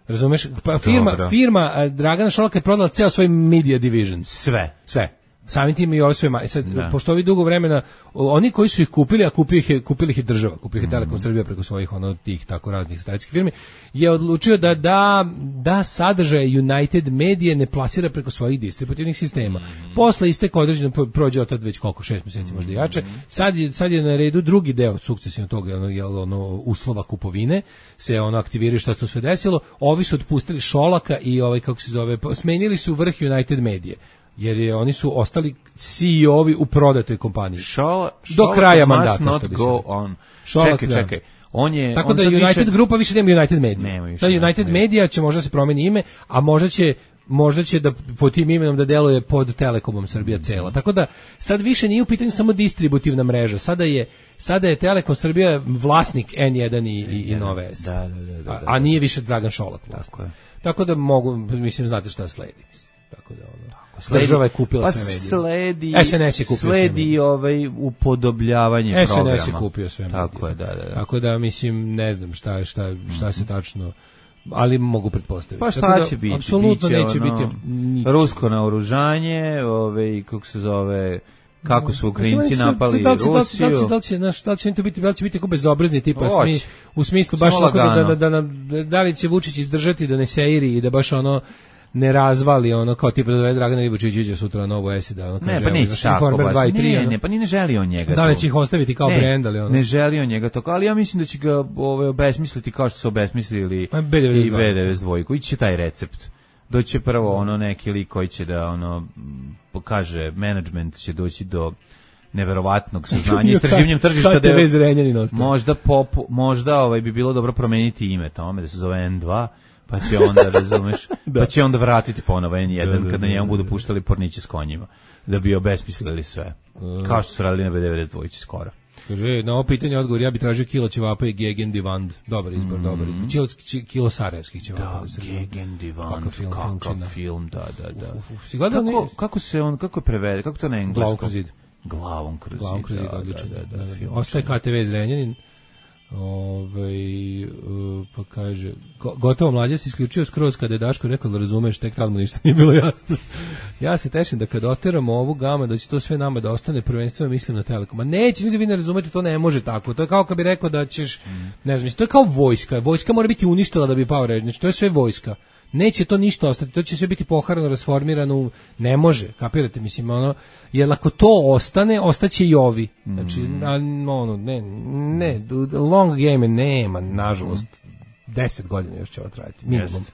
Razumeš? Pa firma, Dobro. firma uh, Dragana Šolaka je prodala ceo svoj media division. Sve. Sve. Samim tim i ovo sve ma. Sad, da. Pošto ovi dugo vremena, oni koji su ih kupili, a kupili ih je, kupili ih je država, kupili ih je Telekom Srbija preko svojih ono tih tako raznih satelitskih firmi, je odlučio da da, da sadržaj United Media ne plasira preko svojih distributivnih sistema. Mm-hmm. Posle isteka određeno prođe od tad već koliko, šest mjeseci možda jače. Sad je, sad je na redu drugi deo sukcesivno toga, ono, jel, ono, uslova kupovine, se ono aktiviraju šta se to sve desilo. Ovi su otpustili Šolaka i ovaj, kako se zove, smenili su vrh United Media. Jer je, oni su ostali C E O-vi u prodatoj kompaniji. Šola, do kraja mandata. Not go on. Šolak, čekaj, čekaj. On je, tako on da United više... Grupa više nema United Media. Nema više. Sad United nema. Media će možda se promeni ime, a možda će možda će da po tim imenom da deluje pod Telekomom Srbija mm-hmm. cela. Tako da sad više nije u pitanju samo distributivna mreža. Sada je sada je Telekom Srbija vlasnik N jedan i, i, i Nove S. Da, da, da, da, a, a nije više Dragan Šolak vlasnik. Tako, tako da mogu, mislim, znate šta sledi. Tako da ono. Sledi, država je kupila pa sve medije. Sledi, S N S je kupio sledi sve ovaj upodobljavanje S N S programa. S je kupio sve medije. Tako je, da, da, da. Tako da, mislim, ne znam šta, šta, šta se tačno, ali mogu pretpostaviti. Pa šta će biti? Apsolutno neće ono, biti niče. Rusko naoružanje, ovaj, kako se zove... Kako su Ukrajinci napali da li će, Rusiju. Da li će, da li će, naš, da li će to biti, da li će biti tako bezobrazni tipa smi, u smislu baš tako da, da, da, da, da li će Vučić izdržati da ne seiri i da baš ono ne razvali ono kao tipa da dovede Dragana Ivučića sutra na Novu S da ono kaže. Ne, pa neće tako baš. dva i tri, ne, ne, pa ni ne želi on njega. Da li će ih ostaviti kao ne, brend, ali ono. Ne želi on njega to, ali ja mislim da će ga ovaj obesmisliti kao što su obesmislili i B devedeset dva. Ići će taj recept. Doće prvo ono neki lik koji će da ono pokaže menadžment će doći do neverovatnog saznanja istraživanjem tržišta da možda pop, možda ovaj bi bilo dobro promeniti ime tome da se zove N dva pa će onda razumeš da. Pa će onda vratiti ponovo N jedan da, kada njemu budu puštali porniće s konjima da bi obesmislili sve kao što su radili na B devedeset dva skoro. Kaže, na ovo pitanje odgovor, ja bi tražio kilo ćevapa i Gegendivand. Dobar izbor, mm. dobar izbor. Kilo, kilo sarajevskih ćevapa. Da, Gegendivand, kakav film, kakav film, da, da, da. Uf, uf, uf. Kako, kako se on, kako je prevede, kako to na engleskom? Glavom kroz zid. Glavom kroz zid, Glavom kroz zid, da, odlično. Da, da, da, da, da. Ostaje K T V Zrenjanin. Ove, uh, pa kaže go, gotovo mlađe se isključio skroz kada je Daško rekao da razumeš, tek tad mu ništa nije bilo jasno. Ja se tešim da kad oteramo ovu gamu da će to sve nama da ostane, prvenstveno mislim na Telekom. A neće, ljudi, vi ne razumete, to ne može tako. To je kao kad bi rekao da ćeš, ne znam, to je kao vojska. Vojska mora biti uništila da bi pao režim. Znači, to je sve vojska. Neće to ništa ostati, to će sve biti poharano, rasformirano, ne može, kapirate, mislim, ono, jer ako to ostane, ostaće i ovi. Znači, mm. a, ono, ne, ne, long game nema, nažalost, deset godina još će ovo trajati, minimum. Yes.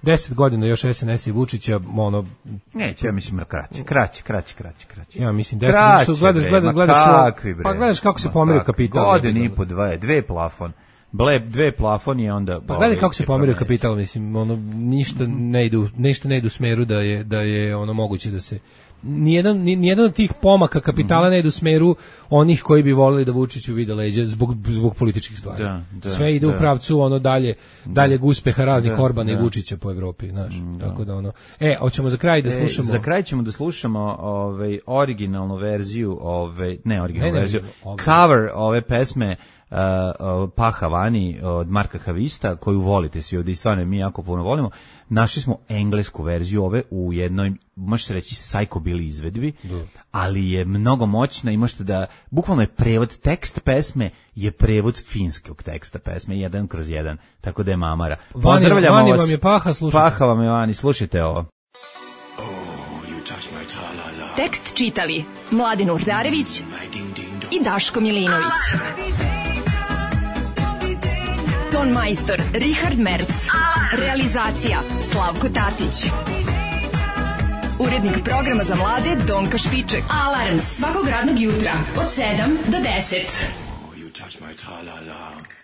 Deset godina još S N S i Vučića, ono... Neće, ja mislim, kraće, kraće, kraće, kraće, kraće. Ja mislim, deset, kraće, su, gledaš, gledaš, gledaš, kakvi, bre. Pa gledaš kako se pomerio kapital. Godin i po dve, dve plafon. Ble, dve plafon je onda... Pa gledaj kako se pomerio kapital, mislim, ono, ništa ne ide, ništa ne ide u smeru da je, da je ono moguće da se... Nijedan, nijedan od tih pomaka kapitala ne ide u smeru onih koji bi voleli da Vučiću vide leđa zbog, zbog političkih stvari. Da, da, sve ide da. u pravcu ono dalje, daljeg uspeha raznih da, Orbana da. i Vučića po Evropi, znaš. Da. Tako da ono. E, hoćemo za kraj da slušamo. E, za kraj ćemo da slušamo ovaj originalnu verziju, ovaj ne originalnu ne, verziju, ne, cover ove pesme Uh, uh, Paha Vani od Marka Havista, koju volite svi ovdje i stvarno mi jako puno volimo. Našli smo englesku verziju ove u jednoj, može se reći, psychobilly izvedbi, da. ali je mnogo moćna i možete da, bukvalno je prevod, tekst pesme je prevod finskog teksta pesme, jedan kroz jedan, tako da je mamara. Pozdravljamo Vani, vas. Vam je Paha, slušajte. Paha vam je Vani, slušajte ovo. Tekst čitali Mladen Urdarević i Daško Milinović. Ton majstor Richard Merc. Realizacija Slavko Tatić. Urednik programa za mlade Donka Špiček. Alarms svakog radnog jutra od sedam do deset. Oh, you touch my tra-la-la.